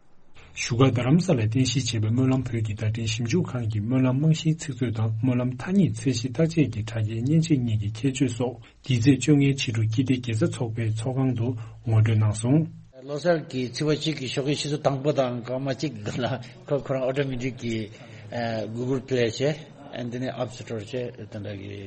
བཞུགས་སྒར་རྡ་རམ་ས་ལར་རྟེན་གཞི་བྱས་པའི་སྨོན་ལམ་བོད་ཀྱི་བརྡ་འཕྲིན་ཞིབ་འཇུག་ཁང་གིས་སྨོན་ལམ་རྨང་གཞིའི་ཚིག་མཛོད་དང་སྨོན་ལམ་ཐ་སྙད་ཚད་གཞི་བརྟག་དཔྱད་ཀྱི་དྲ་རྒྱའི་མཉེན་ཆས་གཉིས་ཀྱི་ཁྱད་ཆོས་སོགས་འདི་ཚེས་བཅོ་ལྔའི་ཕྱི་དྲོ་ཀིརྟི་དགེ་རྩ་ཚོགས་པའི་ཚོགས་ཁང་དུ་ངོ་སྤྲོད་གནང་སོང་། ལོ་གསར་གྱི་ཚེས་པ་གཅིག་གི་ཞོགས་ཀའི་ཆུ་ཚོད་དང་པོ་དང་སྐར་མ་གཅིག་ལ་ཁོ་ཁོ་རང་ཨོ་ཊོ་མེ་ཊིག་གི་ཨ་གུ་གལ་པི་ལེ་བྱས། ཨ་ནི་དེ་ནས་ཨབ་སི་ཊོར་བྱས། དེ་འདྲ་གི་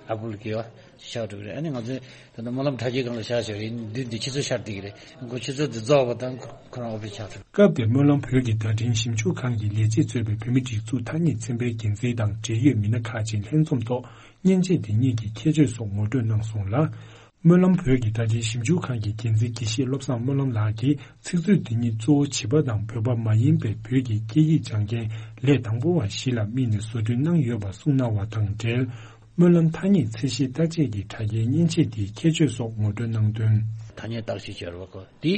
ཨ་པལ་གི་བ་ཤར་འགྲོ་གི་རེད། ཨ་ནི་ང་ཚོས་ད་ལྟ་སྨོན་ལམ་དྲ་རྒྱའི་སྒང་ལ་བཞག་བཞག་རེད། དུས་འདི་ཕྱི་ཚོད་ཤར་བསྡད་ཀྱི་རེད། ཁོ་ཆུ་ཚོད་འདི་རྫོགས་པ་དང་ཁོ་ཁོ་རང་ཨོ་ཕིས་ཆགས་ཐུབ། སྐབས་དེར་སྨོན་ལམ་བོད་ཀྱི་བརྡ་འཕྲིན་ཞིབ་འཇུག་ཁང་གི་ལས་བྱེད་གཙོས་པའི་བོད་མི་སྒྲིག་འཛུགས་ཐ་སྙད་ཚན་པའི་འགན་འཛིན་དང་འབྲེལ་ཡོད་མི་སྣ་ཁག་ཅིག་ལྷན་འཛོམས་ཐོག་མཉེན་ཆས་འདི་གཉིས་ཀྱི་ཁྱད་ཆོས་སོགས་ངོ་སྤྲོད་གནང་སོང་ལ། སྨོན་ལམ་བོད་ཀྱི་བརྡ་འཕྲིན་ཞིབ་འཇུག་ཁང་གི་འགན་འཛིན་དགེ་བཤེས་བློ་བཟང་སྨོན་ལམ་ལགས་ཀྱིས་ཚིག་མཛོད་འདི་ཉིད་གཙོ་བོ་བྱིས་པ་དང་བོད་པ་མ་ཡིན་པའི་བོད་ཀྱི་སྐད་ཡིག་སྦྱང་མཁན་ལས་དང་པོ་བ་བཞི་ལ་དམིགས་ནས་བཟོ་སྐྲུན་གནང་ཡོད་པ་གསུངས་གནང་བ་དང་འབྲེལ། སྨོན་ལམ་ཐ་སྙད་ཚད་གཞི་བརྟག་དཔྱད་ཀྱི་དྲ་རྒྱའི་མཉེན་ཆས་དེའི་ཁྱད་ཆོས་སོགས་ངོ་སྤྲོད་གནང་དོན། ཐ་སྙད་བརྟག་དཔྱད་བྱས་རེད་པ། ཁོ་དེ་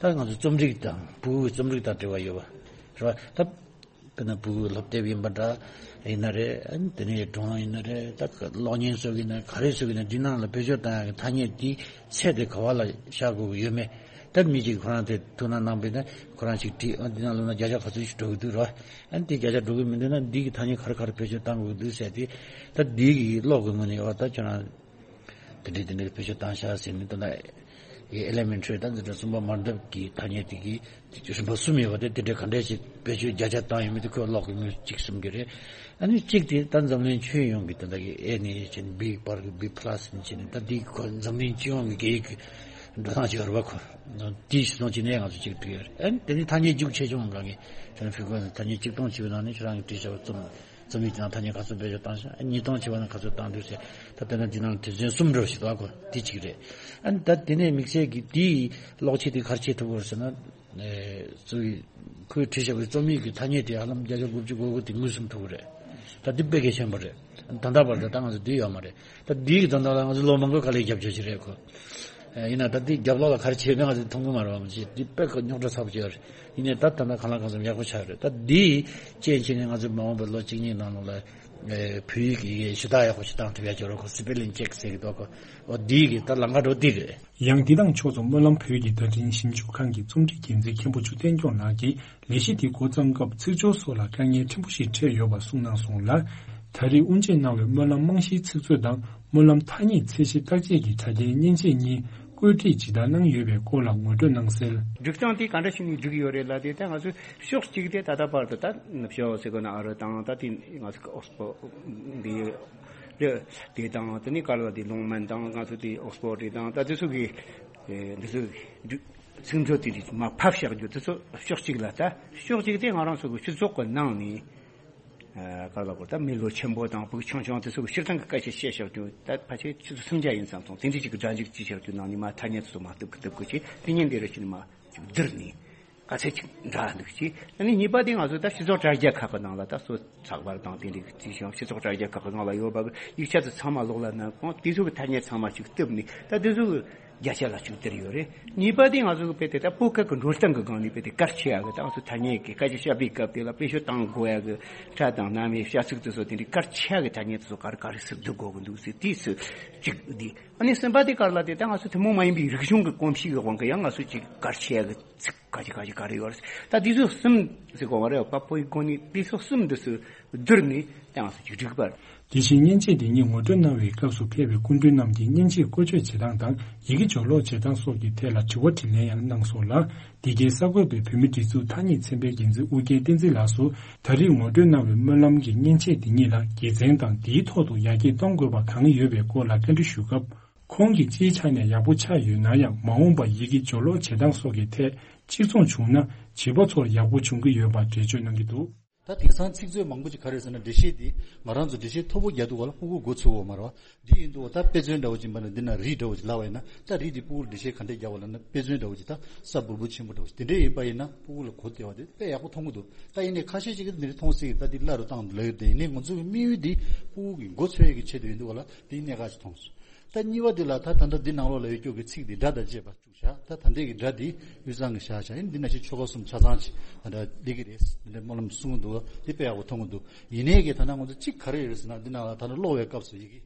ད་ང་ཚོ་རྩོམ་རིག་དང་ཕྲུ་གུའི་རྩོམ་རིག་དང་འབྲེལ་བ་ཡོད་པ་རེད་པ། ད་དཔེར་ན་ཕྲུ་གུའི་སློབ་དེབ་ཡིན་པ་འདྲ་ཡིན་ན་རེད། ཨ་ནི་དེ་ནས་སྒྲུང་ཡིན་ན་རེད། ད་གློག་བརྙན་བཟོ་གི་ཡིན་ན་ག་རེ་བཟོ་གི་ཡིན་ན་འདི་ནང་ལ་བེད་སྤྱོད་བཏང་ཡག་གི་ཐ་སྙད་དེའི་ཚད་དེ་ག་བ་ལ་བཞག་དགོས་ཀྱི་ཡོད་མེད། ད་མི་གཅིག་ཁོ་རང་དེ་ཐུགས་སྣང་གནང་པས་ན་ཁོ་རང་ཅིག་བྲིས། ཨ་འདི་ནང་ལོགས་ན་བརྒྱ་ཆ་ག་ཚོད་ཅིག་འགྲོ་གི་འདུག་རེད་པ། ཨ་ནི་དེ་བརྒྱ་ཆ་འགྲོ་གི་མི་འདུག་ན་འདི་གི་ཐ་སྙད་ག་རེ་ག་རེ་བེད་སྤྱོད་བཏང་དགོས་ཀྱི་འདུག་ཟེར་དེ། ད་འདི་གི་ཀློག་གི་ངོས་ནས་ཡོད་པ་ད་ཁྱོད་རང་དེ་འདྲའི་དེ་འདྲའི་བེད་སྤྱོད་བཏང་ཤག་ཟེར་ནས། ད་ལྟ་གི་ཨེ་ལེ་མེན་ཊི་རི་ད་འདི་འདྲ་རྩོམ་པ་མར་འདབ་ཀྱི་ཐ་སྙད་དེ་གི་རིམ་པ་གསུམ་ཡོད་པ་དེ་དེ་འདྲའི་ག་འདྲས་ཞིག་བེད་སྤྱོད་བརྒྱ་ཆ་བཏང་ཡོད་མེད་དེ་ཁོས་ཀློག་གི་ངོས་གཅིག་གསུང་གི་རེད། ཨ་ནི་གཅིག་དེ་ད་འཛམ་གླིང་ཁྱོན་ཡོངས་ཀྱི་ད་ལྟ་གི་ཨེ་ནས་བྱས་ནས་བི་བར་གྱི་བི་པ་ལ་སི་ནས་བྱས་ནས་ད་འདི་ཁོ་འཛམ་གླིང་སྤྱི་ཡོངས་ཀྱི་སྐད་ཡིག་གི་འགྲོ་སྟངས་ཅིག་ཡོད་རེད་པ། ཁོ་དེའི་གཞི་བཟུང་བྱས་ནས་ང་ཚོ་གཅིག་བྲིས་ཡོད་རེད། ཨ་ནི་དེ་ནི་ཐ་སྙད་རྒྱུགས་ཆེ་ཆུང་གང་གི་ཁྱོད་རང་ཕི་ཁོ་ཐ་སྙད་གཅིག་སྟོང་བྱས་པའི་ནང་ནས་ཁྱོད་རང་གིས་བྲིས་བཞག་པ་རྩོམ་རྩོམ་ཡིག་དེ་ནང་ཐ་སྙད་ག་ཚོད་བེད་སྤྱོད་བཏང་ཤག་ཉིས་སྟོང་བྱས་པ་ན་ག་ཚོད་བཏང་འདུག་ཟེར། ད་དེ་ན་འདི་ནང་དོན་ཚན་གསུམ་འདྲ་བ་ཞིག་འདུག་གོ། འདི་གཅིག་རེད། ཨ་ནི་ད་དེ་ནས་དམིགས་བསལ་གྱི་འདིའི་ཀློག་ཆས་དེ་ག་རེ་བྱེད་ཐུབ་ཀྱི་རེད་ཟེར་ན། ཨེ་གཙོ་བོའི་ཁོས་བྲིས་བཞག་པའི་རྩོམ་ཡིག་གི་ཐ་སྙད་དེ་ཧ་ལམ་བརྒྱ་ཆ་དགུ་བཅུ་གོ་དགུ་དེ་མངོན་སུམ་ཐུབ་ཀྱི་རེད། ད་འདི་དཔེ་གལ་ཆེན་པོ་རེད། ད་ལྟ་བར་དུ་ད་ང་ཚོ་འདི་ཡོད་མ་རེད། ད་འདིའི་དོན་དག་ལ་ང་ཚོ་ལོ་མང་པོའི་དཀའ་ལས་རྒྱབ་ཆོག་ཅིག་རེད་ཁོ། ཡིན་ན་ད་འདི་རྒྱབ་ལོགས་ལ་ག་རེ་བྱས་པས་ང་ཚོ་མཐོང་གི་མ་རེད་བ། མ་གཞི་འདི་དཔེ་ཁོ་རྙོག་དྲ་ཚ་པོ་ཅིག་ཡོད་རེད། ཡིན་ནའི་ད་ད་ལྟ་གང་ལ་གང་འཚམ་ཡག་པོ་ཆགས་ཡོད་རེད། ད་འདིའི་རྐྱེན་བྱས་ནས་ང་ཚོ་མ་འོངས་པའི་ལོ་གཅིག་གཉིས་ནང་ལོགས་ལ་བོད་ཡིག་གི་ཞུ་དག་ཡག་པོ་ཞིག་བཏང་ཐུབ་ཡག་ཅིག་ཡོད་རེད་ཁོ། སི་པེ་ལིང་ཅེག་ཟེར་གི་འདུག་ཁོ། འོ་འདིའི་གི་ད་ལམ་ཁ་འགྲོ་འདི་གི་རེད། ཡང་འདི་དང་ཕྱོགས་མཚུངས་སྨོན་ལམ་བོད་ཀྱི་བརྡ་འཕྲིན་ཞིབ་འཇུག་ཁང་གི་རྩོམ་སྒྲིག་འགན་འཛིན་མཁན་པོ་ཆུ་བསྟན་སྐྱོང་ལགས་ཀྱིས་ལས་གཞི་འདི་འགོ་བརྩམས་སྐབས་ཚིག་སྦྱོར་སོགས་ལ་དཀའ་ངལ་ཕྲན་བུ་ཞིག་འཕྲད་ཡོད་པ་གསུངས་གནང་སོང་ལ། ད་རེས་དབུ་འབྱེད་གནང་བའི་སྨོན་ལམ་རྨང་གཞིའི་ཚིག་མཛོད་དང་སྨོན་ལམ་ཐ་སྙད་ཚད་གཞི་བརྟག་དཔྱད་ཀྱི་དྲ་རྒྱའི་མཉེན་ཆས་གཉིས་བཀོད་སྒྲིག་ཇི་ལྟར་གནང་ཡོད་པའི་སྐོར་ལ་ངོ་སྤྲོད་གནང་གསལ། སྒྲིག་སྟངས་དེ་ག་འདྲ་ཞིག་ནས་སྒྲིག་ཡོད་རེད་ལབ་དུས་ད་ང་ཚོས་ཕྱོགས་གཅིག་དེ་ད་ལྟ་བར་དུ་ད་ནུབ་ཕྱོགས་ཟེར་དགོས་ན་ཨ་རི་དང་ད་དེ་ང་ཚོ་ཨོག་སི་ཕོར་འདི་རེད། དེ་དང་དེ་ནས་ག་ལ་དེ་ལོང་མན་དང་ང་ཚོ་དེ་ཨོག་སི་ཕོར་རེད་དང་ད་དེ་ཚོ་གི་འདི་ཚོ་ཚིག་མཛོད་དེ་རིགས་མར་ཕབ་བཞག་རྒྱུ་དེ་ཚོ་ཕྱོགས་གཅིག་ལ། ད་ཕྱོགས་གཅིག་དེ་ང་རང་ཚོ་གི་སྤྱི་ཚོགས་ཀྱི་ནང་ནས་ག་ལ་གོ་ད་མི་ལོ་ཆེན་པོ་དང་ཕྲུ་གུ་ཆུང་ཆུང་དེ་ཚོ་གི་སྤྱིར་བཏང་གི་སྐད་ཆ་བཤད་བཞག་རྒྱུ། ད་ཕལ་ཆེར་ཆུ་ཚོད་སུམ་བརྒྱ་ཡིན་ཙང་སོང་དེ་འདྲ་ཅིག་གི་སྒྲ་འཇུག་ཅིག་བྱ་རྒྱུ་ནང་ནས་མར་ཐ་སྙད་དེ་ཚོ་མར་གཏུབ་གི་གཏུབ་གི་བྱས་དེ་ཉིན་དེ་རེ་ཞིག་ནས་མར་ཅིག་བསྡུར་ནས། ག་ཚད་ཅིག་འདྲ་འདུག་ཅེས། ཨ་ནི་གཉིས་པ་དེ་ང་ཚོ་ད་སྤྱི་ཚོགས་དྲ་རྒྱ་ཁག་གི་ནང་ལ་ད་གཙོ་ཚགས་པར་དང་དེ་འདྲའི་ཅིག་བྱུང་། སྤྱི་ཚོགས་དྲ་རྒྱ་ཁག་གི་ནང་ལ་ཡོད་པ་གི་ཡིག་ཆ་དེ་ཚང་མ་ཀློག་ལ་ནང་ཁོང་དེ་ཚོ་གི་ཐ་སྙད་ཚང་མ་ཅིག་གཏུབ་ནས་ད་དེ་ཚོ་གི་བརྒྱ་ཆ་ལ་ཅིག་བསྡུར་ཡོད་རེད། གཉིས་པ་དེ་ང་ཚོ་གི་དཔེ་དེ་ད་བོད་སྐད་ཀྱི་འགྲོ་སྟངས་ཀྱི་སྒང་ནས་དཔེ་དེ་གལ་ཆེ་ཡག་གི་ད་ང་ཚོ་ཐ་སྙད་ཀྱི་སྐད་ཆ་བཤད་པའི་སྐབས་དེ་ལ་དཔེ་ཤོད་བཏང་དགོས་ཡག་གི་སྒྲ་དང་རྣམ་དབྱེ་བྱ་ཚིག་དེ་ཚོ་དེ་འདྲའི་གལ་ཆེ་ཡག་གི་ཐ་སྙད་དེ་ཚོ་ག་རེ་ག་རེ་ཟེར་བསྡུར་དགོས་གི་འདུག་ཟེར་དེ་ཚོ་ཅིག་འདི། ཨ་ནི་གསུམ་པ་དེ་ག་རེ་ལབ་དེ་ད་ང་ཚོ་ཐུན་མོང་མ་ཡིན་པའི་རིག་གཞུང་གི་གོམས་གཤིས་ཀྱི་དབང་གིས་ཡང་ང་ཚོ་ཅིག་གལ་ཆེ་ཡག་གི་ཚིག་ག་ཅི་ག་ཅི་ག་རེ་ཡོད་རེད། ད་དེ་ཚོ་གསུམ་ཟེར་དགོས་པ་རེད་པ། བོད་ཡིག་གོ་ནི་དེ་ཚོ་གསུམ་འདི་ཚོ་བསྡུར་ནས་ད་ང་ཚོ་ཅིག་སྒྲིག་པ་རེད། དེ་བཞིན་མཉེན་ཆས་དེ་ཉིད་ངོ་སྤྲོད་གནང་བའི་སྐབས་སུ་ཕེབས་པའི་སྐུ་མགྲོན་རྣམས་ཀྱིས་མཉེན་ཆས་བཀོལ་སྤྱོད་བྱེད་སྟངས་དང་ཡི་གེ་སྦྱོར་ཀློག་བྱེད་སྟངས་སོགས་ཀྱི་ཐད་ལ་དྲི་བ་དྲིས་ལན་ཡང་གནང་སོང་ལ། འདི་གའི་གསར་འགོད་པས་བོད་མིའི་སྒྲིག་འཛུགས་ཐ་སྙད་ཚན་པའི་འགན་འཛིན་ཨུ་རྒྱན་བསྟན་འཛིན་ལགས་སུ། ད་རེས་ངོ་སྤྲོད་གནང་བའི་སྨོན་ལམ་གྱི་མཉེན་ཆས་འདི་ཉིད་ལ་དགེ་མཚན་དང་འདིའི་ཐོག་ཏུ་ཡར་རྒྱས་གཏོང་དགོས་པ་གང་ཡོད་པའི་སྐོར་ལ་བཀའ་འདྲི་ཞུས་སྐབས། ཁོང་གིས་སྤྱིའི་ཆ་ནས་ཡག་པོ་ཆགས་ཡོད་ན་ཡང་མ་འོངས་པར་ཡི་གེ་སྦྱོར་ཀློག་བྱེད་སྟངས་སོགས་ཀྱི་ཐད་གཅིག་མཚུངས་བྱུང་ན་བྱིས་པ་ཚོར་ཡག་པོ་འབྱུང་གི་ཡོད་པར་འགྲེལ་བརྗོད་གནང་གི་འདུག། ད་དེང་སང་ཚིག་མཛོད་མང་པོ་ཅིག་ག་རེ་ཟེར་ན་འགྲེལ་བཤད་འདི་ང་རང་ཚོ་འགྲེལ་བཤད་མཐོ་པོ་རྒྱག་དུས་སྒང་ལ་ཕྲུ་གུ་མགོ་ཚོས་ཡོད་མ་རེད་བ། འདི་ཡིན་དུས་ད་དཔེ་མཚོན་འདྲ་བོ་ཅིག་ཡིན་པ་ན་འདི་ན་རི་འདྲ་བོ་ཅིག་ལབ་པ་ཡིན་ན། ད་རི་འདི་ཕྲུ་གུར་འགྲེལ་བཤད་ག་འདྲས་རྒྱག་པ་ལབ་ན་དཔེ་མཚོན་འདྲ་བོ་ཅིག་ད་ས་འབུར་འབུར་ཆེན་པོ་འདྲ་བོ་ཅིག་དེ་འདྲས་ཡིན་པ་ཡིན་ན་ཕྲུ་གུ་ལ་གོ་བདེ་བ་དེ་དཔེ་ཡག་པོ་མཐོང་གི་འདུག། ད་ཡིན་ནའི་ཁ་ཤས་ཅིག་གིས་འདི་འདྲས་མཐོང་སྲིད་གི། ད་འདི་བརླག་རུ་བཏང་འདུག་ལབ་ཡོད་དེ། ཡིན་ནའི་ང་ཚོ་གི་དམིགས་ཡུལ་འདི་ཕྲུ་གུ་གི་མགོ་ཚོས་ཡས་ཀྱི་ཆེད་དུ་ཡིན་དུས་སྒང་ལ་འདི་གནད་འགག་ཅིག་མཐོང་སོང་། ད་གཉིས་པ་འདི་ལ་ད་ད་ལྟ་འདི་ནང་ལོགས་ལ་ཡོད་རྒྱུ་གི་ཚིག་འདི་སྒྲ་དང་བཅས་པ། བཞག་ད་ད་ལྟའི་གི་སྒྲ་འདི་དབུས་གཙང་གི་བཞག་བཞག་ཡིན། འདི་ནང་བཞིན་ཆོལ་ཁ་གསུམ་ཆ་ཚང་ཅིག་ད་ལྟ་སླེབས་ཀྱི་རེད། འདི་འདྲ་སྨོན་ལམ་གསུང་གི་འདུག། འདི་དཔེ་ཡག་པོ་མཐོང་གི་འདུག། ཡིན་ནའི་གི་ད་ལྟ་ང་ཚོ་གཅིག་ག་རེ་ཡོད་རེད་ཟེར་ན། འདི་ནང་ལ་ད་ལྟ་ཀློག་པའི་སྐབས་སུ་ཡི་གེ་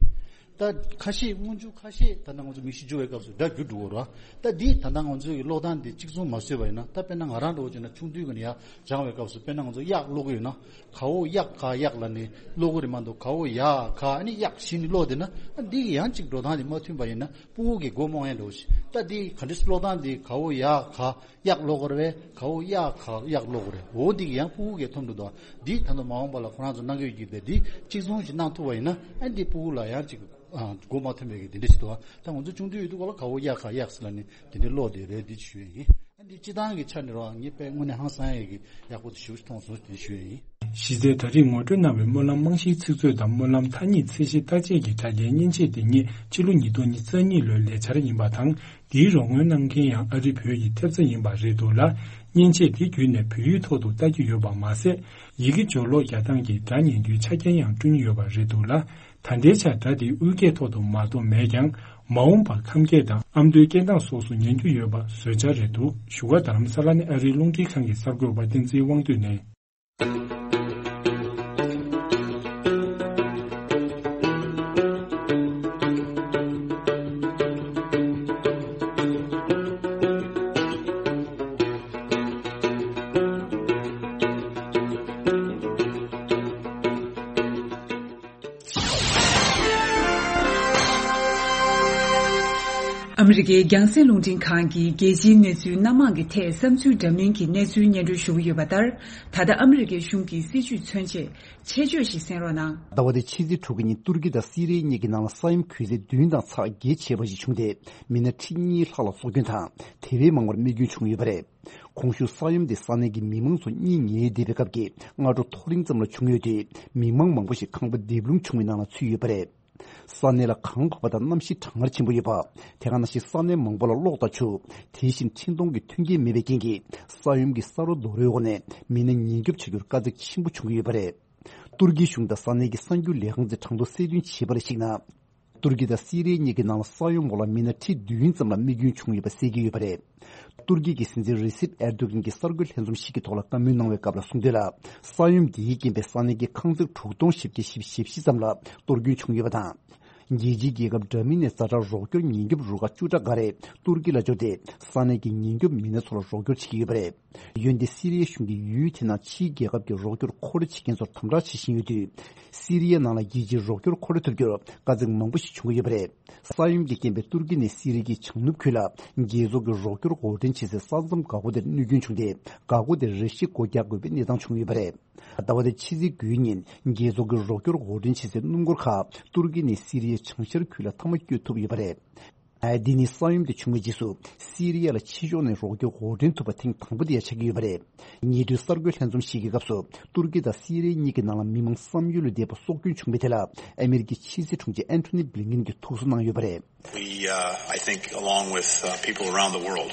ད་ཁ་ཤས་སྔོན་འཇུག་ཁ་ཤས་ད་ལྟ་ང་ཚོ་མིང་གཞི་འཇུག་པའི་སྐབས་སུ་སྒྲ་འགྱུར་འགྲོ་གི་རེད་བ། ད་འདི་ད་ལྟ་ང་ཚོའི་གི་ཀློག་སྟངས་འདི་གཅིག་མཚུངས་མ་བཟོས་པ་ཡིན་ན། ད་དཔེར་ན་ང་རང་འདྲ་བོ་བྱས་ན་ཆུང་དུས་ཀྱི་ནས་ཡར་སྦྱངས་པའི་སྐབས་སུ་དཔེར་ན་ང་ཚོ་གཡག་ཀློག་གི་ཡོད་ན། ག་འོག་གཡག་ག་གཡག་ལབ་ནས་ཀློག་གི་རེད་མ་གཏོགས། ག་འོག་ཡ་ག་ཨ་ནི་གཡག་ཞེས་ནས་ཀློག་བསྡད་ན། ཨ་འདི་གི་ཡང་གཅིག་འགྲོ་སྟངས་དེ་མ་མཐུན་པ་ཡིན་ན་ཕྲུ་གུ་གི་མགོ་རྨོངས་ཡ་འགྲོ་ཞིག། ད་འདི་ག་འདྲ་ཀློག་སྟངས་འདི་ག་འོག་ཡ་ག་གཡག་ཀློག་གི་རེད་པས། ག་འོག་གཡག་ག་གཡག་ཀློག་གི་རེད། འོ་འདི་གི་ཡང་ཕྲུ་གུ་གིས་མཐོང་འགྲོ་འདུག། འདི་ད་དུང་མ་འོངས་པ་ལ་ཁོ་རང་ཚོ་གནང་གི་ཡོད་ཀྱི་རེད། འདི་གཅིག་མཚུངས་ཤིག་གནང་ཐུབ་པ་ཡིན་ན། ཨ་འདི་ཕྲུ་གུ་ལ་ཡང་གཅིག་ཨ་མགོ་མ་ཐོན་པའི་གི་དེ་འདྲ་ཞིག་འདུག། ཨ་ད་ང་ཚོ་ཆུང་དུས་ཡོད་དུས་སྒང་ལ་ག་འོག་གཡག་ག་གཡག་ཟེར་ལབ་ནས་དེ་འདྲ་ཀློག་བསྡད་རེད། འདི་ཞུ་ཡ་ཡིན། ཨ་འདི་སྤྱིར་བཏང་གི་ཆ་ནས་རང་ངས་དཔེ་དངོས་གནས་ཧང་སང་ཡས་ཀྱི་ཡག་པོ་དེ་ཞེ་པོ་ཅིག་མཐོང་སོང་དེ་ཞུ་ཡ་ཡིན། གཞི་རྩའི་ད་རེས་ངོ་སྤྲོད་གནང་བའི་སྨོན་ལམ་རྨང་གཞིའི་ཚིག་མཛོད་དང་སྨོན་ལམ་ཐ་སྙད་ཚད་གཞི་བརྟག་དཔྱད་ཀྱི་དྲ་རྒྱའི་མཉེན་ཆས་དེ་ཉིད་ཕྱི་ལོ་ཉིས་སྟོང་ཉི་ཤུ་རྩ་གཉིས་ལོའི་ལས་འཆར་ཡིན་པ་དང་། དེའི་རོགས་དངུལ་གནང་མཁན་ཡང་ཨ་རི་བོད་ཀྱི་ཐེབས་རྩ་ཡིན་པ་རེད་འདུག་ལ། མཉེན་ཆས་དེ་བརྒྱུད་ནས་བོད་ཡིག་ཐོག་ཏུ་ལྟ་རྒྱུ་ཡོད་པ་མ་ཟད། ཡི་གེ་སྦྱོར་ཀློག་རྒྱག་སྟངས་ཀྱི་སྒྲ་ཉན་རྒྱུའི་ཆ་རྐྱེན་ཡང་བསྐྲུན་ཡོད་པ་རེད་འདུག་ལ། ད་ལྟའི་ཆར་སྒྲ་དེ་དབུས་སྐད་ཐོག་ཏུ་མ་གཏོགས་མེད་ཀྱང་། མ་འོངས་པར་ཁམས་སྐད་དང་ཨ་མདོའི་སྐད་གདངས་སོགས་སུ་ཉན་རྒྱུ་ཡོད་པ་བཟོ་འཆར་རེད་འདུག། བཞུགས་སྒར་རྡ་རམ་ས་ལ་ནས་ཨ་རིའི་རླུང་འཕྲིན་ཁང་གི་གསར་འགོད་པ་བསྟན་འཛིན་དབང་འདུས་ནས། ཨ་མི་རི་ཀའི་རྒྱང་སྲིང་རླུང་འཕྲིན་ཁང་གིས་རྒྱལ་སྤྱིའི་གནས་ཚུལ་སྣ་མང་གི་ཐད་བསམ་ཚུལ་འདྲ་མིན་གྱི་གནས་ཚུལ་སྙན་སྒྲོན་ཞུ་གི་ཡོད་པ་ལྟར། ད་ལྟ་ཨ་མི་རི་ཀའི་གཞུང་གི་སྲིད་བྱུས་མཚོན་ཆེད་ཆེད་བརྗོད་ཞིག་གསན་རོགས་གནང་། ཟླ་བ་འདིའི་ཕྱི་ཚེས་དྲུག་གི་ཉིན་ཏུར་ཀི་དང་སི་རི་ཡའི་གཉིས་ཀྱི་ནང་ལ་ས་ཡོམ་གྱོད་ཚད་བདུན་དང་ཚེག་བརྒྱད་བྱས་པ་ཞིག་བྱུང་སྟེ། མི་སྣ་ཁྲི་གཉིས་ལྷག་ལ་སྲོག་སྐྱོན་དང་དེ་བས་མང་བར་རྨས་སྐྱོན་བྱུང་ཡོད་པ་རེད། གོང་ཞུས་ས་ཡོམ་དེ་ས་གནས་ཀྱི་མི་མང་ཚོ་གཉིད་ཉལ་བསྡད་པའི་སྐབས་ཀྱི་སྔ་དྲོ་ཐོ་རེངས་ཙམ་ལ་བྱུང་ཡོད་དུས། མི་མང་མང་པོ་ཞིག་ཁང་པ་རྡེབ་རླུང་བྱུང་བའི་ནང་ལ་ཚུད་ཡོད་པ་རེད། ས་གནས་ལ་གངས་བབས་པ་དང་གནམ་གཤིས་གྲང་ངར་ཆེན་པོ་ཡོད་པ། དེ་ག་ནང་བཞིན་ས་གནས་མང་པོ་ལ་གློག་དང་ཆུ། དེ་བཞིན་འཕྲིན་གཏོང་གི་མཐུན་རྐྱེན་མེད་པའི་རྐྱེན་གྱིས། ས་ཡོམ་གྱི་ས་རོ་རྡོ་རོའི་འོག་ནས་མི་སྣ་ཉེན་སྐྱོབ་བྱ་རྒྱུར་དཀའ་ཚེགས་ཆེན་པོ་བྱུང་གི་ཡོད་པ་རེད། ཏུར་ཀིའི་གཞུང་དང་ས་གནས་ཀྱི་གསར་འགྱུར་ལས་ཁང་ཚོས་གྲངས་ཐོ་གསལ་སྟོན་བྱས་པར་གཞིགས་ན། ཏུར་ཀི་དང་སི་རི་ཡ་གཉིས་ཀྱི་ནང་ལ་ས་ཡོམ་འོག་ལ་མི་སྣ་ཁྲི་བདུན་ཙམ་ལ་རྨས་སྐྱོན་བྱུང་ཡོད་པ་གསལ་གྱི་ཡོད་པ་རེད། ཏུར་ཀི་གི་སྲིད་འཛིན་རི་སིབ་ཨེར་དོ་གྷན་གྱིས་གསར་འགོད་ལྷན་འཛོམས་ཤིག་གི་ཐོག་ལ་བཀའ་མོལ་གནང་བའི་སྐབས་ལ་གསུངས་དོན་ལ། ས་ཡོམ་འདིའི་རྐྱེན་པས་ས་གནས་ཀྱི་ཁང་ཚན་དྲུག་སྟོང་བཞི་བརྒྱ་བཞི་བཅུ་ཞེ་བཞི་ཙམ་ལ་གཏོར་སྐྱོན་བྱུང་ཡོད་པ་དང་། རྒྱལ་སྤྱིའི་རྒྱལ་ཁབ་འདྲ་མིན་ནས་ཛ་དྲག་རོགས་སྐྱོར་ཉེན་སྐྱོབ་རུ་ཁག་བཅུ་ཕྲག་འགའ་རེ་ཏུར་ཀི་ལ་འབྱོར་ཏེ། ས་གནས་ཀྱི་ཉེན་སྐྱོབ་མི་སྣ་ཚོ་ལ་རོགས་སྐྱོར་བྱེད་ཀྱི་ཡོད་པ་རེད། འོན་ཏེ་སི་རི་ཡའི་གཞུང་གིས་ཡུལ་དེ་ནང་ཕྱིའི་རྒྱལ་ཁབ་ཀྱི་རོགས་སྐྱོར་མཁོ་སྤྲོད་བྱེད་མཁན་ཚོར་དམ་དྲག་བྱེད་བཞིན་ཡོད་དུས། སི་རི་ཡའི་ནང་ལ་རྒྱལ་སྤྱིའི་རོགས་སྐྱོར་མཁོ་སྤྲོད་ཐུབ་རྒྱུར་དཀའ་ཚེགས་མང་པོ་ཞིག་བྱུང་གི་ཡོད་པ་རེད། ས་ཡོམ་གྱི་རྐྱེན་པས་ཏུར་ཀི་ནས་སི་རི་ཡའི་བྱང་ནུབ་ཁུལ་ལ་རྒྱལ་ཚོགས་ཀྱི་རོགས་སྐྱོར་འོར་འདྲེན་བྱེད་སའི་ས་མཚམས་འགག་སྒོ་དེར་གནོད་སྐྱོན་བྱུང་སྟེ། འགག་སྒོ་དེར་རེ་ཞིག་སྒོ་རྒྱག་དགོས་པའི་གནས་སྟངས་བྱུང་ཡོད་པ་རེད། ཟླ་བ་འདིའི་ཕྱི་ཚེས་དགུའི་ཉིན་རྒྱལ་ཚོགས་ཀྱི་རོགས་སྐྱོར་འོར་འདྲེན་བྱེད་སའི་སྣུམ་འཁོར་ཁག་ཏུར་ཀི་ནས་སི་རི་ཡའི་བྱང་ཤར་ཁུལ་ལ་མཐའ་མ་བསྐྱོད་ཐུབ་ཡོད་པ་རེད། འདི་ནི་ས་ཡོམ་དེ་བྱུང་བའི་རྗེས་སུ་སི་རི་ཡ་ལ་ཕྱི་ཕྱོགས་ནས་རོགས་སྐྱོར་འོར་འདྲེན་ཐུབ་པ་ཐེངས་དང་པོ་དེ་ཡང་ཆགས་ཀྱི་ཡོད་པ་རེད། ཉེ་དུས་གསར་འགོད་ལྷན་འཛོམས་ཤིག་གི་སྐབས་སུ་ཏུར་ཀི་དང་སི་རི་ཡ་གཉིས་ཀྱི་ནང་ལ་མི་མང་བསམ་ཡུལ་ལས་འདས་པ་སྲོག་སྐྱོན་བྱུང་བའི་ཐད་ལ་ཨ་མེ་རི་ཀའི་ཕྱི་སྲིད་དྲུང་ཆེ་ཨན་ཐོ་ནི་བྷི་ལིན་ཀིན་གྱིས་ཐུགས་གསོ་གནང་ཡོད་པ་རེད། We, uh, I think, along with, uh, people around the world,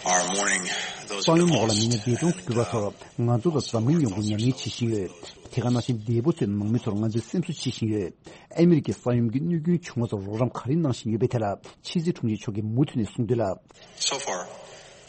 are mourning those who have lost. ས་ཡོམ་འོག་ལ་མི་སྣ་འདས་གྲོངས་སུ་གྱུར་བ་ཚོར་ང་ཚོ་དང་འཛམ་གླིང་ཡོངས་ཀྱིས་ཉམས་ལེན་བྱེད་བཞིན་ཡོད། དེ་ག་ནང་བཞིན་འདས་པོ་ཚོའི་ནང་མི་ཚོར་ང་ཚོས་སེམས་གསོ་བྱེད་བཞིན་ཡོད། ཨ་མེ་རི་ཀས་ས་ཡོམ་གྱི་གནོད་སྐྱོན་བྱུང་བ་ཚོར་རོགས་རམ་ག་རེ་གནང་བཞིན་ཡོད་པའི་ཐད་ལ་ཕྱི་སྲིད་དྲུང་ཆེ་མཆོག་གིས་མུ་མཐུད་ནས་གསུངས་དོན་ལ། So far,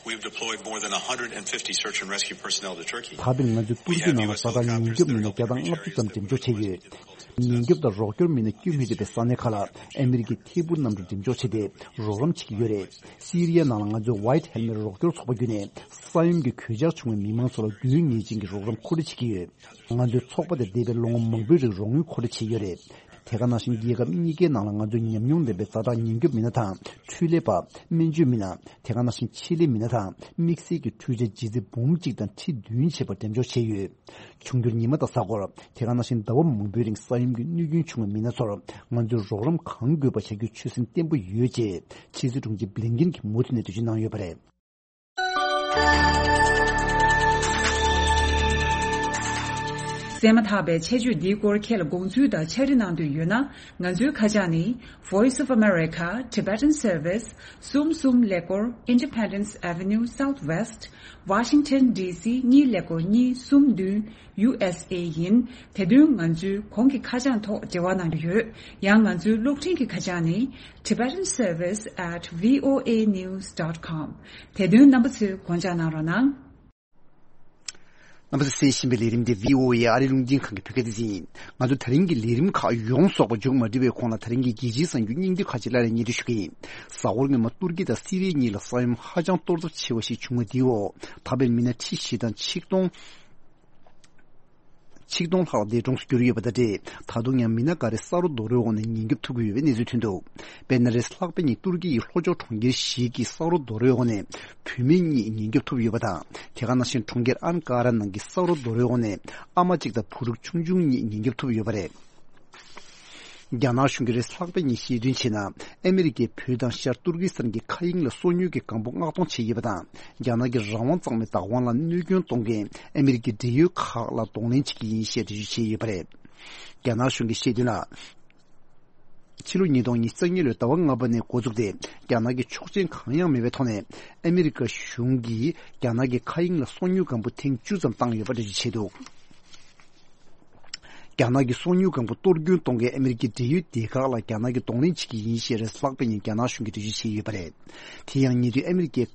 we've deployed more than one hundred fifty search and rescue personnel to Turkey. ད་བར་ང་ཚོས་ཏུར་ཀི་ནང་ལ་ཛ་དྲག་ཉེན་སྐྱོབ་མི་སྣ་བརྒྱ་དང་ལྔ་བཅུ་ཙམ་འགྲེམས་འཇོག་བྱས་ཡོད། ཉེན་སྐྱོབ་དང་རོགས་སྐྱོར་མི་སྣ་བསྐྱོད་མི་ཐུབ་པའི་ས་གནས་ཁག་ལ་ཨ་མེ་རི་ཀས་ཐད་འཕུར་གནམ་གྲུ་འགྲེམས་འཇོག་བྱས་ཏེ་རོགས་རམ་བྱེད་ཀྱི་ཡོད་རེད། སི་རི་ཡའི་ནང་ལ་ང་ཚོའི་White Helmet་རོགས་སྐྱོར་ཚོགས་པ་བརྒྱུད་ནས་ས་ཡོམ་གྱི་གོད་ཆག་བྱུང་བའི་མི་མང་ཚོ་ལ་དགོས་ངེས་ཅན་གྱི་རོགས་རམ་མཁོ་སྤྲོད་བྱེད་ཀྱི་ཡོད། ང་ཚོའི་ཚོགས་པ་དེ་འདས་པའི་ལོ་ངོ་མང་པོའི་རིང་རོགས་དངུལ་མཁོ་སྤྲོད་བྱས་ཡོད་རེད། དེ་ག་ནང་བཞིན་རྒྱལ་ཁབ་གཉིས་ཀའི་ནང་ལ་ང་ཚོས་ཉམས་མྱོང་ལྡན་པའི་ཛ་དྲག་ཉེན་སྐྱོབ་མི་སྣ་དང་འཕྲུལ་ལས་པ། སྨན་བཅོས་མི་སྣ། དེ་ག་ནང་བཞིན་ཆེད་ལས་མི་སྣ་དང་དམིགས་བསལ་གྱི་འཕྲུལ་ཆས་ལྗིད་ཚད་འབུམ་གཅིག་དང་ཁྲི་བདུན་བྱས་པ་འགྲེམས་འཇོག་བྱས་ཡོད། འབྱུང་འགྱུར་ཉི་མ་དང་གཟའ་འཁོར། དེ་ག་ནང་བཞིན་ཟླ་བ་མང་པོའི་རིང་ས་ཡོམ་གྱི་གནོད་སྐྱོན་བྱུང་བའི་མི་སྣ་ཚོར་ང་ཚོས་རོགས་རམ་གང་དགོས་པ་བྱ་རྒྱུའི་ཆོད་སེམས་བརྟན་པོ་ཡོད་ཅེས་ཕྱི་སྲིད་དྲུང་ཆེ་བྷི་ལིན་ཀིན་གྱིས་མུ་མཐུད་ནས་འགྲེལ་བརྗོད་གནང་ཡོད་པ་རེད། གསན་མ་ཐག་པའི་ཆེད་བརྗོད་འདིའི་སྐོར་ཁྱེད་ལ་དགོངས་ཚུལ་དང་ཕྱག་བྲིས་གནང་འདོད་ཡོད་ན། ང་ཚོའི་ཁ་བྱང་ནི། Voice of America, Tibetan Service, གསུམ་གསུམ་ཀླད་ཀོར། Independence Avenue Southwest, Washington D C གཉིས་ཀླད་ཀོར་གཉིས་གསུམ་བདུན། ཡུ་ཨེས་ཨེ་ཡིན། དེ་དོན་ང་ཚོའི་གོང་གི་ཁ་བྱང་ཐོག་འབྲེལ་བ་གནང་རྒྱུ་ཡོད། ཡང་ང་ཚོའི་གློག་འཕྲིན་གྱི་ཁ་བྱང་ནི། Tibetan Service at V O A news dot com། དེ་དོན་རྣམ་པ་ཚོས་དགོངས་འཇགས་གནང་རོགས་གནང་། རྣམ་པ་ཚོས་གསན་བཞིན་པའི་ལས་རིམ་དེ་V O A ཨ་རིའི་རླུང་འཕྲིན་ཁང་གི་བོད་སྐད་སྡེ་ཚན་ཡིན། ང་ཚོ་ད་རིང་གི་ལས་རིམ་ཁག་ཡོངས་རྫོགས་པ་མཇུག་མ་སྒྲིལ་བའི་གོང་ལ། ད་རིང་གི་རྒྱལ་སྤྱིའི་གསར་འགྱུར་སྙིང་བསྡུས་ཁག་ཅིག་སླར་ཡང་སྙན་སྒྲོན་ཞུ་གི་ཡིན། གཟའ་འཁོར་སྔོན་མ་ཏུར་ཀི་དང་སི་རི་ཡ་གཉིས་ལ་ས་ཡོམ་ཧ་ཅང་གཏོར་ཚབས་ཆེ་བ་ཞིག་བྱུང་བ་དེའི་འོག་ད་བར་མི་སྣ་ཁྲི་བཞི་དང་ཆིག་སྟོང་ཆིག་སྟོང་ལྷག་འདས་གྲོངས་སུ་གྱུར་ཡོད་པ་དང་འབྲེལ། ད་དུང་ཡང་མི་སྣ་འགའ་རེ་ས་རོ་རྡོ་རོའི་འོག་ནས་ཉེན་སྐྱོབ་ཐུབ་ཀྱི་ཡོད་པའི་གནས་ཚུལ་ཐོན་འདུག་དཔེར་ན། རེས་ལྷག་པའི་ཉིན་ཏུར་ཀི་ཡི་ལྷོ་ཕྱོགས་གྲོང་ཁྱེར་ཞིག་གི་ས་རོ་རྡོ་རོའི་འོག་ནས་བུད་མེད་གཉིས་ཉེན་སྐྱོབ་ཐུབ་ཡོད་པ་དང་། དེ་ག་ནང་བཞིན་གྲོང་ཁྱེར་ཨན་ཀ་ར་ནང་གི་ས་རོ་རྡོ་རོའི་འོག་ནས་ཨ་མ་གཅིག་དང་བུ་ཕྲུག་ཆུང་ཆུང་གཉིས་ཉེན་སྐྱོབ་ཐུབ་ཡོད་པ་རེད། རྒྱ་ནག་གཞུང་གིས་རེས་ལྷག་པའི་ཉིན་བཤད་དོན་བྱས་ན། ཨ་མེ་རི་ཀས་བོད་དང་ཤར་ཏུར་ཀི་སི་ཐན་གྱི་མཁའ་དབྱིངས་ལ་སོ་ཉུལ་གྱི་སྒམ་པོ་མངགས་གཏོང་བྱས་ཡོད་པ་དང་། རྒྱ་ནག་གི་རང་དབང་གཙང་མའི་བདག་དབང་ལ་གནོད་སྐྱོན་གཏོང་མཁན་ཨ་མེ་རི་ཀའི་འབྲེལ་ཡོད་ཁག་ལ་གདོང་ལེན་བྱེད་ཀྱི་ཡིན་ཞེས་འགྲེལ་བརྗོད་བྱས་ཡོད་པ་རེད། རྒྱ་ནག་གཞུང་གིས་བཤད་དོན་ལ། ཕྱི་ལོ་ཉིས་སྟོང་ཉི་ཤུ་རྩ་གཉིས་ལོའི་ཟླ་བ་ལྔ་པ་ནས་འགོ་བཙུགས་ཏེ། རྒྱ་ནག་གིས་ཆོག་མཆན་གང་ཡང་མེད་པའི་ཐོག་ནས་ཨ་མེ་རི་ཀ་གཞུང་གིས་རྒྱ་ནག་གི་མཁའ་དབྱིངས་ལ་སོ་ཉུལ་སྒམ་པོ་ཐེངས་བཅུ་ཙམ་བཏང་ཡོད་པ་འགྲེལ་བརྗོད་བྱས་འདུག་རྒྱ་ནག་གི་སོ་ཉུལ་སྒམ་པོ་གཏོར་སྐྱོན་གཏོང་མཁན་ཨ་མེ་རི་ཀའི་འབྲེལ་ཡོད་སྡེ་ཁག་ལ་རྒྱ་ནག་གིས་གདོང་ལེན་བྱེད་ཀྱི་ཡིན་ཞེས་རེས་ལྷག་པའི་ཉིན་རྒྱ་ནག་གཞུང་གིས་འགྲེལ་བརྗོད་བྱས་ཡོད་པ་རེད། དེ་ཡང་ཉེ་དུས་ཨ་མེ་རི་ཀའི་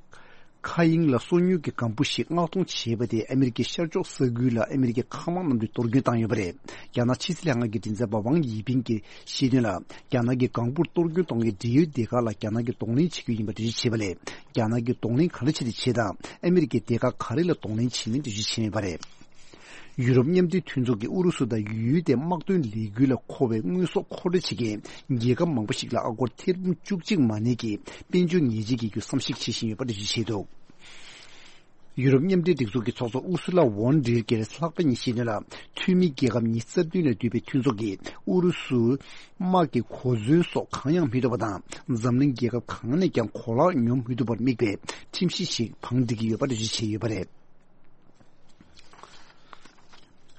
མཁའ་དབྱིངས་ལ་སོ་ཉུལ་གྱི་སྒམ་པོ་ཞིག་མངགས་གཏོང་བྱས་པ་དེས་ཨ་མེ་རི་ཀའི་ཤར་ཕྱོགས་ས་ཁུལ་ལ་ཨ་མེ་རི་ཀའི་མཁའ་དམག་གནམ་གྲུས་གཏོར་སྐྱོན་བཏང་ཡོད་པ་རེད། རྒྱ་ནག་ཕྱི་སྲིད་ལྷན་ཁང་གི་མགྲིན་ཚབ་པ་ཝང་དབྱི་ཕིང་གིས་བཤད་དོན་ལ། རྒྱ་ནག་གི་སྒམ་པོར་གཏོར་སྐྱོན་གཏོང་མཁན་འབྲེལ་ཡོད་སྡེ་ཁག་ལ་རྒྱ་ནག་གིས་གདོང་ལེན་བྱེད་རྒྱུ་ཡིན་པ་འགྲེལ་བརྗོད་བྱས་པ་ལས། རྒྱ་ནག་གིས་གདོང་ལེན་ག་འདྲ་བྱས་ཏེ་བྱས་དང་། ཨ་མེ་རི་ཀའི་སྡེ་ཁག་ག་རེ་ལ་གདོང་ལེན་བྱས་མིན་འགྲེལ་བརྗོད་བྱས་མེད་པ་རེད། ཡུ་རོབ་མཉམ་འབྲེལ་མཐུན་ཚོགས་ཀྱིས་ཨུ་རུ་སུ་དང་ཡུལ་དེའི་དམག་དོན་ལས་འགུལ་ལ་མཁོ་བའི་དངོས་ཟོག་མཁོ་སྤྲོད་བྱེད་མཁན་རྒྱལ་ཁབ་མང་པོ་ཞིག་ལ་ཨ་སྒོར་ཐེར་འབུམ་བཅུ་གཅིག་མ་ནས་ཀྱི་དཔལ་འབྱོར་ཉེས་ཆད་འགེལ་རྒྱུ་བསམ་གཞིག་བྱེད་བཞིན་ཡོད་པ་འགྲེལ་བརྗོད་བྱས་འདུག་ཡུ་རོབ་མཉམ་འབྲེལ་སྒྲིག་འཛུགས་ཀྱི་ཚོགས་གཙོ་ཨུ་སུ་ལ་ཝོན་ཌེར་གྱིས་ལྷག་པ་ཉིན་བཤད་དོན་ལ། འཐུས་མི་རྒྱལ་ཁབ་ཉི་ཤུ་རྩ་བདུན་ལས་འདུས་པའི་མཐུན་ཚོགས་ཀྱིས་ཨུ་རུ་སུ་དམག་གི་གོ་མཚོན་སོགས་གང་ཡང་མི་ཐོབ་པ་དང་། འཛམ་གླིང་རྒྱལ་ཁབ་གང་ནས་ཀྱང་གོ་ལག་ཉོ་མི་ཐུབ་པར་དམིགས་པའི་ཁྲིམས་གཞི་ཞིག་བང་སྒྲིག་གི་ཡོད་པ་འགྲེལ་བརྗོད་བྱས་ཡོད་པ་རེད།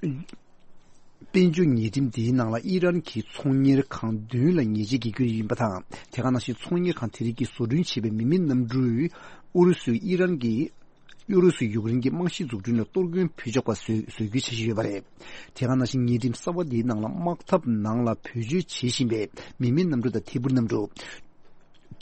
དཔལ་འབྱོར་ཉེས་ཁྲིམས་འདིའི་ནང་ལ་ཨི་རན་གྱི་ཚོང་གཉེར་ཁང་བདུན་ལ་ཉེས་ཆད་འགེལ་རྒྱུ་ཡིན་པ་དང་། དེ་ག་ནང་བཞིན་ཚོང་གཉེར་ཁང་དེ་རིགས་ཀྱིས་བཟོ་སྐྲུན་བྱས་པའི་མི་མེད་གནམ་གྲུས་ཨུ་རུ་སུའི་ཨི་རན་གྱི་ ཡུ་རོབ་སུ་ཡུཀ་རེན་གྱི་རྨང་གཞི་འཛུགས་སྐྲུན་ལ་གཏོར་སྐྱོན་ཕུད་ཆོག་པ་བཟོ་བཟོ་རྒྱུའི་འཆར་གཞི་ཡོད་པ་རེད། དེ་ག་ནང་བཞིན་ཉེ་འགྲམ་གསར་པ་འདིའི་ནང་ལ་དམག་འཐབ་ནང་ལ་བེད་སྤྱོད་བྱེད་བཞིན་པའི་མི་མེད་གནམ་གྲུ་དང་ཐད་འཕུར་གནམ་གྲུ།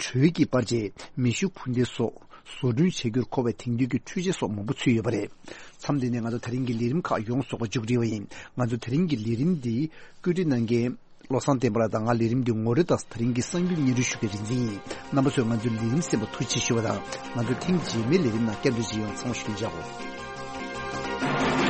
དྲོད་ཀྱི་པར་ཆས། མེ་ཤུགས་འཕུར་མདེལ་སོགས་བཟོ་སྐྲུན་བྱེད་རྒྱུར་མཁོ་བའི་དེང་དུས་ཀྱི་འཕྲུལ་ཆས་སོགས་མང་པོ་ཚུད་ཡོད་པ་རེད། མཚམས་འདི་ནས་ང་ཚོ་ད་རིང་གི་ལས་རིམ་ཁག་ཡོངས་རྫོགས་པ་མཇུག་སྒྲིལ་བ་ཡིན། ང་ཚོ་ད་རིང་གི་ལས་རིམ་འདི་བཀོད་སྒྲིག་གནང་མཁན་བློ་བཟང་བསྟན་པ་ལགས་དང་ང་ལས་རིམ་འདི་ངོ་སྤྲོད་དང་ད་རིང་གི་གསར་འགྱུར་སྙན་སྒྲོན་ཞུ་མཁན་རིག་འཛིན་ཡིན། རྣམ་པ་ཚོས་ང་ཚོའི་ལས་རིམ་གསན་པར་ཐུགས་རྗེ་ཆེ་ཞུ་བ་དང་། ང་ཚོ་ཐེངས་རྗེས་མའི་ལས་རིམ་ནང་བསྐྱར་མཇལ་ཡོང་། ཚང་མ་ཞུ་མཇལ་གོ།